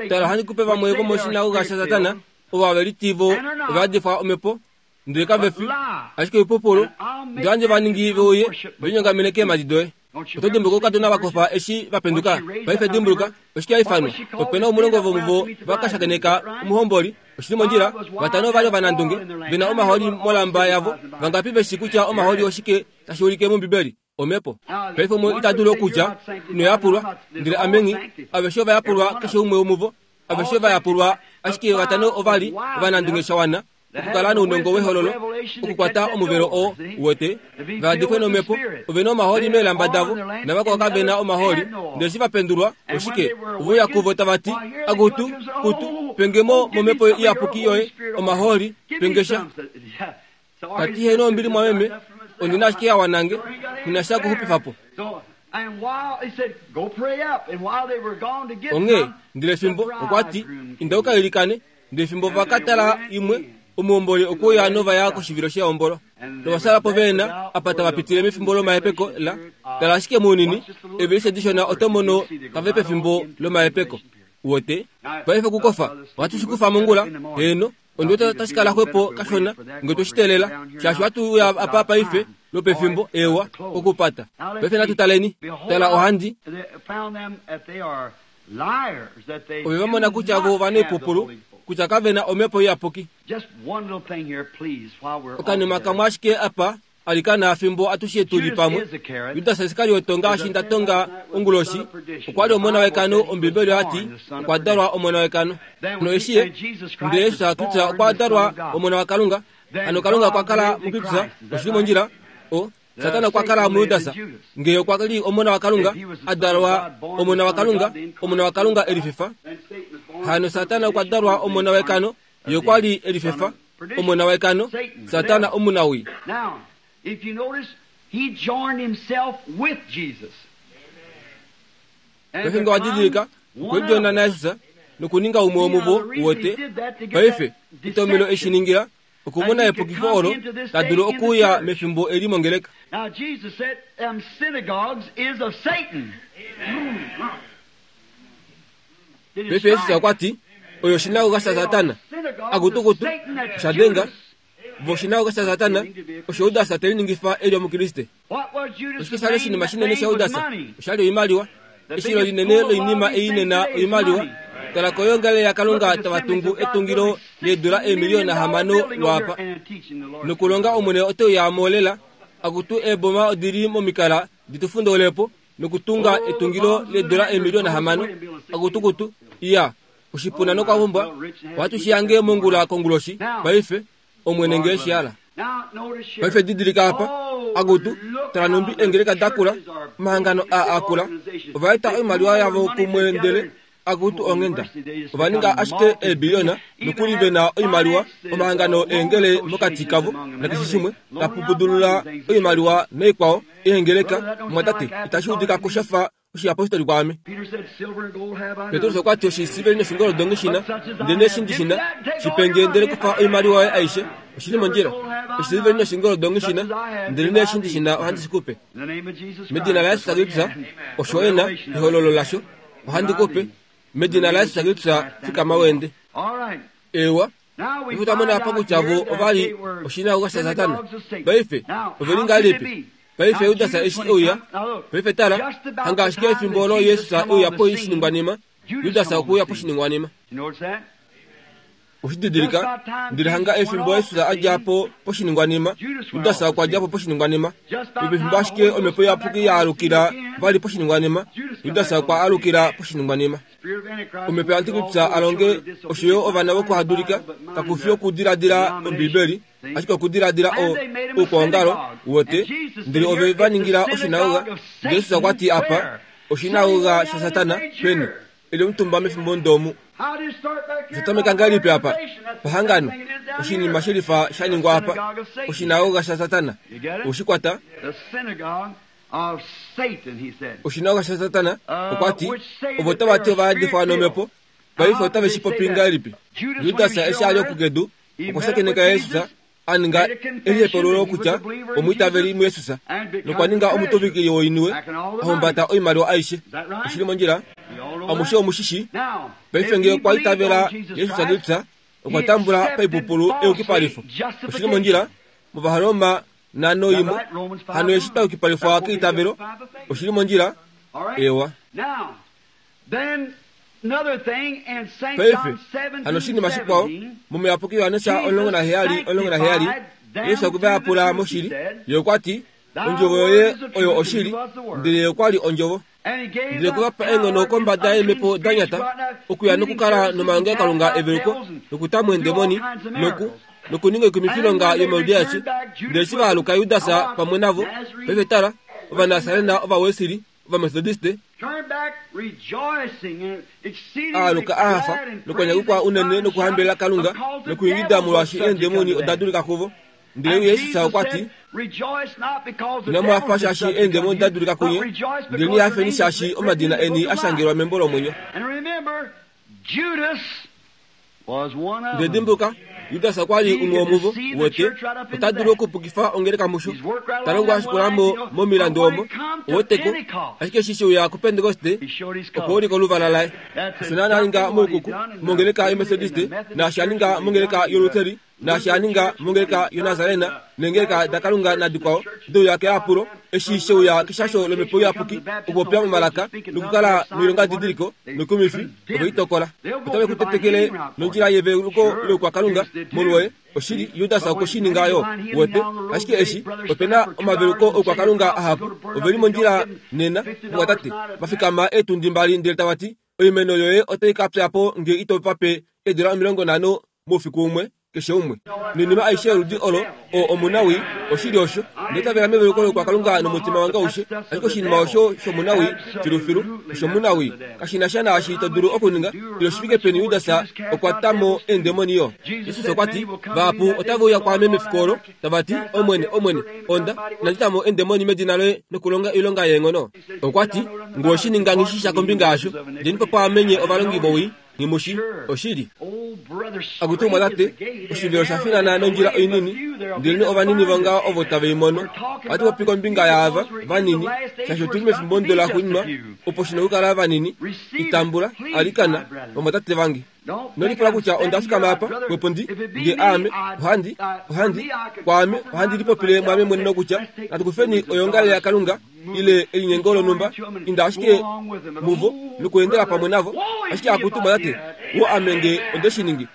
[SPEAKER 1] Tala, ohandi kupe vamwe vomoshinagoga shaSatana, ovo have liti vo ova yadifwa omhepo, ndele kave fi, ashike oipupulu, ndele ohandi va ningi ve uye, ve linyongamene keemhadi doye. Oto dimbuluka oukadona va kofa eshi va penduka? Paife dimbuluka, oshike ya ifanwa? Ope na omulongo vomuvo va ka shakeneka omuhomboli, oshili mondjila, vatano ova li ovanandunge, ve na omahooli molamba yavo. Vangapi ve shii kutya omahooli oshike tashi ulike mOmbibeli? Omhepo. Paife umwe ita dulu okutya, ino yapulwa, ndele ame nghi, aveshe ova yapulwa keshe umwe womuvo, aveshe va yapulwa, ashike vatano ova li ovanandunge sha wana okukala nounongo wehololo, okukwata omuvelo oo uwete, va yadifwe nomhepo, ove na omahooli meelamba davo, navakwao kave na omahooli, ndele eshi va pendulwa, oshike, ove uya kuvo tava ti, akutu, kutu, penge mo momhepo iyapuki yoye, omahooli, penge sha. Tati heno ombili mwameme, ondi na ashike ya wana nge, nghi na sha okuxupifa po. Onghee, ndele fimbo, okwa ti, inda u ka ilikane, ndele fimbo va ka tala imwe, omuhomboli okwe uya nova ya koshivilo shehombolo. Nova sala po ve na apa tava pitile mefimbo lomahepeko la tala ashike mounini, eevelise dishona oto mono tava pefimbo lomahepeko. Uwete? Paife okukofa, ohatu shi kufa mongula, heeno, ondi wete tashi kala xwepo kashona nge twe shi teelela, shaashi ohatu uya apa paife lwopefimbo, ewa, okupata. Paife natu taleni. Tala ohandi. Ove va mona kutya vo ovanaipupulu, kutya kave na omhepo iyapuki. Okanima kamwe ashike apa, alikana fimbo atushe tu li pamwe. Judas Iskariot ngaashi nda tonga onguloshi, okwa li omona wekano, Ombibeli oya ti okwa dalwa omona wekano. Hano eshi ye, ndele Jesus Kristus okwa dalwa omona waKalunga, hano Kalunga okwa kala muKristus, oshili mondjila, o Satana okwa kala muJudas, nge okwa li omona waKalunga, a dalwa omona waKalunga, omona waKalunga e lifefa. Hano Satana okwa dalwa omona wekano, ye okwa li e lifefa, omona wekano, Satana omunawii.
[SPEAKER 2] Now, if you notice, he joined himself with Jesus. And
[SPEAKER 1] Paife nge wa didilika, okwe lidjona naJesus nokuninga umwe womuvo, uwete. Paife, etomelo eshi ningila, okumona epukifo olo ta dulu okuuya mefimbo eli mongeleka.
[SPEAKER 2] Now, Jesus said, them synagogues is of Satan. Did it
[SPEAKER 1] Paife Jesus
[SPEAKER 2] strike?
[SPEAKER 1] okwa ti, oyo oshinagoga shaSatana. Akutukutu, osha denga, vo oshinagoga shaSatana, osho Judas te liningifa e li Omukriste.
[SPEAKER 2] What was Judas'
[SPEAKER 1] Oshike sha li oshinima
[SPEAKER 2] main
[SPEAKER 1] shinene
[SPEAKER 2] thing
[SPEAKER 1] sha
[SPEAKER 2] was
[SPEAKER 1] Judas?
[SPEAKER 2] money.
[SPEAKER 1] Osha li oimaliwa. Eshilo linene loinima ei nena oimaliwa. Tala koyoongalele yaKalunga tava tungu etungilo leedula eemiliyona hamano lwaapa. Nokulonga Omwene ote uya mo lela, akutu eeboma odi li momikala di tu fundoulepo, Nokutunga etungilo leedola eemiliona hamano. Akutukutu iya oshipuna nokwavumbwa. Ohatu shi yange mongula konguloshi paife omwene ngee shiala. Paife didilika apa akutu tala numbi eengeleka dakula omahangano a akula ovaeta oimaliwa yavo kumwe ndele akutu onghenda ovaninga ashike eebiliona nokuli vena oimaliwa omahangano eengele mokati kavo nakeshe shimwe tapupudulula oimaliwa naikwao eengeleka mwatate itashi udika kushafa oshiyapostoli kwaame. Petrus okwa ti oshisiliveli noshingoldo ngishina ndele eshi ndishina shipenge ndele kufa oimaliwa yoye aishe oshili mondjila. Oshisiliveli noshingoldo ngishina ndele eshi ndishina ohandi shikupe medina laYesu Kristus osho ena ehololo lasho ohandi kupe medina laYesu Kristus fikama wende. Ewa ifutamona apa kutya vo ovali oshinagoga shaSatana. Paife oveli ngahelipi? Paife Judas eshi euya. Paife tala hanga ashike efimbo olo Yesus euya po oshiningwanima. Judas okuuya poshiningwanima. Oshididilika ndele hanga efimbo Yesus adja po poshiningwanima. Judas okwa dja po poshiningwanima. Pefimbo ashike omhepo iyapuki ya alukila vali poshiningwanima. Judas okwa alukila poshiningwanima. Omhepo yaAntikristu alonge oshoyo ovana vokuhadulika kakufi okudiladila Ombibeli ashike okudiladila oukwaongalo wote ndele ove va ningila oshinagoga. Jesus okwa ti apa oshinagoga shaSatana peni eli omutumba mefimbo ndomu. Oshatameka ngahelipi apa pahangano oshinima shelifa sha ningwa apa oshinagoga shaSatana oshikwata oshinagoga shaSatana okwa ti ovo tava ti ovayadifwa nomhepo paife otave shi popi ngahelipi. Judas eshi ali okukedu okwa shakeneka Jesus aninga elihepululo kutya omwiitaveli muYesus nokwa ninga omutuvikili woiniwe ahumbata oimaliwa aishe. Oshili mondjila amushe omushishi. Paife ngee okwa itavela Jesus Kristus okwa tambula paipupulu eyukipalifo. Oshili mondjila mOvaharoma nhano imwe hano eshi tayukipalifwa keitavelo. Oshili mondjila ewa. Paife hano oshinima shikwao momuyapuki Yohanesa omulongo naheyali omulongo naheyali Yesus okwe va pula moshili. Ye okwa ti ondjovo yoye oyo oshili ndele ye okwa li ondjovo. Ndele okwe va pa eenghono kombada yeemhepo da nyata okuya nokukala nomalongelokalunga eveluko nokutamwa eendemoni noku nokuninga oikumifilonga yomaludi aeshe. Ndele eshi va aluka Judas pamwe navo paife tala Ovanasarena Ovawesili Ovamethodiste aaluka ahafa nokwanyakukwa unene nokuhambelela Kalunga nokuingida molwaashi eendemoni oda dulika kuvo. Ndele Yesus okwa ti inamu hafa shaashi eendemoni da dulika kunye ndele nihafeni shaashi omadina eni ashangelwa membo lomwenyo. Ndele dimbuka Judas okwa li umwe womuvo wote ota dulu okupukifa ongeleka musho talongo ashikulamo momilandu omo owoteko ashike eshi sheuya kuPentekoste okwa ulika oluvala laye. Osho naana aninga moukuku mongeleka yoMethodiste naashi aninga mongeleka yoLutheri naashi aninga mongeleka yoNazarena neengeleka daKalunga nadikwao deuya keapulo eshi sheuya keshasho lomhepo iyapuki okupopya momalaka nokukala noilonga didiliko nokumifi ove itokola. Otave kutetekele nondjila yeveluko loukwakalunga molwoye. Oshili Judas okwe shi ninga yo wote ashike eshi opena omaveluko oukwakalunga ahapu oveli mondjila nena mwatate vafikama eetundi mbali ndele tava ti oimeno yoye otai ka pya po nge ito vape eedola omilongo nhano moufiku umwe keshe umwe noinima aishe yoludi olo o omunawi oshili osho ndetavela meveluko loukwakalunga nomutima wange aushe ashike oshinima osho shomunawi filufilu oshomunawi kashina sha naashi to dulu okuninga ile oshifike peni Judas okwa tamo eendemoni yo. Jesus okwa ti vahapu otave uya kwaame mefiku olo tava ti omwene omwene onda inandi tamo eendemoni medina loye nokulonga oilonga yeenghono. Okwa ti ngoo oshininga nghishisha kombinga yasho ndeni po paamenye ovalongi vowii ngimushi oshili. Akutu mwatate oshivelo sha finana nondjila oinini ndele ovanini vonga ovo tave i mono. Ohatu popi kombinga yaava vanini shaashi otuli mefimbo ndo laxuuninwa opo shina okukala vanini itambula alikana vamwatate vange. Nolipula kutya onda fikama apa wepo ndi nge aame ohandi ohandi kwaame ohandi lipopile mwaame mwene nokutya natukufeni oyongalele yaKalunga ile elinyengo lonumba inda ashike muvo nokuendela pamwe navo ashike akutu mwatate wo ame nge onde shi ningi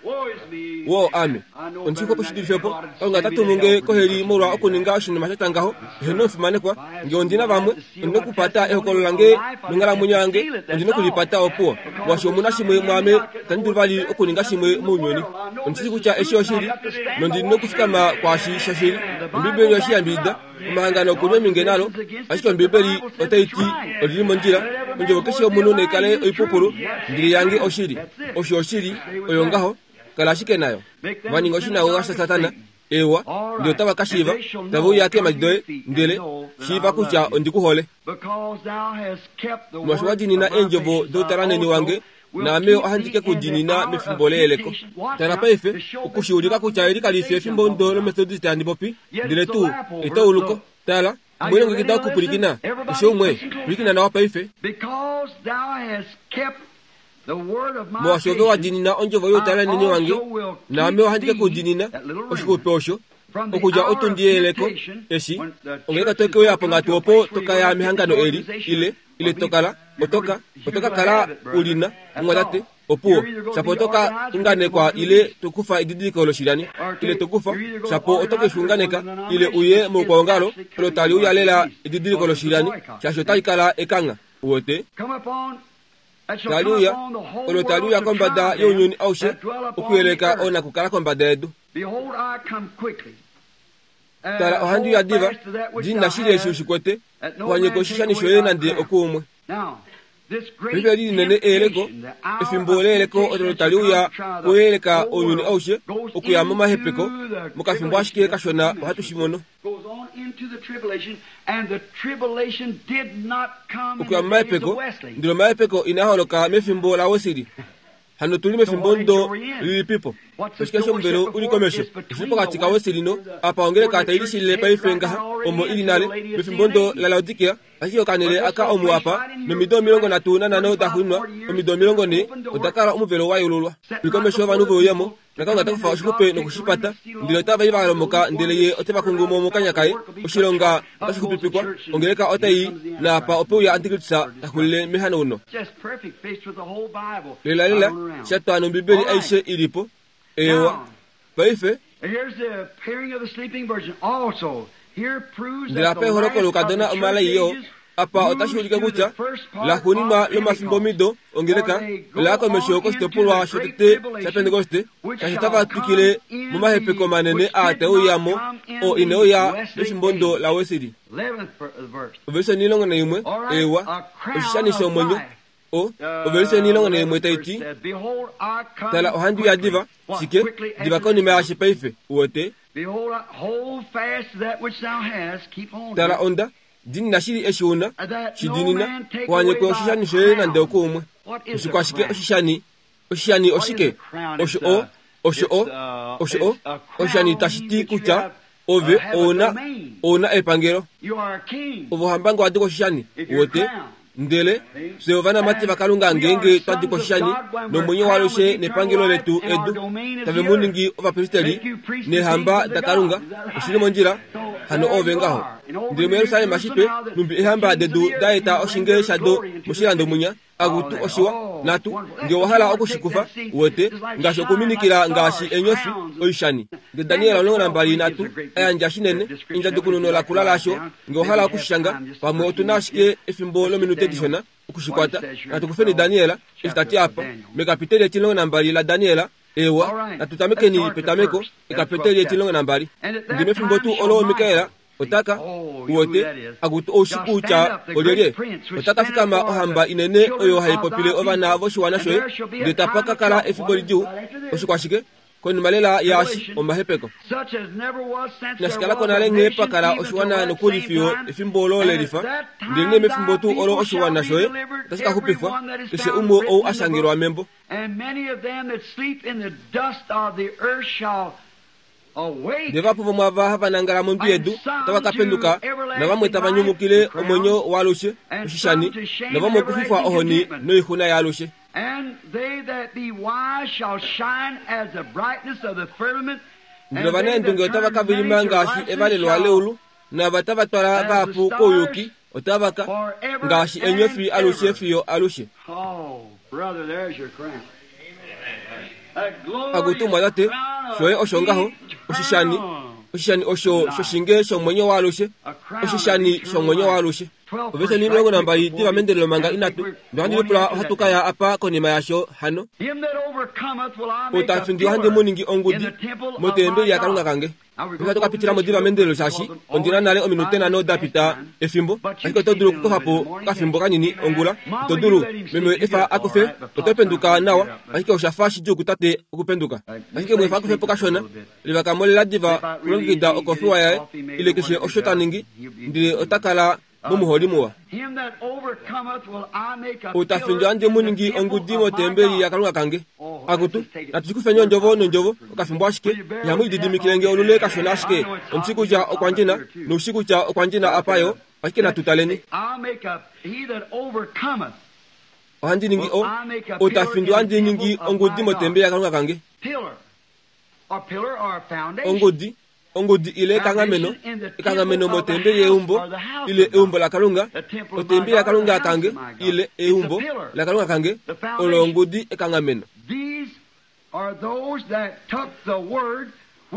[SPEAKER 1] wo ame Ondi xwepo shi dulife po. Kalunga ota tumu nge koheli molwa okuninga oshinima sha tya ngaho. Eheno omufimanekwa, nge ondi na vamwe, ondi nokupata ehokolo lange nonghalamwenyo yange, ondi nokulipata opuwo. Molwaashi omu na shimwe mwaame, itandi dulu vali okuninga shimwe mounyuni. Ondi shii kutya eshi oshili, nondi nokufikama kwaashi shoshili. Ombiibeli oyeshi yambidida, omahangano oku li ominge nalo, ashike Ombiibeli otai ti olili mondjila. Ondjovo keshe yomunhu naikale oipupulu, ndele yange oshili. Osho oshili, oyo ngaho, kala ashike nayo. Va ninga oshinagoga shaSatana, ewa, ndele otava ka shiiva, tave uya keemhadi doye, ndele shiiva kutya ondi ku hole. Molwaashi wa diinina eendjovo doutalanheni wange, naame ohandi ke ku diinina mefimbo leyeleko. Tala paife, oku shi ulika kutya eli kali fi efimbo ndo lOmethodist handi popi, ndele tuu etauluko. Tala, omwe longekida okupwilikina, keshe umwe, pwilikina nawa paife. Molwaashi ove wa diinina ondjovo youtalanheni wange, naame ohandi ke ku diinina oshixupe osho, okudja otundi yeyeleko eshi ongeleka to ke uya ponghatu opo to ka ya mehangano eli, ile ile to kala, otoka, otoka kala u lina, mumwatate, opuwo, shapo oto ka unganekwa ile to kufa edidiliko loshilyani, ile to kufa, shapo oto ke shi unganeka, ile uye moukwaongalo, olo tali uya lela edidiliko loshilyani, shaashi otali kala ekangha. Uwete? Tali uya, olo tali uya kombada younyuni aushe, okuyeleka oonakukala kombada yedu. Tala, ohandi uya diva, diinina shili eshi ushikwete, uhanyeke oshishani shoye nande okuumwe. Paife eli linene eyeleko, efimbo leyeleko olo tali uya kuyeleka ounyuni aushe, okuya momahepeko, mokafimbo ashike kashona ohatu shi mono. Okuya momahepeko, ndele omahepeko inaa holoka mefimbo laWesley. Hano tuli mefimbo ndo lilipipo. Oshike shomuvelo uli komesho? Oshili pokati kaWesley no apa ongeleka tai lishilile paife ngaha, omo ili nale, mefimbo ndo laLaodikea, ashike okanele aka omu apa, nomido omilongo nhatu nanhano da xuninwa, omido omilongo nhee, oda kala omuvelo wa yeululwa. Uli komesho ovanhu veuyemo, naKalunga ota kufa oshixupe nokushipata, ndele otava i va lomoka, ndele ye ote va kungu mo mokanya kaye. Oshilonga otashi xupipikwa, ongeleka otai i, naapa ope uya Antikristus ta xulile mehanauno. Lela lela, sha twa nOmbibeli aishe i li po. Eewa. Paife, ndele apa eholoko loukadona omalai yoo, apa otashi ulike kutya laxuuninwa lomafimbomido ongeleka ola ya komesho koshitopolwa shotete shaPentekoste, shaashi otava twikile momahepeko manene aa tae uya mo, oo ine uya mefimbo ndo laWesley. Ovelishe omilongo naimwe, eewa, oshishani shomwenyo. O, ovelishe omilongo naimwe tai ti, Tala, ohandi uya diva, shike, diva konima yaashi paife, uwete. Tala, onda diinina shili eshi una, shi diinina, uhanyekwe oshishani shoye nande okuumwe. Oshikwashike oshishani? Oshishani oshike? Osho o, osho o, osho o, oshishani tashi ti kutya ove ouna, ouna epangelo. Ove ohamba nge wa dikwa oshishani, uwete. Ndele fye ovanamati vaKalunga ngeenge twa dikwa oshishani nomwenyo waalushe nepangelo letu edu, tave mu ningi ovapristeli neehamba daKalunga. Oshili mondjila, hano ove ngaho. Ndele muJerusalem shipe, numbi eehamba dedu da eta oshinge shado moshilando munya, akutu oshiwa, natu, nge owa hala okushikufa, uwete, ngaashi okuminikila ngaashi enyofi oishani. Ndele Daniel omulongo nambali natu a yandja shinene endjadukununo lakula laasho, nge owa hala okushishanga, pamwe otu na ashike efimbo lominute dishona okushikwata. Natu kufeni Daniel, eshi ta ti apa, mekapiteli etimulongo nambali laDaniel. Ewa, natu tamekeni petameko, ekapiteli etimulongo nambali. Ndele mefimbo tuu olo Mikael otaka, uwete, akutu oushi kutya olyelye, otaka fikama ohamba inene oyo hai popile ovana voshiwana shoye, ndele tapa ka kala efimbo lidjuu. Oshikwashike? Konima lela yaashi omahepeko. Inashi kala ko nale nghee pa kala oshiwana nokuli fiyo efimbo olo le lifa, ndelenee mefimbo tuu olo oshiwana shoye otashi ka xupifwa, keshe umwe ou a shangelwa membo. Ndele vahapu vomwaava hava nangala mondwi yedu otava ka penduka, navamwe tava nyumukile omwenyo waalushe oshishani, navamwe okufifwa ohoni noixuna yaalushe. Ndele ovanaendunge otava ka vilima ngaashi evalelwa leulu, naava tava twala vahapu kouyuki otava ka ngaashi enyofi alushe fiyo alushe. Akutu mwatate, Shoye osho ngaho oshishani oshishani osho shoshinge shomwenyo waalushe oshishani shomwenyo waalushe. Ovese ni omulongo nambali diva mendelelo manga inatu nohandi lipula ohatu kaya apa konima yasho hano. Outafindi ohandi muningi ongudi motembeli yaKalunga kange. Ohatu kapitila modiva mendelelo shaashi ondina nale ominute nhano dapita efimbo, ashike oto dulu okukofapo okafimbo kanini ongula. Ito dulu meme efa akufe, oto penduka nawa, ashike oshafa shidjuu kutate okupenduka. Ashike mwefa akufepo kashona, livakamolela diva kulongekida okofiwa yaye ile keshe osho ta ningi, ndele ota kala momuholi muwa. Outafindi ohandi muningi ongudi motembeli yaKalunga kange. Akutu, natushikufeni ondjovo nondjovo okafimbo ashike, ihamu lididimikile nge olule kashona ashike. Omushi kutya okwa ndjina, noushi kutya okwa ndjina apa yo, ashike natutaleni. Ohandi ningi o outafindi ohandi ningi ongudi motembeli yaKalunga kange. Ongudi ongudi ile ekanghameno ekanghameno motembeli yeumbo ile eumbo laKalunga otembeli yaKalunga kange ile eumbo laKalunga kange olo ongudi ekanghameno.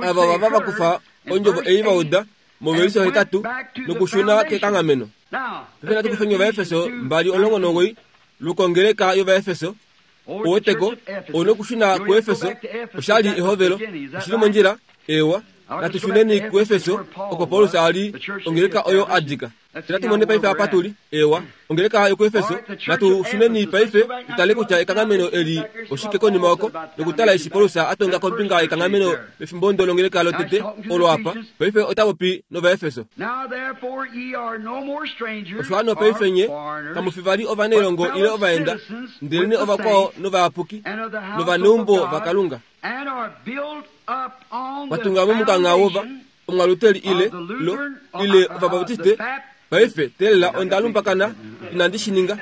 [SPEAKER 1] Ava vava vakufa ondjovo ei vauda movelisho hetatu nokushuna kekanghameno. Paife natu kufeni Ovaefeso mbali omulongo nomugoyi lukongeleka yOvaefeso. Oweteko onokushuna kuEfeso oshali ehovelo oshili mondjila ewa. Natushuneni kuEfeso oko Paulus ali ongeleka oyo adika. Natumone paife apa tuli ewa ongeleka yokuEfeso. Natushuneni paife tutale kutya ekanghameno eli oshike konima oko nokutala eshi Paulus atonga kombinga yekanghameno pefimbo ndo longeleka lotete olo apa. Paife ota popi nOvaefeso. Osho hano paife nye kamu fi vali ovanailongo ile ovaenda, ndelene ovakwao novayapuki novaneumbo vaKalunga. Vatunga momukangha wova omwaluteli ile lo ile ovabaptiste. Paife telela onda lumbakana inandi shi ninga.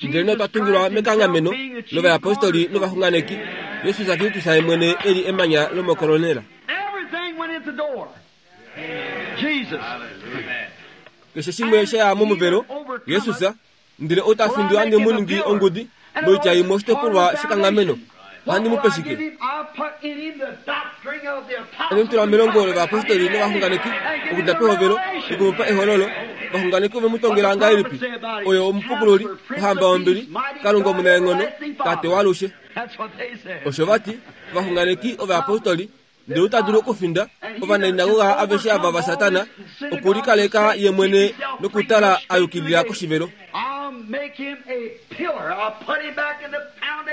[SPEAKER 1] Ndelene otwa tungilwa mekanghameno lovayapostoli novaxunganeki, Jesus Kristus ye mwene eli emanya lomokolonela. Keshe shimwe shaya momuvelo Jesus, ndele outafindi ohandi muningi ongudi moitya imwe oshitopolwa shekanghameno. Ohandi mu pe shike? Ohandi mu tula melongo lovayapostoli novaxunganeki okudja pehovelo nokumupa ehololo. Vaxunganeki ove mu tongela ngahelipi? Oyo omupukululi, ohamba yombili, Kalunga omunaenghono, Tate waalushe. Osho vati ovaxunganeki ovayapostoli, ndele ota dulu okufinda ovanainagoga aveshe ava vaSatana, okulikaleka ye mwene nokutala a yukilila koshivelo.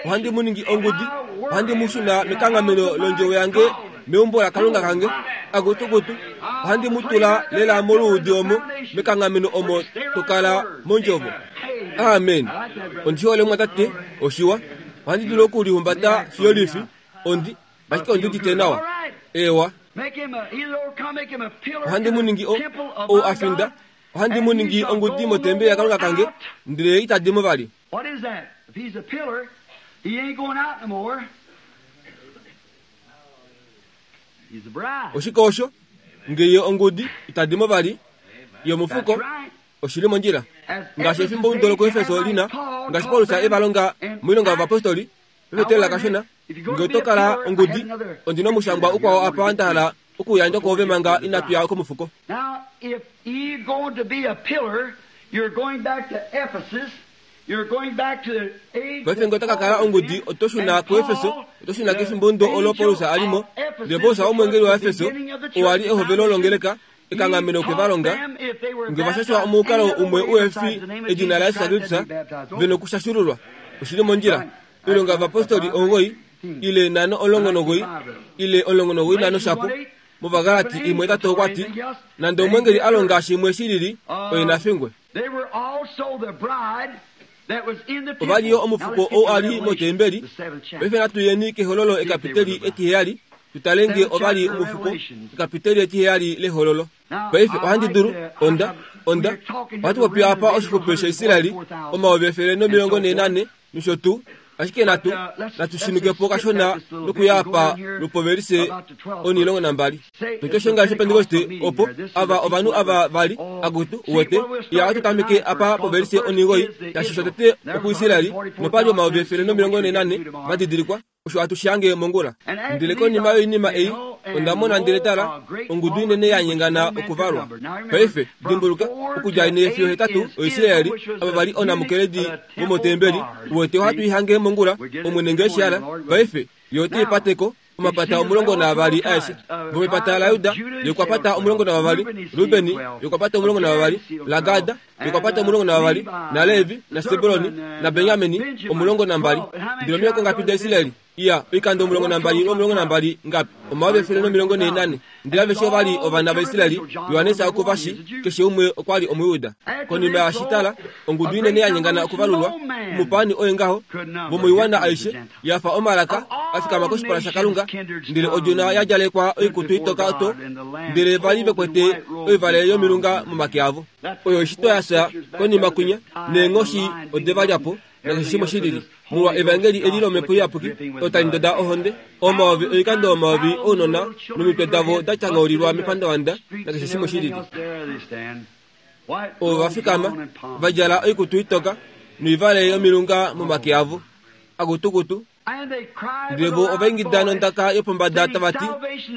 [SPEAKER 1] Ohandi mu ningi ongudi, ohandi mu shuna mekanghameno londjovo yange meumbo laKalunga kange. Akutukutu, ohandi mu tula lela moluudi omo mekanghameno omo tokala mondjovo. Amen. Ondi hole mwatate oshiwa. Ohandi dulu okulihumbata fiyolifi ondi ashike ondi udite nawa. Ewa. Ohandi mu ningi o ou afinda. Ohandi mu ningi ongudi motembeli yaKalunga kange, ndele itadi mo vali. Oshike osho? Ngeye ongudi itadi mo vali yomufuko oshili mondjila. Ngaashi efimbo ndo lokuEfeso lina, ngaashi Paulus e va longa moilonga yovapostoli, pefetelela kashona, nge oto kala ongudi, ondina omushangwa ukwao apa nda hala okuyandja kwoove manga inatu ya komufuko. Paife nge ota ka kala ongudi, oto shuna kuEfeso, oto shuna kefimbo ndo olo Paulus a li mo. Ndele Paulus omwengeli waEfeso, oo a li ehovelo longeleka, ekanghameno okwe va longa, nge va shashwa omukalo umwe uefi edina laJesus Kristus, ve nokushashululwa. Oshili mondjila. Oilonga yovapostoli omugoyi ile nhano omulongo nomugoyi ile omulongo nomugoyi nhano shapo. MOvagalati imwe hetatu okwati, nande omwengeli a longa shimwe shilili, oye na fingwe. Ova li yo omufuko ou a li motembeli. Paife natu yeni kehololo ekapiteli etiheyali, tutale nge ova li omufuko ekapiteli etiheyali lehololo. Paife ohandi dulu onda onda ohatu popi apa oshixupe shaIsraeli omayovi efele nomilongo nhee nane nosho tuu. Ashike natu natu shinukepo kashona nokuya apa lupovelise onilongo nambali. Totoshonga shopentekoste opo ava ovanhu ava vali akutu uwete iya atutameke apa povelise onigoi tashi shotete okuisraeli nopali omayovi efele nomilongo nenane vadidilikwa osho atushange mongula. Ndele konima yoinima ei onda mona ndele tala ongudu inene ya nyengana okuvalwa. Paife dimbuluka okudja ine fiyo hetatu oIsraeli ava vali onamukeledi vomotembeli uwete ohatu ihange mongula omwene ngeeshiala. Paife yo otiipateko omapata omulongo naavali aeshe. Vomepata laJuda yokwapata omulongo navavali, Rubeni yokwapata omulongo navavali, laGada yokwapata omulongo navavali, naLevi naSebuloni naBenjamini omulongo nambali. Ndele omihoko ngapi daIsraeli? Iya oikando omulongo nambali omulongo nambali ngapi? Omayovi efele nomilongo nenane. Ndele aveshe ovali ovana vaIsraeli. Johannes okuvashi keshe umwe okwali Omuyuda. Konima yashitala ongudu inene ya nyengana okuvalulwa omupani oye ngaho vomoiwana aishe yafa omalaka afikama koshipala shaKalunga. Ndele odjona ya djalekwa oikutu itoka oto ndele vali vekwete oivale yomilunga momake avo. Oyo ishitwa yafya konima kwinya neenghoshi ode va lyapo nakeshe shimwe shilili. Molwa evangeli eli lomhepo iyapuki otali ndoda ohonde omayovi oikando omayovi ounona nomitwe davo da tyanghaulilwa mepandavanda nakeshe shimwe shilili. Ovo va fikama va djala oikutu itoka noivale yomilunga momake avo akutukutu. Ndele vo ovaingida nondaka yopombada tava ti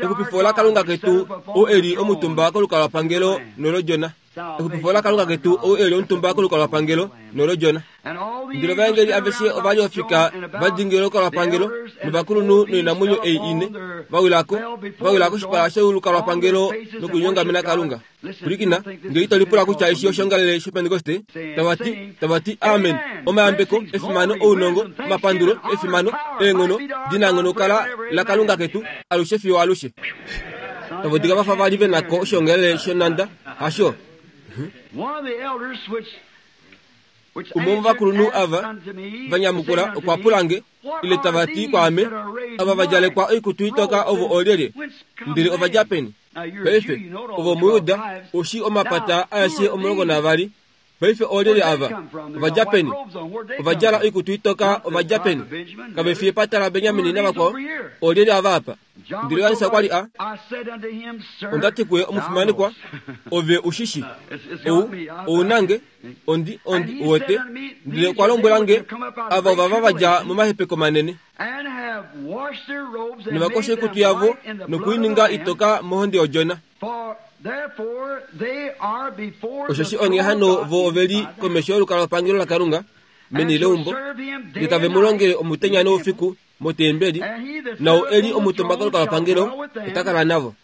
[SPEAKER 1] exupifo laKalunga ketu ou eli omutumba kolukalwapangelo nolodjona. Exupifo laKalunga ketu ou eli omutumba kolukalwapangelo nolodjona. Ndele ovaengeli aveshe ovali ofika va dingilila olukalwapangelo novakulunhu noinamwenyo ei ine va wilako va wila koshipala sholukalwapangelo nokulinyongamena Kalunga. Pwilikina, ngee ito lipula kutya eshi oshongalele shopentekoste tava ti tava ti amen. Omayambeko, efimano, ounongo, omapandulo, efimano, eenghono dinanghono kala laKalunga ketu alushe fiyo alushe. Tava dika vafa vali venako oshongalele shonanda hasho. Umwe womovakulunhu ava vanyamukula okwa pula nge ile tava ti kwaame ava va djalekwa oikutu itoka ovo oolyelye? Ndele ova dja peni? Paife ovo Omuyuda oshi omapata aeshe omulongo navali. Paife oolyelye ava? Ova dja peni? Ova djala oikutu itoka ova dja peni? Kave fi epata laBenjamini navakwao? Oolyelye ava apa? Ndele Johannes okwa li a onda ti kuye omufimanekwa ove ushishi ou ounange ondi ondi uwete. Ndele okwa lombwela nge ava ovava va dja momahepeko manene novakosha oikutu yavo nokuininga itoka mohonde yodjona. Osheshi onghee hano vo oveli komesho yolukalwapangelo laKalunga meni leumbo ndele tave mu longele omutenya noufiku motembeli, nau eli omutumba kolukalwapangelo ota kala navo.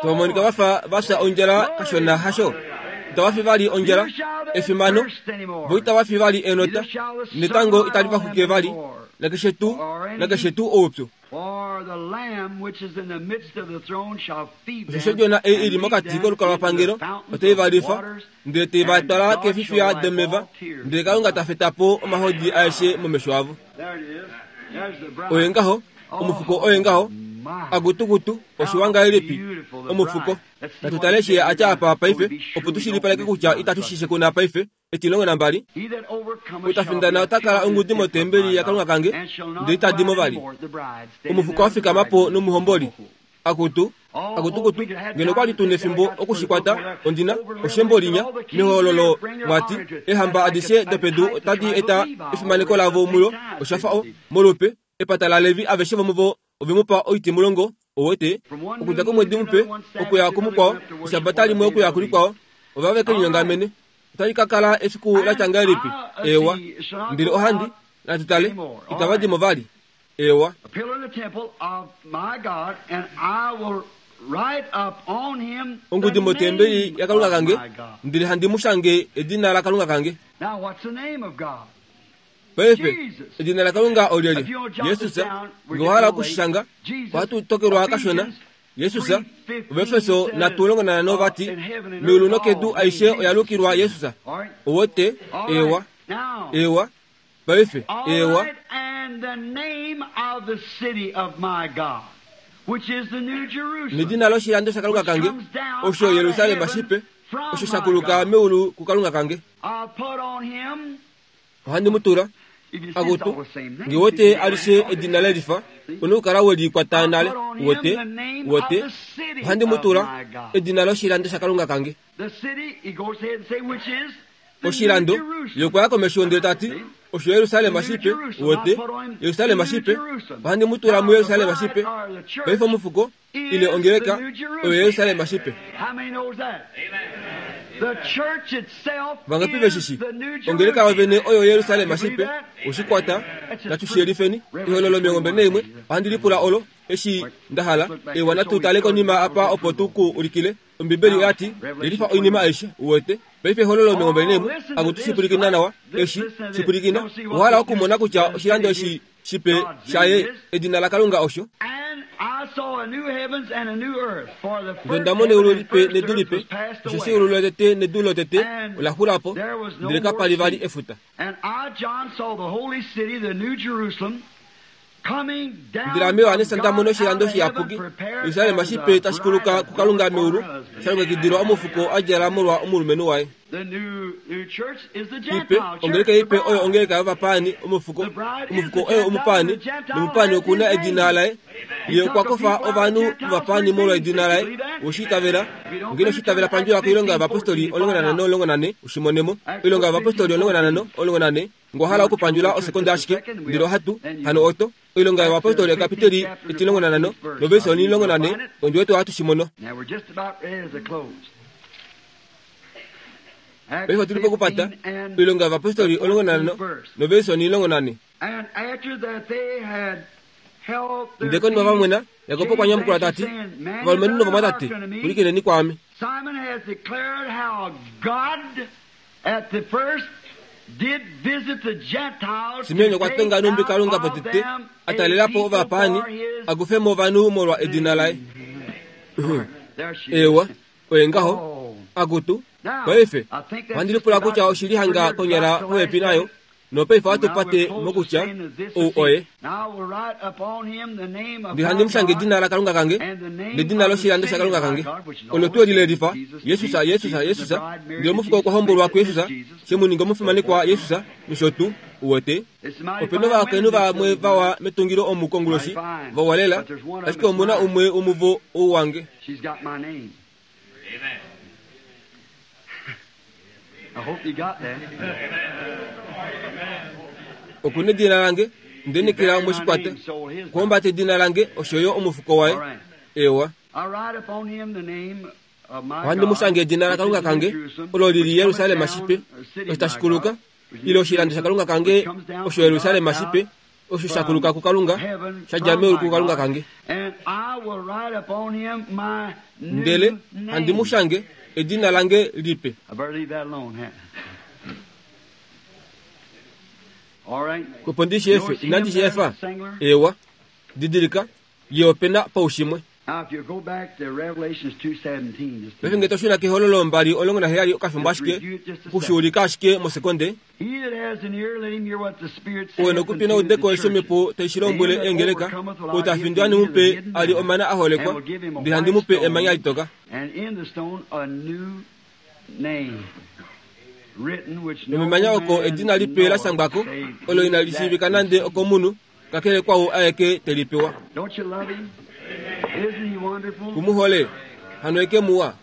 [SPEAKER 1] Tava monika vafa vafya ondjala kashona hasho. Itava fi vali ondjala efimano vo itava fi vali enota netango itali va xwike vali nakeshe tuu nakeshe tuu oupyu. Osheshi odjona ei ili mokati kolukalwapangelo otai va lifa ndele tei va twala keefifiya domeva ndele Kalunga ta feta po omahodi aeshe momesho avo. Oye ngaho omufuko oye ngaho akutukutu oshiwa ngahelipi omufuko. Natu tale eshi atya apa paife opo tushilipaleke kutya itatu shishe kuna paife etilongo nambali. Utafindana ota kala ongudi motembeli yaKalunga kange ndele itadi mo vali. Omufuko wa fikama po nomuhomboli akutu akutukutu ngeno kwali tuna efimbo okushikwata ondina oshembolinya mehololo mwati ehamba adishe dopedu otadi eta efimaneko lavo mulo oshafa o molupe epata laLevi aveshe vomuvo ovemupa oitimulongo owete okudja komwedi mupe okuya kumukwao eshabata limwe okuya kulikwao ova veke linyongamene. Otali ka kala efiku la tya ngahelipi? Ewa. Ndele ohandi natu tale itava dimo vali. Ewa. Ongudi motembeli yaKalunga kange ndele handi mu shange edina laKalunga kange. Paife edina laKalunga olyelye? Jesus. Ngee owa hala okushishanga ohatu tokelwa kashona. Jesus. Ovaefeso natu longo nanhano vati meulu nokedu aishe oya lukilwa Jesus. Owote ewa ewa paife ewa. Nedina loshilando shaKalunga kange osho Yerusalem shipe osho shakuluka meulu kuKalunga kange. Ohandi mu tula akutu ngiwete alishe edina lelifa onokukala welikwata nale wote wote ohandi mu tula edina loshilando shakalunga kange. Oshilando yokwaya komesho ndele tati osho Yerusalem shipe wote Yerusalem shipe ohandi mu tula mu Yerusalem shipe paife omufuko ile ongeleka oyo Yerusalem shipe. Vangapi veshishi ongeleka ovene oyo Yerusalem shipe oshikwata natushiyelifeni ihololo miongo mbili naimwe ohandi lipula olo eshi ndahala ewa natutale konima apa opo tuku ulikile ombibeli oyati yelifa oinima aishe uwete paife ehololo miongo mbili naimwe akutu shipulikina nawa eshi shipulikina ohala okumona kutya oshilando eshi shipe shaye edina lakalunga osho. Ndondamona eulu lipe nedu lipe osheshi eulu lotete nedu lotete olaxulapo ndele kapali vali efuta. Ndele ame Yohanesa ndamona oshilando shiyapuki Yerusalem shipe tashikuluka kukalunga meulu shalongekidilwa omufuko adjala molwa omulumenhu waye. Ipe ongeleka ipe oyo ongeleka yovapaani omufuko omufuko oyo omupaani nomupaani okuna edina laye ye okwakofa ovanhu vovapaani molwa edina laye oshitavela ngeno oshitavela pandjula koilonga yovapostoli omulongo nanhano omulongo nane oshimonemo oilonga yovapostoli omulongo nanhano omulongo nane ngohala okupandjula osekonda ashike ndele ohatu hano oto oilonga yovapostoli ekapiteli etilongo nanhano novesi onilongo nane ondiwete ohatu shimono. Paife tuli pokupata oilonga yovapostoli omulongo nanhano novesi onilongo nane. Ndele konima vamwena Yakobo okwa nyamukula tati ovalumenhu novamwatate pulikineni kwaame. Simeon okwa tonga numbi Kalunga potete atalelapo ovapaani akufemo ovanhu molwa edina laye. Ewa oye ngaho akutu paife ohandi lipula kutya oshili hanga konyala popepi nayo nopaife ohatupate mokutya ou oye. Ndele handi mushange edina lakalunga kange nedina loshilando shakalunga kange olo tuu eli lelifa Yesus Yesus Yesus. Ndele omufuko okwa hombolwa kuYesus shemuninga omufimanekwa Yesus nosho tuu uwete. Opena ovakainhu vamwe vawa metungilo omu konguloshi vawa lela ashike omuna umwe womuvo ou wange. Okuna edina lange ndenikila omoshikwata kuhombata edina lange oshoyo omufuko waye. Ewa ohandi mushange edina lakalunga kange olo lili Yerusalem shipe osho tashikuluka ile oshilando shakalunga kange osho Yerusalem shipe osho shakuluka kukalunga shadja meulu kukalunga kange. Ndele handi mushange edina lange lipe. Opo ndisheefe inandi sheefa. Ewa didilika ye opena paushimwe. Paife ngee toshuna kehololo mbali omulongo naheyali okafimbo ashike okushuulika ashike mosekonde. Owe nokupina udeko eshi omhepo taishilombwele eengeleka ou tafindwa nimupe ali omana aholekwa ndele handi mupe emanya litoka. Nomemanya oko edina lipe lashangwako olo inali shiivika nande okomunhu kakele kwau aeke telipewa. Kumuhole hano eke muwa.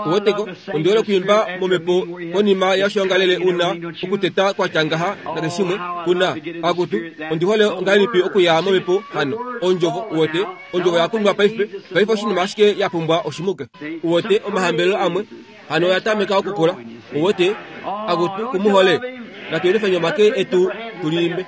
[SPEAKER 1] Uweteko ondiole okuimba momhepo konima yoshoongalele una okuteta kwatya ngaha nakeshimwe kuna akutu ondihole ongahelipi okuya momhepo hano ondjovo uwete ondjovo yakunwa paife paife oshinima ashike yapumbwa oshimuke uwete omahambelelo amwe hano oyatameka okukula uwete akutu kumuhole natuyelifeni omake etu tuliimbe.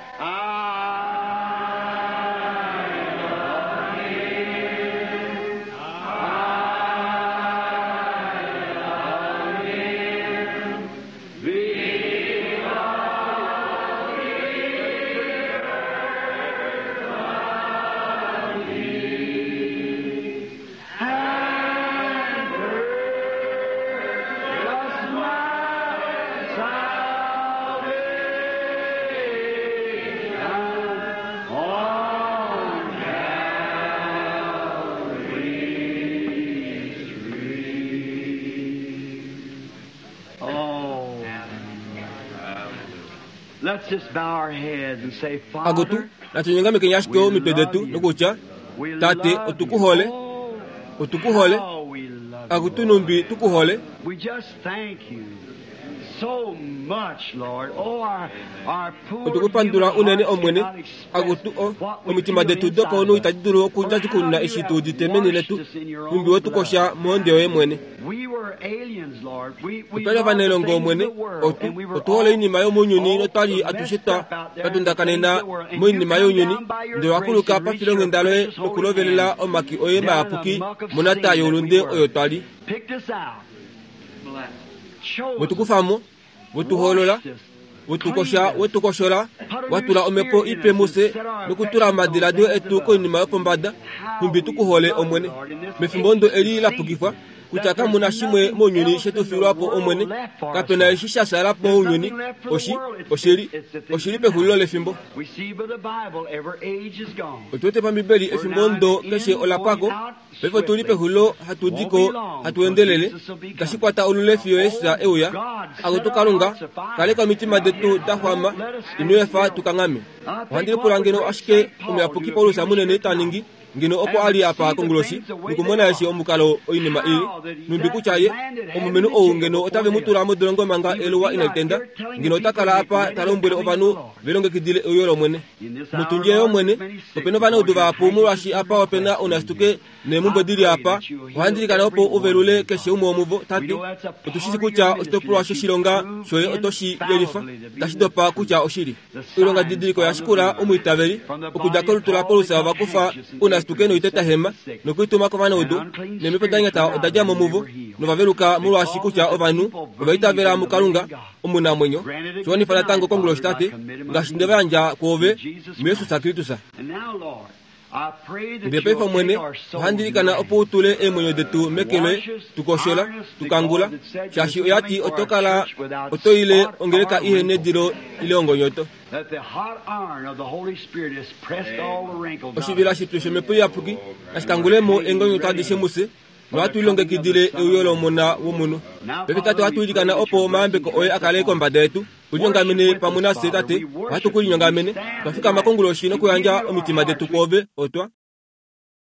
[SPEAKER 1] Akutu natunyongamekeni ashike omitwe detu nokutya Tate otukuhole, otukuhole, akutu numbi tukuhole. Otukupandula unene Omwene, akutu o omitima detu dopaunhu itadi dulu okundjadjukununa eshi tu udite meni letu, numbi wetukosha mohonde yoye mwene. Otwali ovanailongo Omwene, otu otuhole oinima yomounyuni notwali atushe twa twatundakanena moinima younyuni, ndele wakuluka pafilonghenda loye nokulovelela omaki oye mayapuki monata youlunde oyo twali. Wetukufamo, wetuhoolola, wetukosha, wetukoshola, watula omhepo ipe mufye nokutula omadiladilo etu koinima yopombada, nhumbi tukuhole Omwene. Mefimbo ndo eli lapukifwa kutya kamuna shimwe mounyuni shetufilwapo Omwene, kapena eshi sha shala mounyuni, oshi oshili oshili pexulilo lefimbo. Otuwete pambibeli efimbo ndo keshe olapwako, paife otuli pexulilo hatudiko hatuendelele, itashi kwata olule fiyo Jesus euya. Akutu Kalunga, kaleka omitima detu da xwama, ino efa tukangame. Ohandi lipula ngeno ashike omuyapuki Paulus munene ta ningi ngeno opo ali apa konguloshi nokumona eshi omukalo oinima ili, numbi kutya ye omulumenhu ou ngeno otave mu tula modolongo manga eluwa inali tenda, ngeno ota kala apa ta lombwele ovanhu velongekidile euyo lOmwene. Mutundje yOmwene, opena ovanaudu vahapu molwaashi apa opena ounasituke neemhumbwe dili apa. Ohandi ilikana opo uvelule keshe umwe womuvo, Tate. Otushi shi kutya oshitopolwa shoshilonga shoye oto shi yelifa, tashi dopa kutya oshili. Oilonga didiliko yashikula omwiitaveli okudja kolutu laPaulus ovakufa ounasituke noitetahema nokuituma kovanaudu, neemhepo da nyata oda dja mo muvo novaveluka molwaashi kutya ovanhu ovaitavela muKalunga omunamwenyo. Shiwanifa natango konguloshi, Tate, ngaashi nde va yandja kwoove muJesus Kristus. Ndele paife Omwene, ohandi ilikana opo u tule eemwenyo detu meke loye, tukoshola, tukangula, shaashi oyati oto kala oto ile ongeleka ihe nedilo ile ongonyoto. Oshivila shipyu shomhepo iyapuki nashikangulemo eengonyoto adishe mufye, nohatu lilongekidile euyo lOmona womunhu. Paife Tate, ohatu ilikana opo omayambeko oye a kale kombada yetu. Ulinyongamene pamwe nafye Tate, ohatu ku linyongamene. Twa fikama konguloshi nokuyandja omitima detu kwoove, otwa